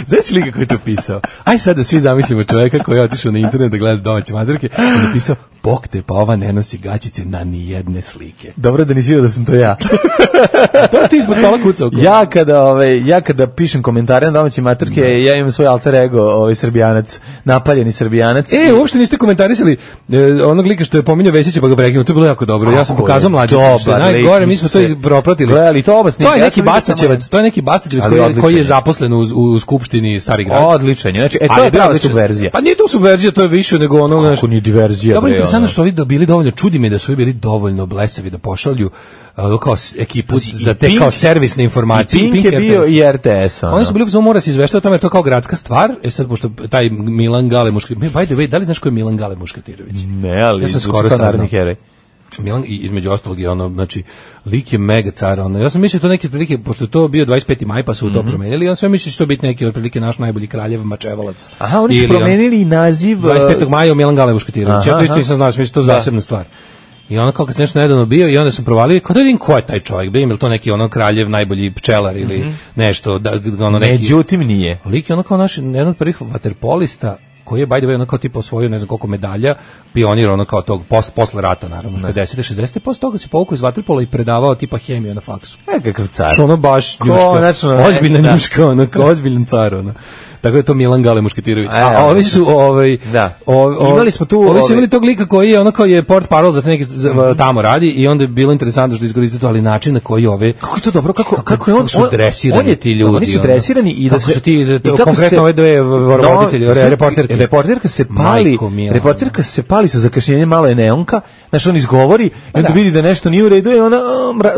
E: Znaš slika koji je to pisao? Aj sad da svi zamislimo čoveka koji je otišao na internet da gleda domaće maturke i napisao, bok te, pa ova ne nosi gaćice na ni jedne slike.
F: Dobro da nisi vidio da sam to ja.
E: To ti ispod stola kucao.
F: Ja kada pišem komentare na domaće maturke, ja imam svoj alter ego, Srbijanac, napaljeni Srbijanac.
E: Uopšte niste komentarisali onog lika što je pominjao Vesića pa ga prekinuo, to je bilo jako dobro. Ja sam pokazao Mlađe. Najgore, mi smo to propratili. To je neki Bastaćevac koji je zaposlen u Skupštini Stari Grad.
F: Odličan, znači to je prava subverzija.
E: Pa nije to subverzija, to je više nego ono,
F: kako nije diverzija.
E: Dobro, interesantno što ovi bili dovoljno, čudi me da su bili dovoljno blesavi da pošalju kao ekipu za te kao servisne informacije.
F: Pink je bio i RTS.
E: Oni su bili u mora se izveštava o tome, to kao gradska stvar. Sad, pošto taj Milan Gale Muškatirović, by the way, da li znaš ko je Milan Gale Muškatirović?
F: Ne, ali
E: ja sam skoro saznao. Milan, i između ostalog je znači, lik je mega car, ja sam mislio to neke otprilike, pošto to bio 25. maj, pa su to promenili, ja sam mislio da će to biti neki otprilike naš najbolji kraljev Mačevalac.
F: Aha, oni su promenili naziv
E: 25. maja Milan Gale Muškatirović, ja to isto nisam znao, mislim to zasebna stvar. I ono kao kad nešto nedavno bio i onda sam provalio, kao da vidim ko je taj čovjek, je li to neki ono kraljev, najbolji pčelar ili nešto, neki...
F: Međutim nije.
E: Lik je ono kao naš, jedan od prvih vaterpolista, koji je, by the way, ono kao tipa osvojio ne znam koliko medalja, pionir ono kao tog posle rata, naravno, 50. 60. posle toga se povukao iz vaterpola i predavao tipa hemiju na faksu.
F: Kakav car.
E: Što ono baš njuška, ozbiljna njuška, ono kao ozbiljan car, ono. Tako je to Milan Gale Muškatirović. A ovi su
F: imali smo tu
E: ovi su imali tog lika koji je ono kao je port parol za neki tamo radi i onda je bilo interesantno što iskoristiti to, ali način na koji ove
F: kako je to dobro, kako je on
E: su dresirani ti ljudi.
F: Oni su dresirani i da
E: su ti konkretno ove dve voditelji,
F: reporterka se pali sa zakašnjenjem, malo je neonka, znači on izgovori i onda vidi da nešto nije u redu i ona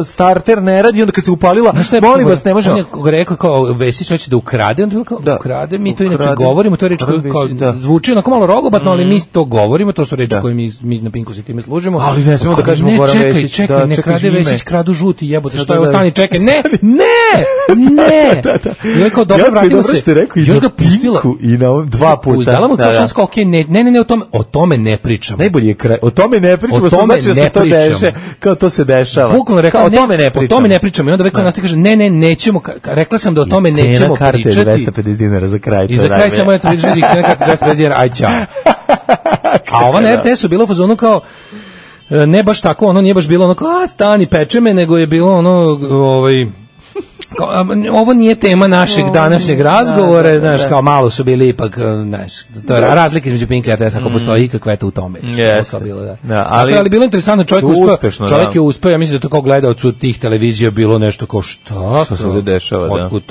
F: starter ne radi, onda kad se upalila, molim vas, ne može.
E: On je rekao kao Vesić hoće da ukrade, onda je kao ukrade, mi to inače govorimo, to je reč koja zvuči onako malo rogobatno, ali mi to govorimo, to su reči koje mi na Pinku se time služimo.
F: Ali ne smemo da kažemo Goran Vesić.
E: Čekaj, ne krade Vesić, kradu žuti, jebote, što je ostani, čekaj, ne! I rekao, dobro, vratimo se. Još ga pustila.
F: I na dva puta.
E: Dala mu to šansko, okej, ne, o tome ne pričamo.
F: Najbolji je kraj, o tome ne pričamo, što znači da se to deše, kao to se dešava.
E: Bukvalno rekao, o tome ne pričamo. I onda rekao, nas ti kaže, ne, nećemo, rekla sam da o tome nećemo pričati.
F: Cena karte je 250 dinara za kraj.
E: I za kraj samo je to vidiš, neka 250 dinara, aj čao. A ova na RTS-u bilo u fazonu kao ne baš tako, ono nije baš bilo ono kao stani peče me, nego je bilo ono ovo nije tema našeg današnjeg razgovora, znaš, kao malo su bili ipak, znaš, to je razlika između Pinka i RTS, ako postoji ikakva eto u tome. Ali bilo interesantno, čovjek je uspeo, ja mislim da to kao gledalcu tih televizija bilo nešto kao šta
F: se ovdje dešava,
E: otkud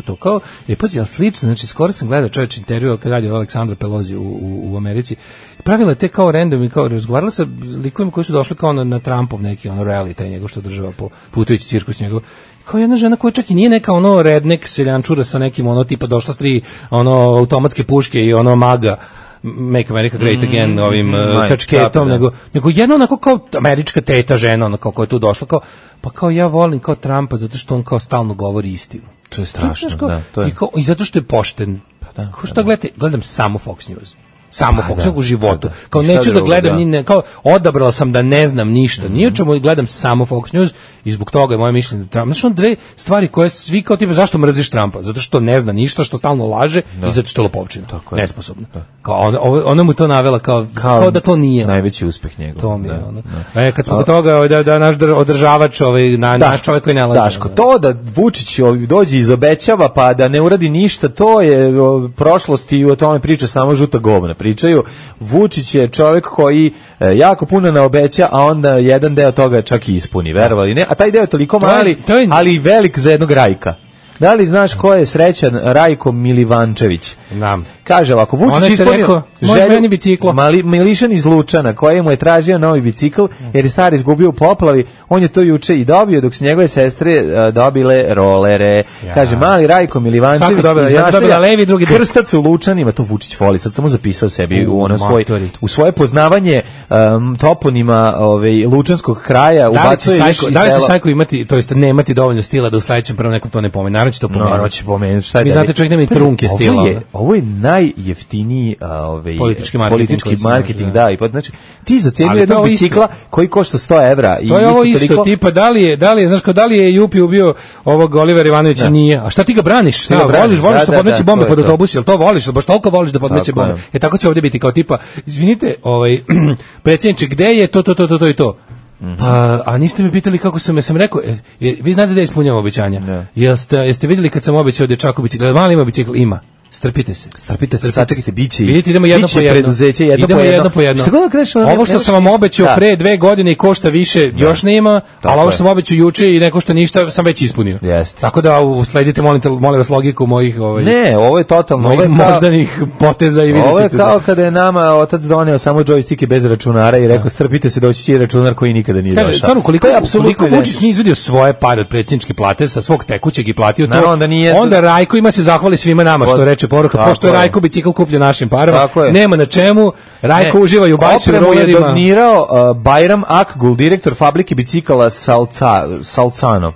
E: to, kao, pazi, ali slično, znači, skoro sam gledao čovječ intervju kad radi Aleksandra Pelosi u Americi, pravila te kao random i kao razgovarala sa likovima koji su došli kao na Trumpov neki ono rally, taj njegov što održava po putujući cirkus njegov, kao jedna žena koja čak i nije neka ono redneck seljančura sa nekim ono tipa došla s 3 ono automatske puške i ono maga Make America Great Again ovim kačketom, nego jedna onako kao američka teta žena, ono kao koja je tu došla, kao, pa kao ja volim kao Trumpa zato što on kao stalno govori istinu.
F: To je strašno, da. To je.
E: I zato što je pošten. Kao što gledam samo Fox News. Samo Fox u životu. Kao neću da gledam, kao odabrala sam da ne znam ništa. Ni o čemu gledam samo Fox News i zbog toga je moje mišljenje da Trump. Znači on dve stvari koje svi kao tipa zašto mrziš Trumpa? Zato što ne zna ništa, što stalno laže i zato što je lopovčina. Nesposobna. Kao ona mu to navela kao da to nije.
F: Najveći uspeh njegov.
E: To mi je ono. Kad smo kod toga da naš održavač naš čovjek koji ne laže.
F: Daško, to da Vučić dođe i izobećava pa da ne uradi ništa, to je prošlost i o tome priča samo žuta govna. Pričaju, Vučić je čovjek koji jako puno naobeća, a onda jedan deo toga čak i ispuni, verovali ne, a taj deo je toliko mali, ali i velik za jednog Rajka. Da li znaš ko je srećan Rajko Milivančević?
E: Znam.
F: Kaže ovako, Vučić ispunio želju Milišan iz Lučana, koji mu je tražio novi bicikl, jer je stari izgubio u poplavi, on je to juče i dobio, dok su njegove sestre dobile rolere. Kaže, mali Rajko Milivančević iz naselja Krstac u Lučanima, to Vučić voli, sad samo zapisao sebi u svoje poznavanje toponima Lučanskog kraja.
E: Da li će Sajko imati, to jest nemati dovoljno stila da u sledećem prvom nekom to ne pomene? Naravno će to pomenuti. Vi znate, čovjek nema i trunke stila.
F: Ovo je najjeftiniji politički marketing, da. Znači, ti za cijenu jednog bicikla koji košta 100 evra.
E: To je ovo isto, tipa, da li je Jupi ubio ovog Olivera Ivanovića? Nije. A šta ti ga braniš? Voliš da podmeće bombe pod autobus, jel to voliš? Baš toliko voliš da podmeće bombe. Tako će ovdje biti kao tipa, izvinite, predsjedniče, gde je to i to? Pa, a niste mi pitali kako sam rekao, vi znate da ispunjamo obećanja. Jeste vidjeli kad sam obećao dječaku bicikl, mali ima bicikl? Ima. Strpite se.
F: Sačekajte, biće.
E: Vidite, idemo jedno po jedno. Ovo što sam vam obećao pre 2 godine i košta više, još nema, ali ovo što sam obećao juče i ne košta ništa, sam već ispunio. Tako da sledite, molim vas, logiku mojih
F: ne, ovo je totalno
E: moždanih poteza i vidite.
F: Ovo je kao kada je nama otac doneo samo džojstike bez računara i rekao strpite se, doći će računar koji nikada nije došao.
E: Stvarno, koliko Vučić nije izvadio svoje pare od predsjedničke plate sa svog tekućeg i platio to, onda Rajko ima se zahvali svima nama što reče poruka, pošto je Rajko bicikl kupljen našim parama, nema na čemu, Rajko uživa i u bajsu i rolerima.
F: Je donirao Bajram Akgul, direktor fabrike bicikala Salcano.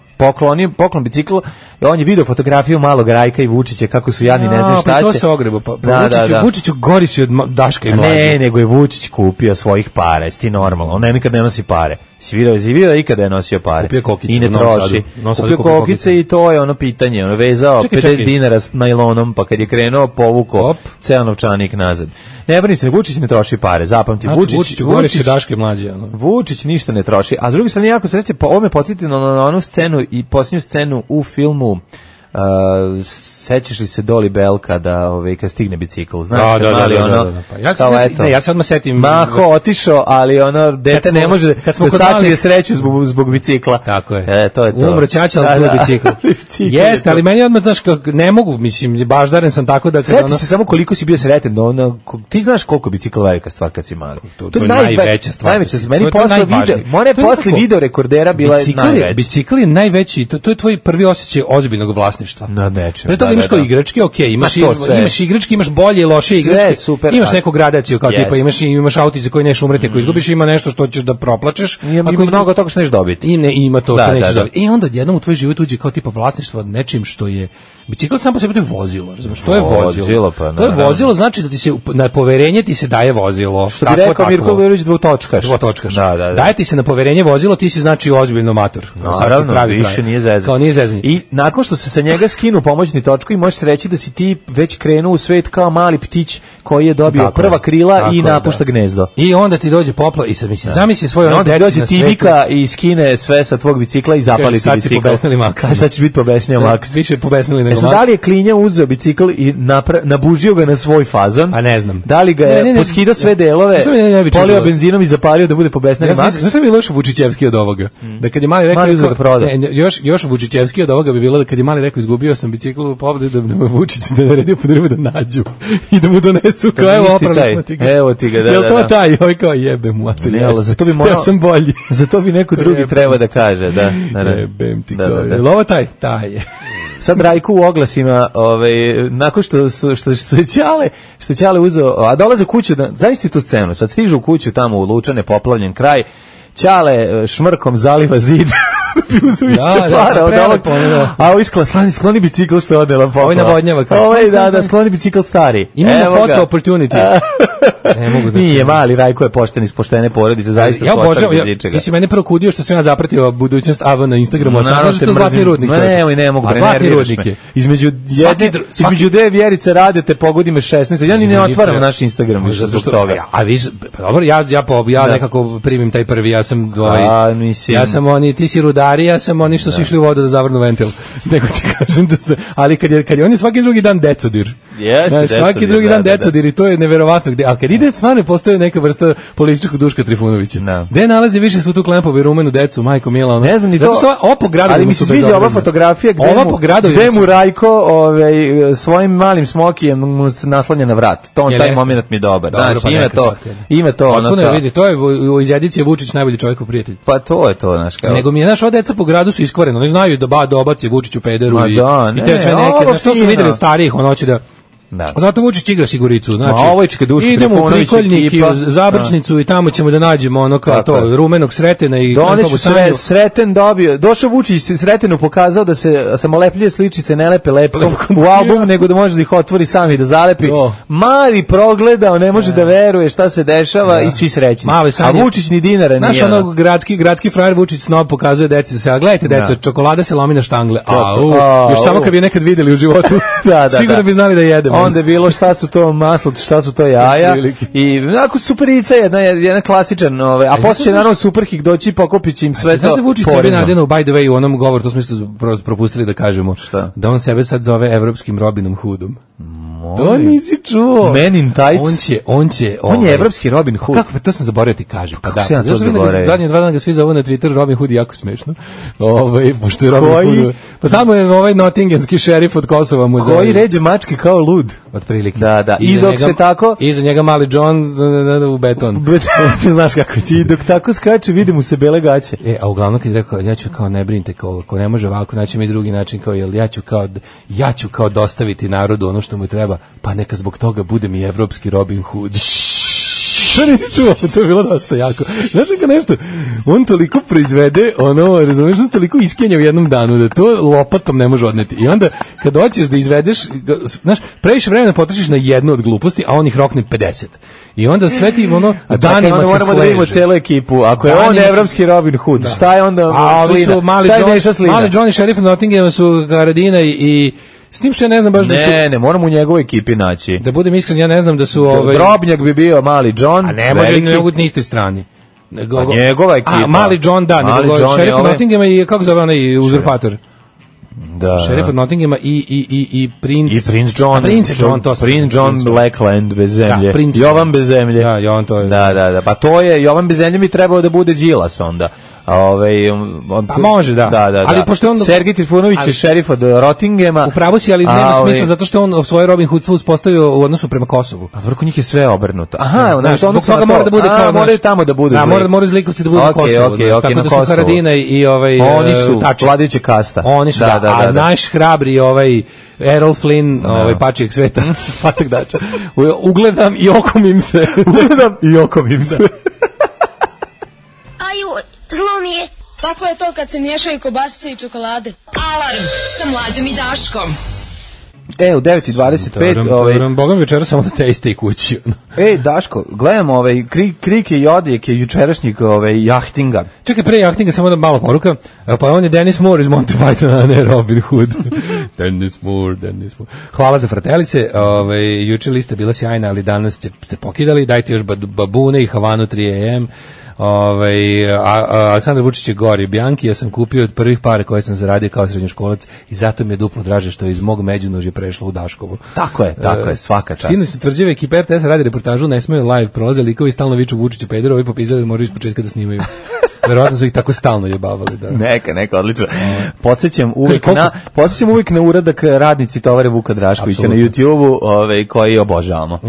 F: Poklon bicikl, on je video fotografiju malog Rajka i Vučića kako su jadni, ne znam šta će.
E: To se ogrebo, Vučiću gori si od Daška i Mlađe.
F: Ne, nego je Vučić kupio svojih para, jesi ti normalno, on nikad ne nosi pare. Si vidio da ikada je nosio pare.
E: Kupio kokice,
F: i ne troši. Kupio kokice i to je ono pitanje, ono vezao 50 dinara s najlonom, pa kad je krenuo povuko ceo novčanik nazad. Ne brini se, Vučić ne troši pare, zapamti.
E: Vučiću gori si Daška i Mlađe.
F: Vučić ništa ne troši, a s druge strane jako sreće, ovo me podsjeti na onu scenu i posljednju scenu u filmu sećaš li se Doli Bell kada kad stigne bicikl, znaš,
E: pa ja se odmah setim
F: Maho otišao, ali ono dete ne može da sakrije sreću zbog bicikla.
E: Tako je.
F: To je to.
E: Umro ćaća, ali tu je bicikl. Jeste, ali meni odmah ne mogu, mislim, baždaren sam tako da
F: kada se samo koliko si bio sretan, ti znaš koliko bicikl velika stvar kad si mali.
E: To je najveća stvar.
F: Najveća, meni posle video rekordera bila najveća.
E: Bicikl je najveći, to je tvoj prvi osjećaj ozbiljnog vlasništva. Pre toga imaš kao igračke, imaš igračke, imaš bolje i loše igračke, imaš neku gradaciju, kao tipa imaš autice koji neš umreti ako izgubiš, ima nešto što ćeš da proplačeš,
F: ima mnogo toga što neš dobiti.
E: Ima to što nećeš dobiti. I onda jednom u tvoj život uđe kao tipa vlasništvo od nečim što je bicikl sam po sebi, to je vozilo, razumiješ, to je vozilo. To je vozilo, znači da ti se na poverenje ti se daje vozilo.
F: Što bi rekao Mirko Verović, dvotočkaš.
E: Daje ti se na poverenje vozilo, ti si znači ozbiljno mator.
F: Naravno, više nije zezanje.
E: Kao nije zezanje.
F: I nakon što se sa njega njega skinu pomoćni točku i možeš reći da si ti već krenuo u svet kao mali ptić koji je dobio prva krila i napušta gnezdo.
E: I onda ti dođe popla i sad zamisli svoje ono deci na svetu.
F: Dođe Tivika i skine sve sa tvog bicikla i zapali ti bicikl. Sad ćeš biti pobesnio Maks.
E: Više pobesnili nego Maks.
F: Da li je Klinja uzeo bicikl i nabužio ga na svoj fazon?
E: Pa ne znam.
F: Da li ga je poskidao sve delove, polio benzinom i zapalio da bude pobesnili Maks?
E: Znaš mi loš Vučićevski od ovoga? Da kad je mali rekao još Vučićevski od ovoga bi bilo da kad je mali rekao izgubio sam bicikl u pobedi da me Vučić da naredio podrivu da nađu i da mu donesu kao
F: evo ti ga, da.
E: Jel to taj? Oj kao jebe mu, a
F: zato bi morao,
E: sam bolji.
F: Zato bi neko drugi treba da kaže, da.
E: Jebem ti kao. Jel ovo taj? Taj je.
F: Sad Rajko u oglasima, nakon što je Ćale uzeo, a dolaze kuću, zavisli tu scenu, sad stižu u kuću tamo u Lučane, poplavljen kraj, Ćale šmrkom zaliva zid, uzu više para od ovog, a ovo iskla, skloni bicikl što je odnela poplava.
E: Ovo navodnjava.
F: Skloni bicikl stari.
E: Imamo foto opportunity.
F: Ne mogu znači. Nije mali, Rajko je pošten iz poštene porodice, zaista
E: ja obožavam. Ti si mene prokudio što sam ja zapratio budućnost AV na Instagramu, a sad što Zlatni rudnik.
F: Ne mogu da nerviraš me. Između dve Vjerice Radete pogodi me 16. Ja ni ne otvaram naš Instagram više zbog toga.
E: A vi dobro, ja nekako primim taj prvi, ja sam oni, ti si rudari, ja sam oni što su išli u vodu da zavrnu ventil. Nego ti kažem da se, ali kad je on je svaki drugi dan decodir. Svaki drugi dan decodir i to je neverovatno. Ali kad ide stvarno postoji neka vrsta političkog Duška Trifunovića. Gde nalazi više svu tu Klempovu i rumenu decu, majko mila, ono.
F: Ne znam ni to.
E: Zato što ovo po gradu,
F: ali mi se sviđa ova fotografija gde mu Rajko svojim malim smokijem mu naslanja na vrat. Taj moment mi je dobar. Znaš, ima to.
E: Ono ne vidi, to je iz edicije Vučić najbolji čovjekov prijatelj.
F: Pa to je to, znaš kao.
E: Nego mi je naša deca po gradu su iskvareno, oni znaju da obaci Vučiću pederu i te sve neke, znaš, to su videli od starijih, on hoće da. Zato Vučić igra siguricu, znači idemo u Prikoljnik i Zabrčnicu i tamo ćemo da nađemo ono kao to, rumenog Sretena i
F: Sreten dobio, došao Vučić Sretenu pokazao da se samolepljive sličice ne lepe lepkom u album, nego da može da ih otvori sam i da zalepi. Mali progledao, ne može da veruje šta se dešava i svi srećni. A Vučić ni dinara nije.
E: Znaš ono gradski frajer Vučić snob pokazuje deci se, a gledajte deco, čokolada se lomi na štangle, još samo kad bi nekad videli u životu, sigurno bi znali da jedemo.
F: Onda je bilo šta su to maslo, šta su to jaja i onako superica jedna klasičan, a posle će naravno Superhik doći i pokopit će im sve to.
E: Znate Vučić sebe nadjeno, by the way, u onom govoru, to smo isto propustili da kažemo, da on sebe sad zove evropskim Robinom Hoodom. To nisi čuo.
F: Men in tights.
E: On
F: je evropski Robin Hood.
E: Kako, to sam zaboravio ti kažem. Pa
F: da. Ja to zaboravio.
E: Zadnje 2 dana ga svi zovu na Twitter Robin Hood, jako smešno. Pošto je Robin Hood. Pa samo je Nottinghamski šerif od Kosova mu zove.
F: Koji ređe mačke kao lud.
E: Otprilike.
F: Da. I dok se tako...
E: Iza njega mali John u beton.
F: Znaš kako će. I dok tako skače, vidi mu se bele gaće.
E: A uglavnom kad je rekao, ja ću kao ne brinite, ko ne može ovako, naći mi drugi način, kao ja ću kao dostaviti narodu ono što mu treba, pa neka zbog toga bude mi evropski Robin Hood. To nisi čuo, to je bilo dosta jako. Znaš kako nešto, on toliko proizvede, razumiješ, on toliko iskenja u jednom danu, da to lopatom ne može odneti. I onda, kad hoćeš da izvedeš, znaš, previše vremena potrošiš na jednu od gluposti, a on ih rokne 50. I onda sve ti, danima se sleže.
F: Moramo da vidimo celu ekipu. Ako je on evropski Robin Hood, šta je onda slina? Šta je Neša slina?
E: Mali John i šerif Nottinghama su Karadina i s tim što ja ne znam baš da su...
F: Ne, moramo u njegovoj ekipi naći.
E: Da budem iskren, ja ne znam da su...
F: Drobnjak bi bio mali John.
E: A ne može na istoj strani.
F: Njegova ekipa.
E: Mali John, da. Šerif Nottinghama i, kako zove onaj uzurpator?
F: Da.
E: Šerif od Nottinghama i princ...
F: I princ John. Princ John Blackland bez zemlje. Jovan bez zemlje.
E: Da, Jovan to je.
F: Da. Pa to je, Jovan bez zemlje mi trebao da bude Đilas onda.
E: Pa može, da. Ali pošto on
F: Sergej Trifunović je šerif od Rottingema.
E: Upravo si, ali nema smisla zato što on svoj Robin Hood uspostavio u odnosu prema Kosovu.
F: A zbog njih je sve obrnuto. Aha,
E: zbog toga mora da bude kao,
F: moraju tamo da bude.
E: Mora Zlikovci da bude na Kosovu. Tako da su Haradina i
F: oni su vladajuća kasta.
E: Oni su, a naš hrabri Errol Flynn, pačijeg sveta, patak dača. Ugledam i okomim se.
K: Zlo mi je. Tako je to kad se miješaju kobasice i čokolade. Alarm sa Mlađom i Daškom.
F: U 9:25
E: Bogom večera samo da te iste i kući.
F: Daško, gledamo krike i odjeke jučerašnjeg jahtinga.
E: Čekaj, pre jahtinga samo da malo poruka. Pa on je Dennis Moore iz Monty Pythona, a ne Robin Hood. Dennis Moore. Hvala za fratelice. Juče lista bila sjajna, ali danas ste pokidali. Dajte još babune i Havanu 3 AM. Aleksandar Vučić je gori Bjanki, ja sam kupio od prvih para koje sam zaradio kao srednjoškolac i zato mi je duplo draže što je iz mog Međunožja prešlo u Daškovu.
F: Tako je, svaka čast.
E: Sinoć se tvrđave ekipa RTS radi reportažu, ne smeju live, prolaze likovi stalno viču Vučiću pederu, ovi popizali da moraju ispočetka da snimaju. Verovatno su ih tako stalno jebavali. Da.
F: Neka, odlično. Podsjećam uvijek na uradak radnici tovare Vuka Draškovića na YouTube-u, koji obožavamo.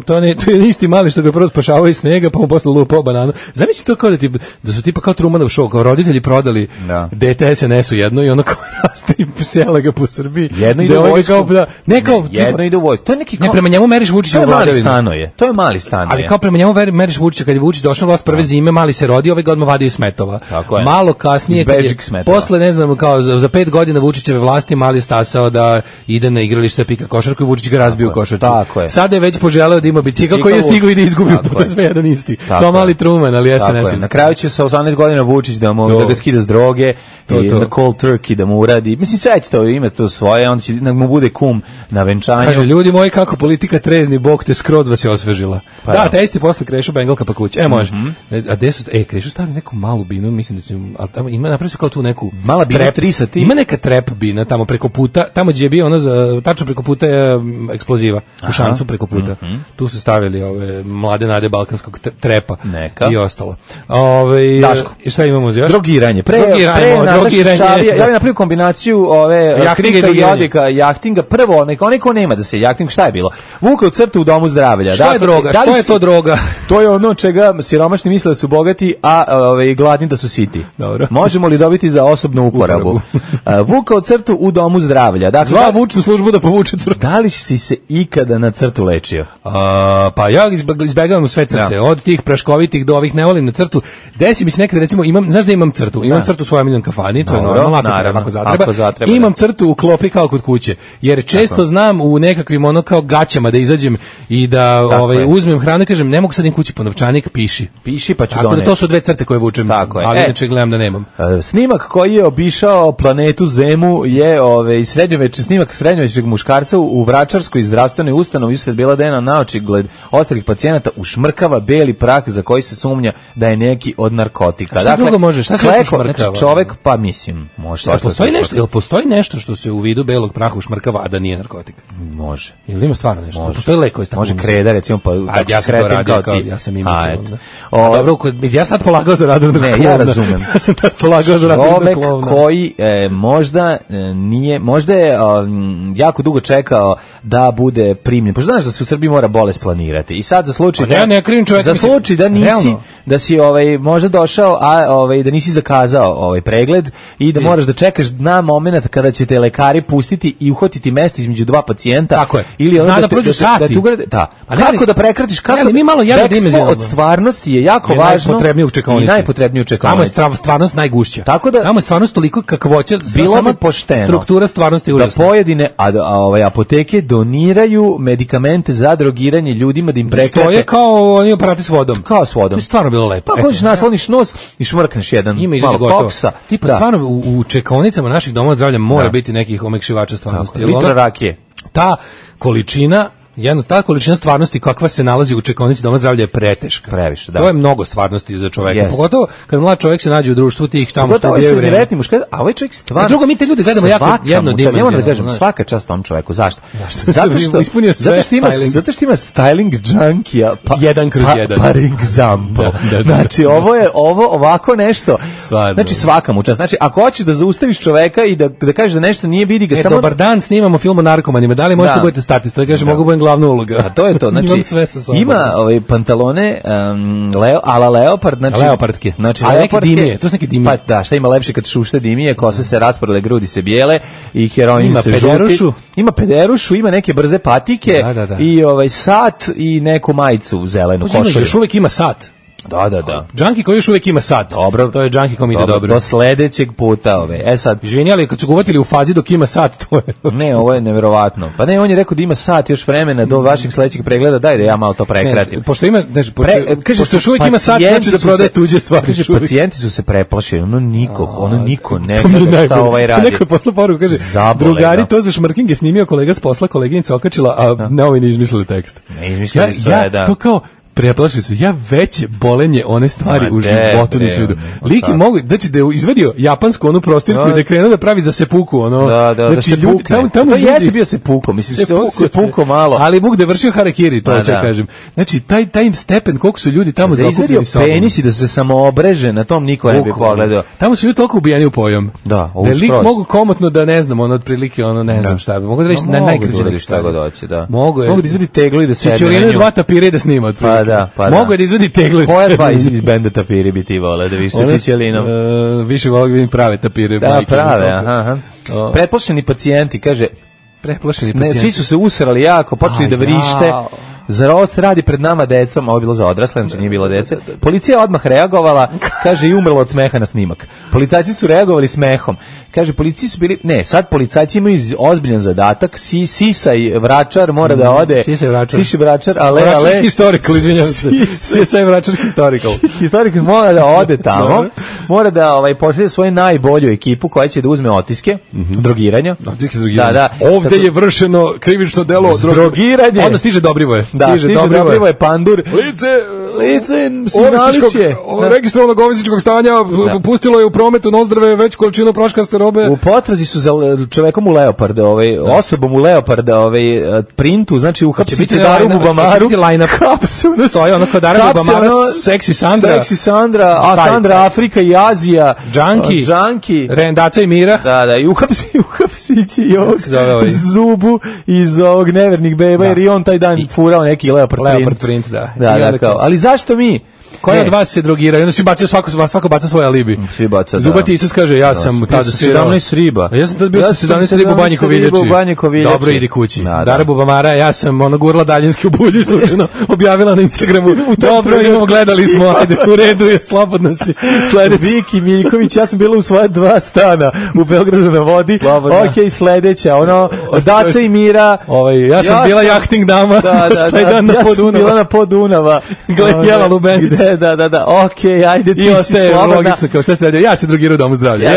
E: To je isti mali što ga prvo spašavao iz snega, pa mu posle lupao bananu. Zamisli to kao da su tipa kao Trumanov show, kao roditelji prodali dete SNS-u jedno i ono kao raste i sela ga po Srbiji.
F: Jedno ide u vojsku.
E: Jedno
F: ide u vojsku. To je neki
E: ne, prema njemu meriš Vučića vladavinu.
F: To je mali stan.
E: Ali kao prema njemu meriš Vučića, kad je Vučić došao vlast prve zime, mali se rodi, ovaj godin vadio smetova. Malo kasnije, posle, ne znam, kao za 5 godina Vučićeve vlasti, mali stasao da ide na igralište pika košarku i Vučić ga razbio u košarci. Sada je već poželeo da ima bicikl koji je stigao i da izgubio, puta sve jedan isti. Kao mali Truman, ali SNS.
F: Na kraju će sa 18 godina Vučić da ga skida s droge i na cold turkey da mu uradi. Mislim, sve će to ime to svoje, on će da mu bude kum na venčanju.
E: Kaže, ljudi moji, kako politika trezni, Bog te skroz vas je osvežila. Da, te isti posle Krešu Bengalka pa kuće. Može. A gde su, Krešu stavili neku malu binu, mislim da će, ali ima napravio se kao tu neku
F: mala bina 3 sati.
E: Ima neka trap bina tamo preko puta, tamo gdje je bio ono tačno preko puta je eksploziva, u šancu preko puta. Tu su stavili ove mlade nade balkanskog trepa i ostalo.
F: Daško.
E: I šta imamo još?
F: Drogiranje. Ja bih napravio kombinaciju krika i odjeka jahtinga. Prvo, onaj ko nema da se jahting, šta je bilo? Vukao crtu u domu zdravlja.
E: Šta je droga? Što je to droga?
F: To je ono čega siromašni misle da su bogati, a gladni da su siti.
E: Dobro.
F: Možemo li dobiti za osobnu uporabu? Vukao crtu u domu zdravlja. Dakle,
E: zva vučnu službu da povuče crtu.
F: Da li si se ikada na crtu lečio?
E: Pa ja izbegavam sve crte. Od tih praškovitih do ovih ne volim na crtu. Desi mi se nekada, recimo, znaš da imam crtu? Imam crtu u svojoj omiljenoj kafani, to je normalno, ako zatreba. Imam crtu u klopi kao kod kuće. Jer često znam u nekakvim ono kao gaćama da izađem i da uzmem hranu i kažem, ne mogu sad im kući po novčanik, piši pa ću doneti. Tako da to su dve crte koje vučem, ali inače gledam da nemam.
F: Snimak koji je obišao planetu Zemu je snimak srednjovečnog muškarca u Vračarskoj zdravstvenoj ustanovi usred bela dana na očigled ostalih pacijenata ušmrkava beli prah za koji se sumnja da je neki od narkotika.
E: Šta drugo može? Šta se ušmrkava?
F: Znači čovek, pa mislim, može.
E: Postoji nešto što se u vidu belog praha ušmrkava, a da nije narkotik?
F: Može.
E: Ili ima stvarno nešto? Postoji lek koji
F: može kreda, recimo, pa
E: ja sam to radio kao ti. Ja sam imao dobro, ja sad polagao za razrednog klovna.
F: Ne, ja razumem.
E: Ja sam tad polagao za razrednog klovna.
F: Čovek koji možda je jako dugo čekao da bude primljen. Pošto znaš da se u Srbiji mora bolest planirati. I sad za slučaj da nisi, da si možda došao, a da nisi zakazao pregled i da moraš da čekaš na moment kada će te lekari pustiti i uhvatiti mesto između dva pacijenta.
E: Tako je.
F: Ili
E: zna da prođu sati.
F: Kako da prekratiš, kako
E: mi malo
F: od stvarnosti je jako važno i najpotrebnije u čekaonici.
E: Tamo je stvarnost najgušća. Tamo je stvarnost toliko kakvoća,
F: bilo bi pošteno
E: struktura stvarnosti je užasna.
F: Da pojedine apoteke doniraju medikamente za drogiranje ljudima, da im prekrate.
E: To je kao oni aparati s vodom.
F: Kao s vodom.
E: To je stvarno bilo lepo.
F: Pa hoćeš nasloniš nos i šmrkneš jedan malo koksa.
E: Tipa stvarno u čekaonicama naših domova zdravlja mora biti nekih omekšivača stvarnosti.
F: Litra rakije.
E: Ta količina stvarnosti kakva se nalazi u čekaonici doma zdravlja je preteška.
F: Previše, da.
E: To je mnogo stvarnosti za čoveka. Pogotovo kad mlad čovjek se nađe u društvu tih tamo što
F: je vreme. A ovaj čovjek stvarno.
E: Drugo, mi te ljude gledamo jako jednodimenzionalno.
F: Ne moram da kažem, svaka čast tom čoveku. Zašto? Zato što ima styling junkija.
E: 1/1.
F: Par example. Znači, ovo je ovako nešto. Znači, svaka mu čast. Znači, ako hoćeš da zaustaviš čoveka i da kažeš da nešto nije, vidi ga samo.
E: Dobar dan, snimamo film o narkomanima. Da li možete budete statist? To kaže, mogu budem glavna uloga.
F: A to je to, znači ima pantalone ala leopard, znači
E: leopardke.
F: Znači
E: leopardke, dimije, to su neke dimije.
F: Pa da, šta ima lepše kad šušte dimije, kose se rasprle, grudi se bijele i heroin
E: ima
F: se
E: pederušu.
F: Ima pederušu, ima neke brze patike i sat i neku majicu zelenu košulju.
E: Još uvijek ima sat.
F: Da.
E: Džanki koji još uvijek ima sat.
F: Dobro.
E: To je džanki kom ide dobro.
F: Do sledećeg puta sad.
E: Izvini, ali kad su ga uvatili u fazi dok ima sat, to je...
F: Ne, ovo je neverovatno. Pa ne, on je rekao da ima sat još vremena do vašeg sledećeg pregleda, daj da ja malo to prekratim.
E: Pošto ima, pošto još uvijek ima sat, znači da prodaje tuđe stvari.
F: Kaže, pacijenti su se preplašili, ono niko ne gleda šta ovaj radi.
E: Neko je poslao poruku, kaže, drugari, to za šmrking je snimio kolega s posla, koleginica okačila, a ne ovi ne izmislili tekst.
F: Ne izmislili sve, da.
E: To kao, preplašili se. Ja veće bolenje one stvari u životu nisam vidio. Lik mogu, znači da je izvadio japansku onu prostirku i da je krenuo da pravi za sepuku, ono.
F: Znači ljudi tamo jeste bio sepuko, mislim sepuko malo.
E: Ali Bog da je vršio harakiri, to ću kažem. Znači taj stepen koliko su ljudi tamo zakupljeni sa
F: penisi da se samo obreže, na tom niko ne bi pogledao.
E: Tamo su ljudi toliko ubijeni u pojam.
F: Da,
E: lik mogu komotno da ne znam, ono otprilike ono ne znam šta bi. Mogu da reći na najkraće
F: šta god hoće, da.
E: Mogu
F: da izvadi teglu i da sedne.
E: Ćurine dva tapira da snima otprilike. Mogu je da izvadi teglu.
F: Koja dva iz benda tapiri bi ti vole da više sa Cićelinom?
E: Više vole da vidim prave tapire.
F: Da, prave, aha. Pretplašeni pacijenti, kaže, svi su se usrali jako, počeli da vrište. Zar ovo se radi pred nama decom, ovo je bilo za odrasle, znači nije bilo dece. Policija odmah reagovala, kaže, i umrlo od smeha na snimak. Policajci su reagovali smehom. Kaže, policiji su bili, sad policajci imaju ozbiljan zadatak, Sisaj Vračar mora da ode. Sisaj Vračar, ale.
E: Historical, izvinjam se. Sisaj Vračar historical.
F: Historical mora da ode tamo, mora da pošalje svoju najbolju ekipu koja će da uzme otiske, drogiranja.
E: Da. Ovdje je vršeno krivično delo
F: drogiranje.
E: Onda stiže Dobrivoje.
F: Da, stiže Dobrivoje Pandur. Lice Simaliće.
E: Registrovanog ovisničkog stanja pustilo je u prometu nozdrave već količinu praškaste robe.
F: U potrazi su za čovekom u leoparda, osobom u leoparda, printu, znači uhapsiće Darubu Bamaru.
E: Stoji ono kod Darubu Bamara, Seksi
F: Sandra, a Sandra Afrika i Azija.
E: Džanki. Rendaca i Mira.
F: Da, i uhapsiće i ovog Zubu iz ovog Nevernih beba, jer i on taj dan furao neki leopard print. Da, kao. Ali zašto mi?
E: Koji od vas se drogiraju? Onda svi bacaju, svako baca svoj alibi.
F: Svi baca,
E: Zubati Isus kaže, ja sam tada
F: 17 riba.
E: Ja sam tada bio sa 17 riba u Banji Koviljači. Dobro, idi kući. Dara Bubamara, ja sam gurla daljinski u bulju i slučajno objavila na Instagramu. Dobro, imamo, gledali smo, ajde, u redu je, slobodno si. Sledeći.
F: Viki Miljković, ja sam bila u svoja 2 stana u Beogradu na vodi. Ok, sledeća, Daca i Mira.
E: Ja sam bila jahting dama. Taj dan na Podunava.
F: Ja sam bila na Podunava.
E: Jela Lubenicu.
F: Da, okej, ajde, ti si slobodna.
E: Logično, kao šta ste radio, ja se drogirao u domu zdravlja.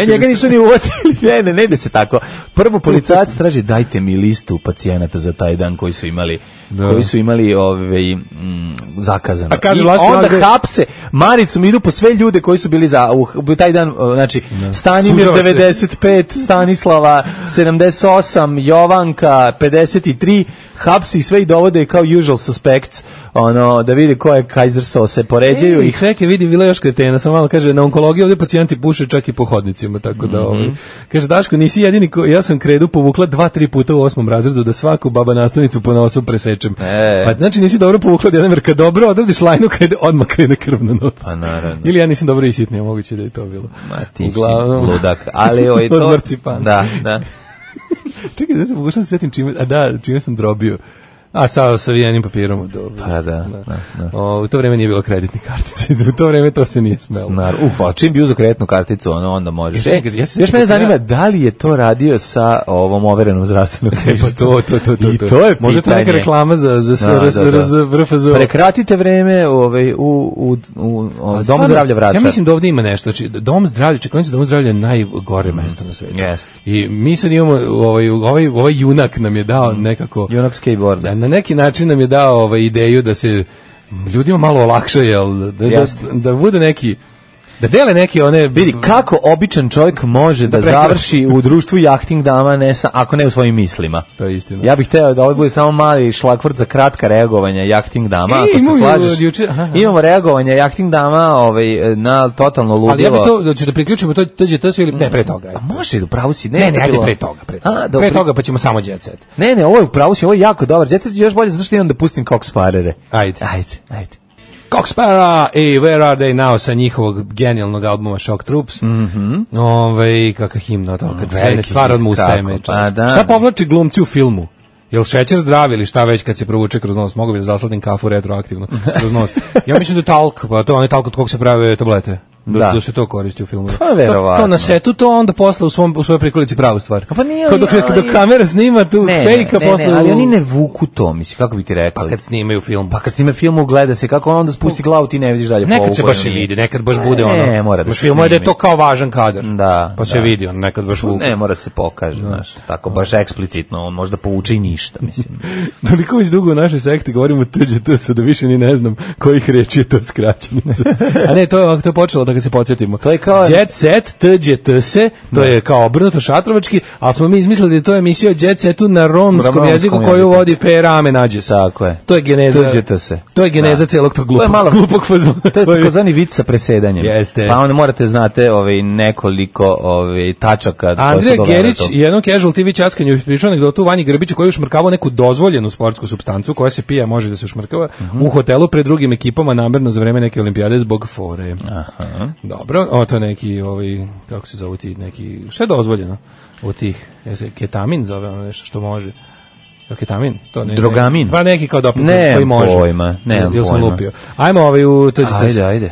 F: Njega nisu ni uvatili, ne ide se tako. Prvo policajac traži, dajte mi listu pacijenata za taj dan koji su imali zakazano. Onda hapse, Maricom idu po sve ljude koji su bili u taj dan, znači Stanimir 95, Stanislava 78, Jovanka 53, hapsi sve i dovode kao usual suspects, da vidi ko je Kaiser Sose, poređaju ih.
E: Čekaj, vidi, bila još kretena, samo malo kaže, na onkologiji ovdje pacijenti puše čak i po hodnicima, tako da, kaže, Daško, nisi jedini, ja sam kredu povukla 2-3 puta u 8. razredu da svaku baba nastavnicu po nosu presečem. Pa znači nisi dobro povukla jedan, jer kad dobro odradiš lajnu, odmah krene krv na nos.
F: Pa naravno.
E: Ili ja nisam dobro isitnio, moguće da je to bilo.
F: Ma ti si ludak, ali to...
E: Od marcipana.
F: Da.
E: Čekaj, da se pokušam se sjetim čime sam drobio. Sa vijenim papirom.
F: Pa da.
E: U to vreme nije bilo kreditnih kartica. U to vreme to se nije smelo.
F: Čim bi uzeo kreditnu karticu, onda možeš. Još mene zanima, da li je to radio sa ovom overenom zdravstvenom knjižicom?
E: I
F: to je pitanje.
E: Može to neka reklama za RFZO.
F: Prekratite vreme u Dom zdravlja Vračar.
E: Ja mislim da ovdje ima nešto. Znači, Dom zdravlja, čekajte, Dom zdravlja je najgore mesto na svijetu. I mi sad imamo, ovaj junak nam je dao nekako...
F: Junak skateboarda.
E: Na neki način nam je dao ideju da se ljudima malo olakša, da bude neki, da dele neke one...
F: Vidi, kako običan čovjek može da završi u društvu jahting dama, ako ne u svojim mislima.
E: To je istina.
F: Ja bih hteo da ovo bude samo mali šlagvort za kratka reagovanja jahting dama, ako se slažeš. Imamo reagovanja jahting dama na totalno ludilo.
E: Ali ja bih to, da priključimo to se ili... Ne, pre toga.
F: A može, upravo si.
E: Ne, ajde pre toga. Pre toga pa ćemo samo Jet Set.
F: Ne, ovo je upravo si, ovo je jako dobar. Jet Set je još bolje, zato što imam da pustim Cox Sparere.
E: Ajde. Cox Sparrer i Where Are They Now sa njihovog genijalnog albuma Shock Troops. Kakva himna to, kad krene stvar odmah ustaje me. Šta povlači glumci u filmu? Jel šećer zdrav ili šta već kad se provuče kroz nos? Mogu bi da zasladim kafu retroaktivno kroz nos. Ja mislim da je talk, pa to je talk od kog se prave tablete. Da se to koristi u filmu.
F: Pa verovatno.
E: To na setu, to onda posle u svojoj prikolici pravu stvar.
F: Pa nije,
E: dok kamera snima tu fejka posle...
F: ali oni ne vuku to, misli, kako bi ti rekao?
E: Pa kad snimaju film.
F: Pa kad snimaju film, gleda se kako on onda spusti glavu, ti ne vidiš dalje.
E: Nekad se baš i vidi, nekad baš bude ono...
F: Ne, mora da se
E: snimi. Film je da je to kao važan kadar.
F: Da.
E: Pa se vidi, on nekad baš vuku.
F: Ne, mora se pokaže, znaš, tako baš eksplicitno, on možda povuče i ništa, mislim.
E: Toliko već dugo u našoj sekti govorimo TGTS, da više ni ne znam kojih reči je to skraćenica. A ne, to je počelo da ga se podsjetimo.
F: Kao...
E: Jet Set, TGTS, to je kao obrnuto šatrovački, ali smo mi izmislili da je to emisija o Jet Setu na romskom jeziku koju vodi Perame Nađes.
F: Tako je.
E: To je geneza.
F: TGTS.
E: To je geneza celog tog glupog fazona.
F: To je takozvani vic sa presedanjem.
E: Jeste.
F: Pa onda morate znate nekoliko tačaka.
E: Andrija Gerić i jednom Casual TV časkanju pričao anegdotu Vanji Grbiću koji je ušmrkavao neku dozvoljenu sportsku supstancu koja se pija, može da se ušmrkava u hotelu pred drugim ekipama namerno za vreme neke olimpijade zbog fore.
F: Aha.
E: Dobro, to je neki kako se zove ti neki, šta je dozvoljeno u tih, ketamin zove ono nešto što može. Ketamin, to ne.
F: Drogamin.
E: Pa neki kao doping koji može.
F: Nemam pojma.
E: Sam lupio. Ajmo u to.
F: Ajde.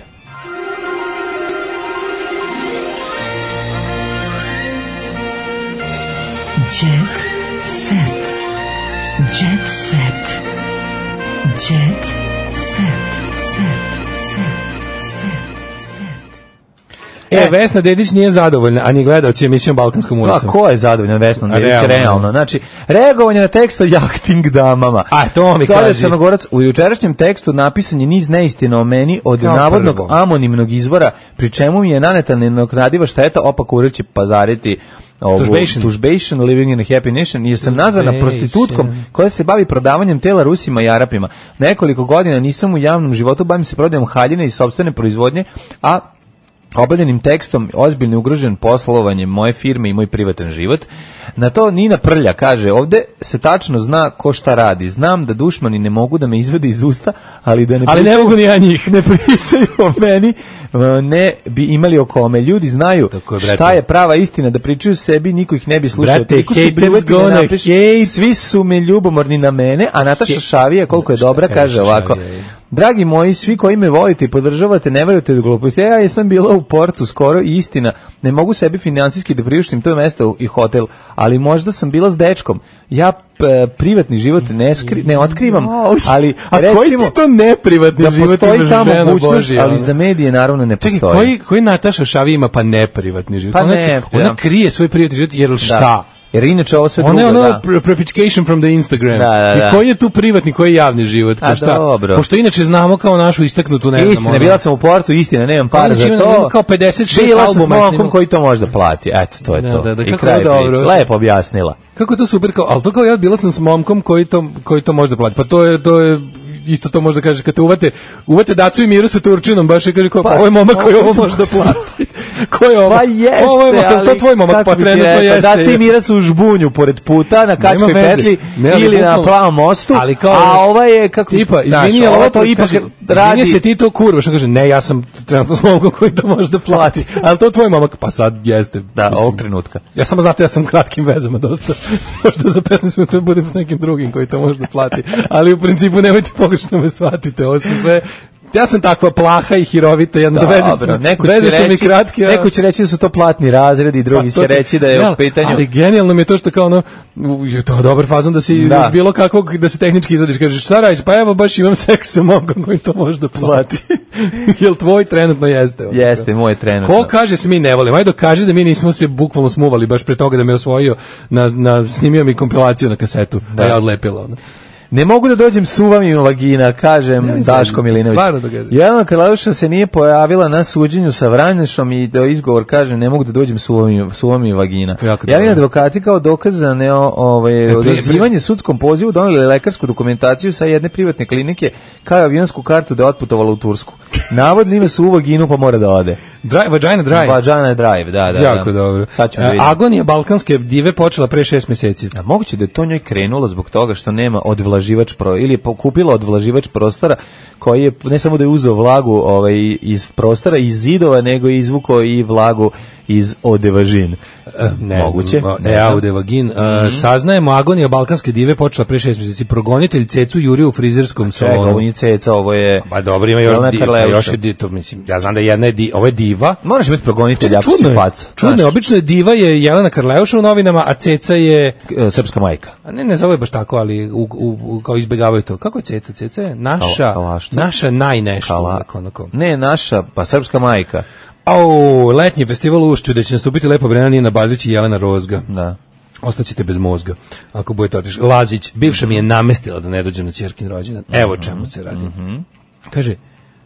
C: Jet set. Jet set. Jet set.
E: Vesna Dedić nije zadovoljna, a ni gledaoci emisijom Balkanskom ulicom.
F: A ko je zadovoljan Vesna Dedić? Realno. Znači, reagovanje na tekst o jahting damama.
E: A, to mi kaži.
F: Crnogorac, u jučerašnjem tekstu napisan je niz neistina o meni od navodnog anonimnog izvora, pri čemu mi je naneta nenadoknadiva šteta, opak ured će pazariti tužbation, living in a happy nation, jer sam nazvana prostitutkom koja se bavi prodavanjem tela Rusima i Arapima. Nekoliko godina nisam u javnom životu, bavim se prodajom haljine i sopstvene proizvodnje, a obavljenim tekstom ozbiljno ugrožen poslovanje moje firme i moj privatan život. Na to Nina Prlja kaže, ovde se tačno zna ko šta radi. Znam da dušmani ne mogu da me izvede iz usta, ali da
E: ne mogu ni ja njih.
F: Ne pričaju o meni, ne bi imali o kome. Ljudi znaju šta je prava istina, da pričaju sebi, niko ih ne bi slušao. Svi su me ljubomorni na mene, a Nataša Šavija, koliko je dobra, kaže ovako. Dragi moji, svi koji me volite i podržavate, ne verujete do gluposti. Ja jesam bila u portu skoro i istina, ne mogu sebi finansijski da priuštim to mesto i hotel, ali možda sam bila s dečkom. Ja privatni život ne otkrivam, ali recimo...
E: koji ti to neprivatni život imaš, žena Božija?
F: Ali za medije naravno ne postoji.
E: Čekaj, koji Nataša Šavi ima pa neprivatni život? Ona krije svoj privatni život, jer šta?
F: Jer inače ovo sve drugo,
E: da. Ona je propagation from the Instagram.
F: Da.
E: I koji je tu privatni, koji je javni život? Pošto inače znamo kao našu istaknutu, ne znam.
F: Istina, bila sam u portu, istina, nemam para za to.
E: Kao 56 albuma.
F: Bila sam s momkom koji to može da plati. Eto, to je to. I kraj priče. Lepo objasnila.
E: Kako je to super, ali to kao ja bila sam s momkom koji to može da plati. Pa to je isto to možda kaže, kad te uvate Dacu i Miru sa Turčinom, baš je kaže, ovo je momak koji ovo može da plati. Ko je ovo?
F: Pa jeste,
E: ali... To je tvoj momak, pa trenutno jeste.
F: Daca i Mira su u žbunju pored puta, na Kačkoj petlji, ili na Plavom mostu, a ova je, kako...
E: Tipa, izvini, ali ovo to ipak radi... Izvini se ti to kurva, što kaže, ne, ja sam trenutno s momkom koji to može da plati. Ali to je tvoj momak, pa sad jeste.
F: Da, ovog trenutka.
E: Ja samo znate, ja sam kratkim vezama dosta. Možda za 15 minuta budem s nekim drugim koji to može da plati. Ali u principu nemojte pogrešno me shvatite, ovo su sve... Ja sam takva plaha i hirovita, veze su mi kratke.
F: Neko će reći da su to platni razredi, drugi će reći da je u pitanju...
E: Ali genijalno mi je to što kao ono, to je dobar fazon da si bilo kakvog, da se tehnički izvadiš, kažeš šta radiš, pa evo baš imam seks sa momkom koji to može da plati. Jel tvoj trenutno jeste?
F: Jeste, moj trenutno.
E: Ko kaže se mi ne volimo? Ajde dokaži da mi nismo se bukvalno smuvali baš pre toga da me osvojio, snimio mi kompilaciju na kasetu, da ja odlepila ono.
F: Ne mogu da dođem suvam im vagina, kažem Daško Milinović. Jelena Karlajuša se nije pojavila na suđenju sa Vranješom i da izgovor kaže ne mogu da dođem suvam im vagina. Javni advokati kao dokaz za odazivanje sudskom pozivu doneli lekarsku dokumentaciju sa jedne privatne klinike kao avionsku kartu da je otputovala u Tursku. Navodno ima suvu vaginu pa mora da ode.
E: Vagina
F: drive, da.
E: Jako dobro. Agonija balkanske dive počela pre 6 meseci.
F: A moguće da je to njoj krenulo zbog toga što nema odvlaživač ili je kupila odvlaživač prostora koji je ne samo da je uzeo vlagu iz prostora, iz zidova, nego je izvukao i vlagu iz Odevagin. Moguće.
E: Odevagin. Saznajemo, agonija balkanske dive počela pre 6 mjeseci. Progonitelj Cecu jurio u frizerskom salonu.
F: Ovo nije Ceca, ovo je...
E: Pa dobro, ima još je to, mislim, ja znam da jedna je ovo je diva.
F: Moraš biti progonitelj, jako si faca.
E: Čudno je, obično je diva je Jelena Karleuša u novinama, a Ceca je...
F: Srpska majka.
E: A ne zove baš tako, ali kao izbjegavaju to. Kako je Ceca? Ceca je naša najnešta.
F: Ne, naša, pa srpska majka.
E: Letnji festival u Ušću, da će nastupiti Lepa Brena, Nina Badrić i Jelena Rozga.
F: Da.
E: Ostaćete bez mozga, ako budete otišli. Lazić, bivša mi je namestila da ne dođem na ćerkin rođendan. Evo čemu se radi. Kaže,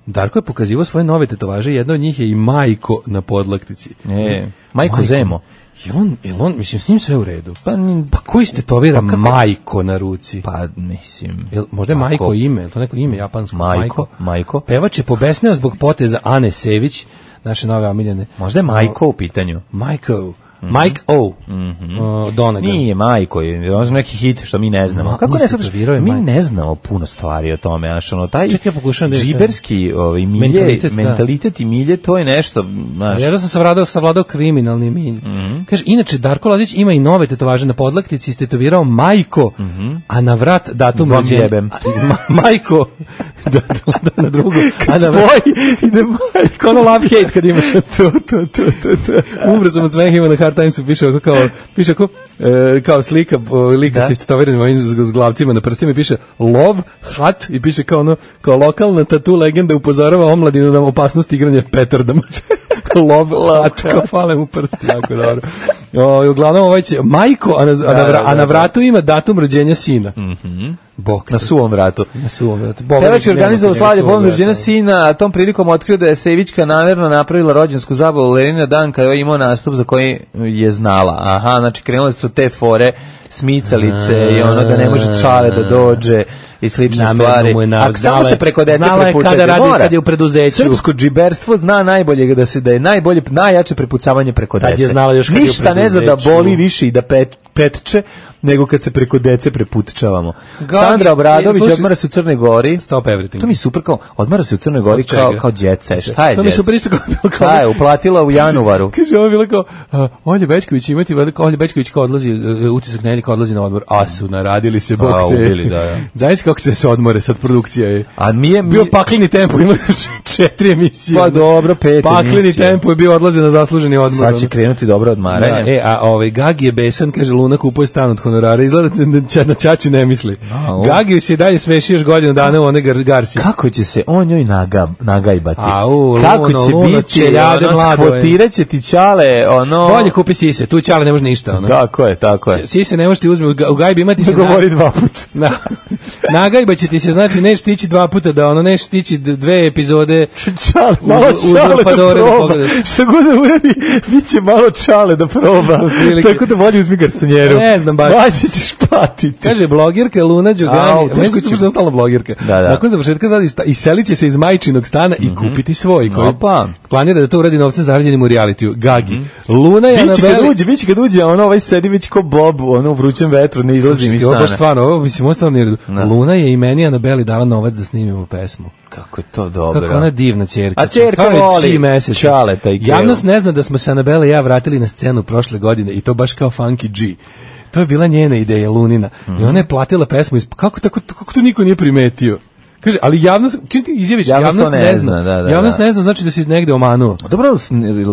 E: Darko je pokazivao svoje nove tetovaže, jedna od njih je i Majko na podlaktici.
F: Majko Zemo.
E: Jel on, mislim, s njim sve u redu? Pa koji ste tetovira Majko na ruci?
F: Pa, mislim...
E: Možda je Majko ime, je to neko ime japansko?
F: Majko.
E: Pevač je pobesneo zbog poteza Ane Sević, naše nove omiljene.
F: Možda je Majko u pitanju.
E: Mike O. Donegan.
F: Nije Majko, je on neki hit što mi ne znamo. Kako ne sad? Mi ne znamo puno stvari o tome, znači ono taj džiberski mentalitet i milje, to je nešto, znači.
E: Ja da sam savladao kriminalni milje. Kaže, inače Darko Lazić ima i nove tetovaže na podlaktici, istetovirao Majko, a na vrat datum rođenja. Majko na drugo.
F: A na vrat ide Majko.
E: Ono love hate kad imaš to. Umro sam od smeha, ima na Hard Timesu piše kao slika lika sa istetovanim ovim zglavcima na prstima i piše love, hat i piše kao lokalna tatu legenda upozorava omladinu na opasnost igranja petardama. Love, hat, kao fale mu prsti, jako dobro. Uglavnom ovaj će Majko, a na vratu ima datum rođenja sina.
F: Na suvom vratu.
E: Pevač
F: je organizovao slavlje povodom rođenja sina, a tom prilikom otkrio da je Sevićka namjerno napravila rođensku zabavu Lerina dan kada je imao nastup za koji je znala. Aha, znači krenule su te fore, smicalice i ono da ne može Čale da dođe i slične stvari. A samo se preko dece prepucati.
E: Znala je kada radi kad je u preduzeću.
F: Srpsko džiberstvo zna najbolje da je najjače prepucavanje preko dece. Ništa ne zna da boli više i da petče nego kad se preko dece preputčavamo. Sandra Obradović odmara se u Crnoj Gori.
E: Stop everything.
F: To mi super kao, odmara se u Crnoj Gori kao djeca. Šta je djeca?
E: To mi super isto kao...
F: Šta je, uplatila u januaru.
E: Kaže, ovo je bilo kao, Olja Bećković imati, Olja Bećković kao odlazi, utisak nedelje kao odlazi na odmor, a su naradili se, bok te. Zaista kako se odmore, sad produkcija je.
F: A mi je...
E: Bio pakleni tempo, ima 4 emisije.
F: Pa dobro, 5 emisije.
E: Pakleni tempo je bio odlazi na zasluženi odmor.
F: Sad će krenuti dobro odmaranje.
E: Gagi je besan, kaže, Luna kupuje stan od honorara, izgleda na ćaću ne misli. Gagi se dalje sveši još godinu dana u one garsi.
F: Kako će se on njoj nagajbati?
E: Kako
F: će biti? Skvotirat će ti Ćale, ono...
E: Bolje kupi sise, tu Ćale ne može ništa. Ono.
F: Tako je.
E: Sise ne može ti uzme, u gajbi imati se...
F: Govori 2 puta.
E: Nagajba će ti se, znači neš stići 2 puta, da ono neš stići 2 epizode...
F: Čale, malo Čale da proba. Šta god da uradi, bit će malo Čale da proba. Tako da bolje uzmi garsonjeru.
E: Ne znam baš.
F: Ajde ćeš patiti.
E: Kaže, blogerka Luna Đogani, meni se ostala blogerka. Nakon završetka iselit će se iz majčinog stana i kupiti svoj, koji planira da to uradi novcem zarađenim u realitiju. Gagi. Luna je
F: biće kad uđe, ono ovaj sedi već ko Bob, ono u vrućem vetru, ne izlazi mi stana.
E: Ovo stvarno, ovo mislim, ostalo nije. Luna je i meni Anabeli dala novac da snimimo pesmu.
F: Kako je to dobro.
E: Kako ona divna ćerka.
F: A ćerka voli Čaleta i Kevu.
E: Javnost ne zna da smo se Anabela i ja vratili na scenu prošle godine i to baš kao Funky G. To je bila njena ideja, Lunina. I ona je platila pesmu. Kako to niko nije primetio? Kaže, ali javnost, čim ti izjaviš, javnost ne zna. Javnost ne zna, znači da si negde omanuo.
F: Dobro,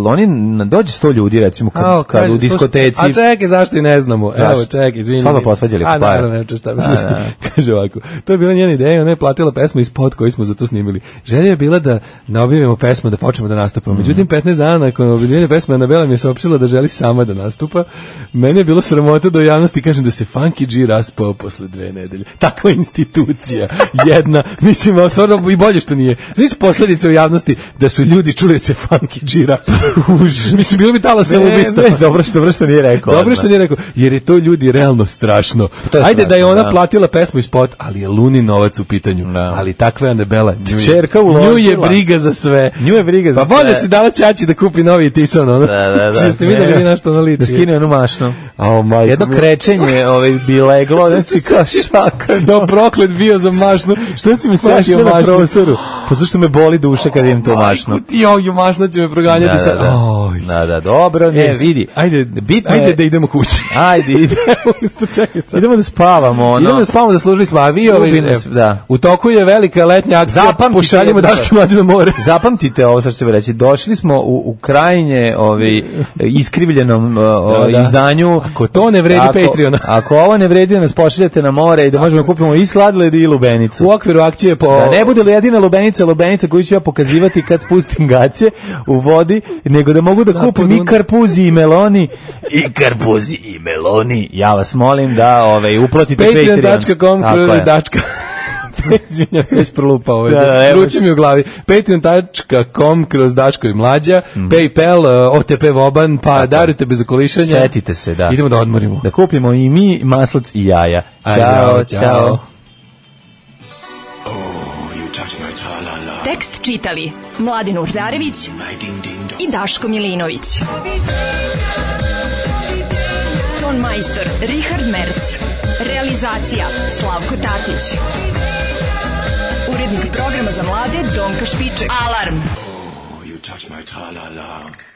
F: oni dođe 100 ljudi, recimo, kad u diskoteci...
E: A čekaj, zašto i ne znamo? Evo, čekaj, izvini.
F: Stvarno posvađali po par.
E: Naravno, neću šta misliš. Kaže ovako, to je bila njena ideja, ona je platila pesmu iz spot koji smo za to snimili. Želja je bila da ne objavimo pesmu, da počnemo da nastupamo. Međutim, 15 dana nakon objavljene pesme, Anabela mi je saopštila da želi sama da nastupa. Meni je bilo sramota da u javnosti kažem da se Funky G raspao posle 2 nedelje. Takva institucija, jedna, mislim, stvarno i bolje što nije. Znači posljedice u javnosti da su ljudi čuli se Funky G raspao. Mislim, bilo bi tala samoubistva.
F: Dobro što nije rekao.
E: Dobro što nije rekao, jer je to ljudi realno strašno. Ajde da je ona platila pesmu i spot, ali je Luni novac u pitanju. Ali takva je Anabela.
F: Čerka uložila.
E: Nju je briga za sve.
F: Pa
E: bolje si dala ćaći da kupi novi Tison. Da. Ste vidjeli vi na što ona liči.
F: Da skine onu mašnu. Jedno krečenje bi leglo, znači kao šaka.
E: No, proklet bio za mašnu. Što si si mi setio mašnu.
F: Pa zašto me boli duša kad imam to mašnu?
E: Majku ti, mašna će me proganjati sad.
F: Da, dobro, ne, vidi.
E: Ajde da idemo kući.
F: Ajde, idemo da spavamo.
E: Idemo da spavamo, da služili smo. A vi, u toku je velika letnja akcija, pošaljimo Daško i Mlađu na more.
F: Zapamtite ovo što ću reći. Došli smo u krajnje iskrivljenom izdanju.
E: Ako to ne vredi Patreona.
F: Ako ovo ne vredi, nas pošaljate na more i da možemo kupimo i sladoled i lubenicu.
E: U okviru akcije po...
F: Da ne bude li jedina lubenica koju ću ja pokazivati kad spustim gaće u vodi, nego da mogu da kupim i karpuzi i meloni. Ja vas molim da uplatite Patreon.
E: Patreon.com Izvinjam se, već prolupao. Ruči mi u glavi. Patreon.com kroz Daško i Mlađa, PayPal, OTP Voban, pa darujte bez okolišanja.
F: Setite se, da.
E: Idemo da odmorimo.
F: Da kupimo i mi maslac i jaja. Ćao.
K: Tekst čitali Mladin Urdarević i Daško Milinović. Ton majstor Richard Merc. Realizacija Slavko Tatić. Urednik programa za mlade Donka Špiček. Alarm! You touch my tra-la-la.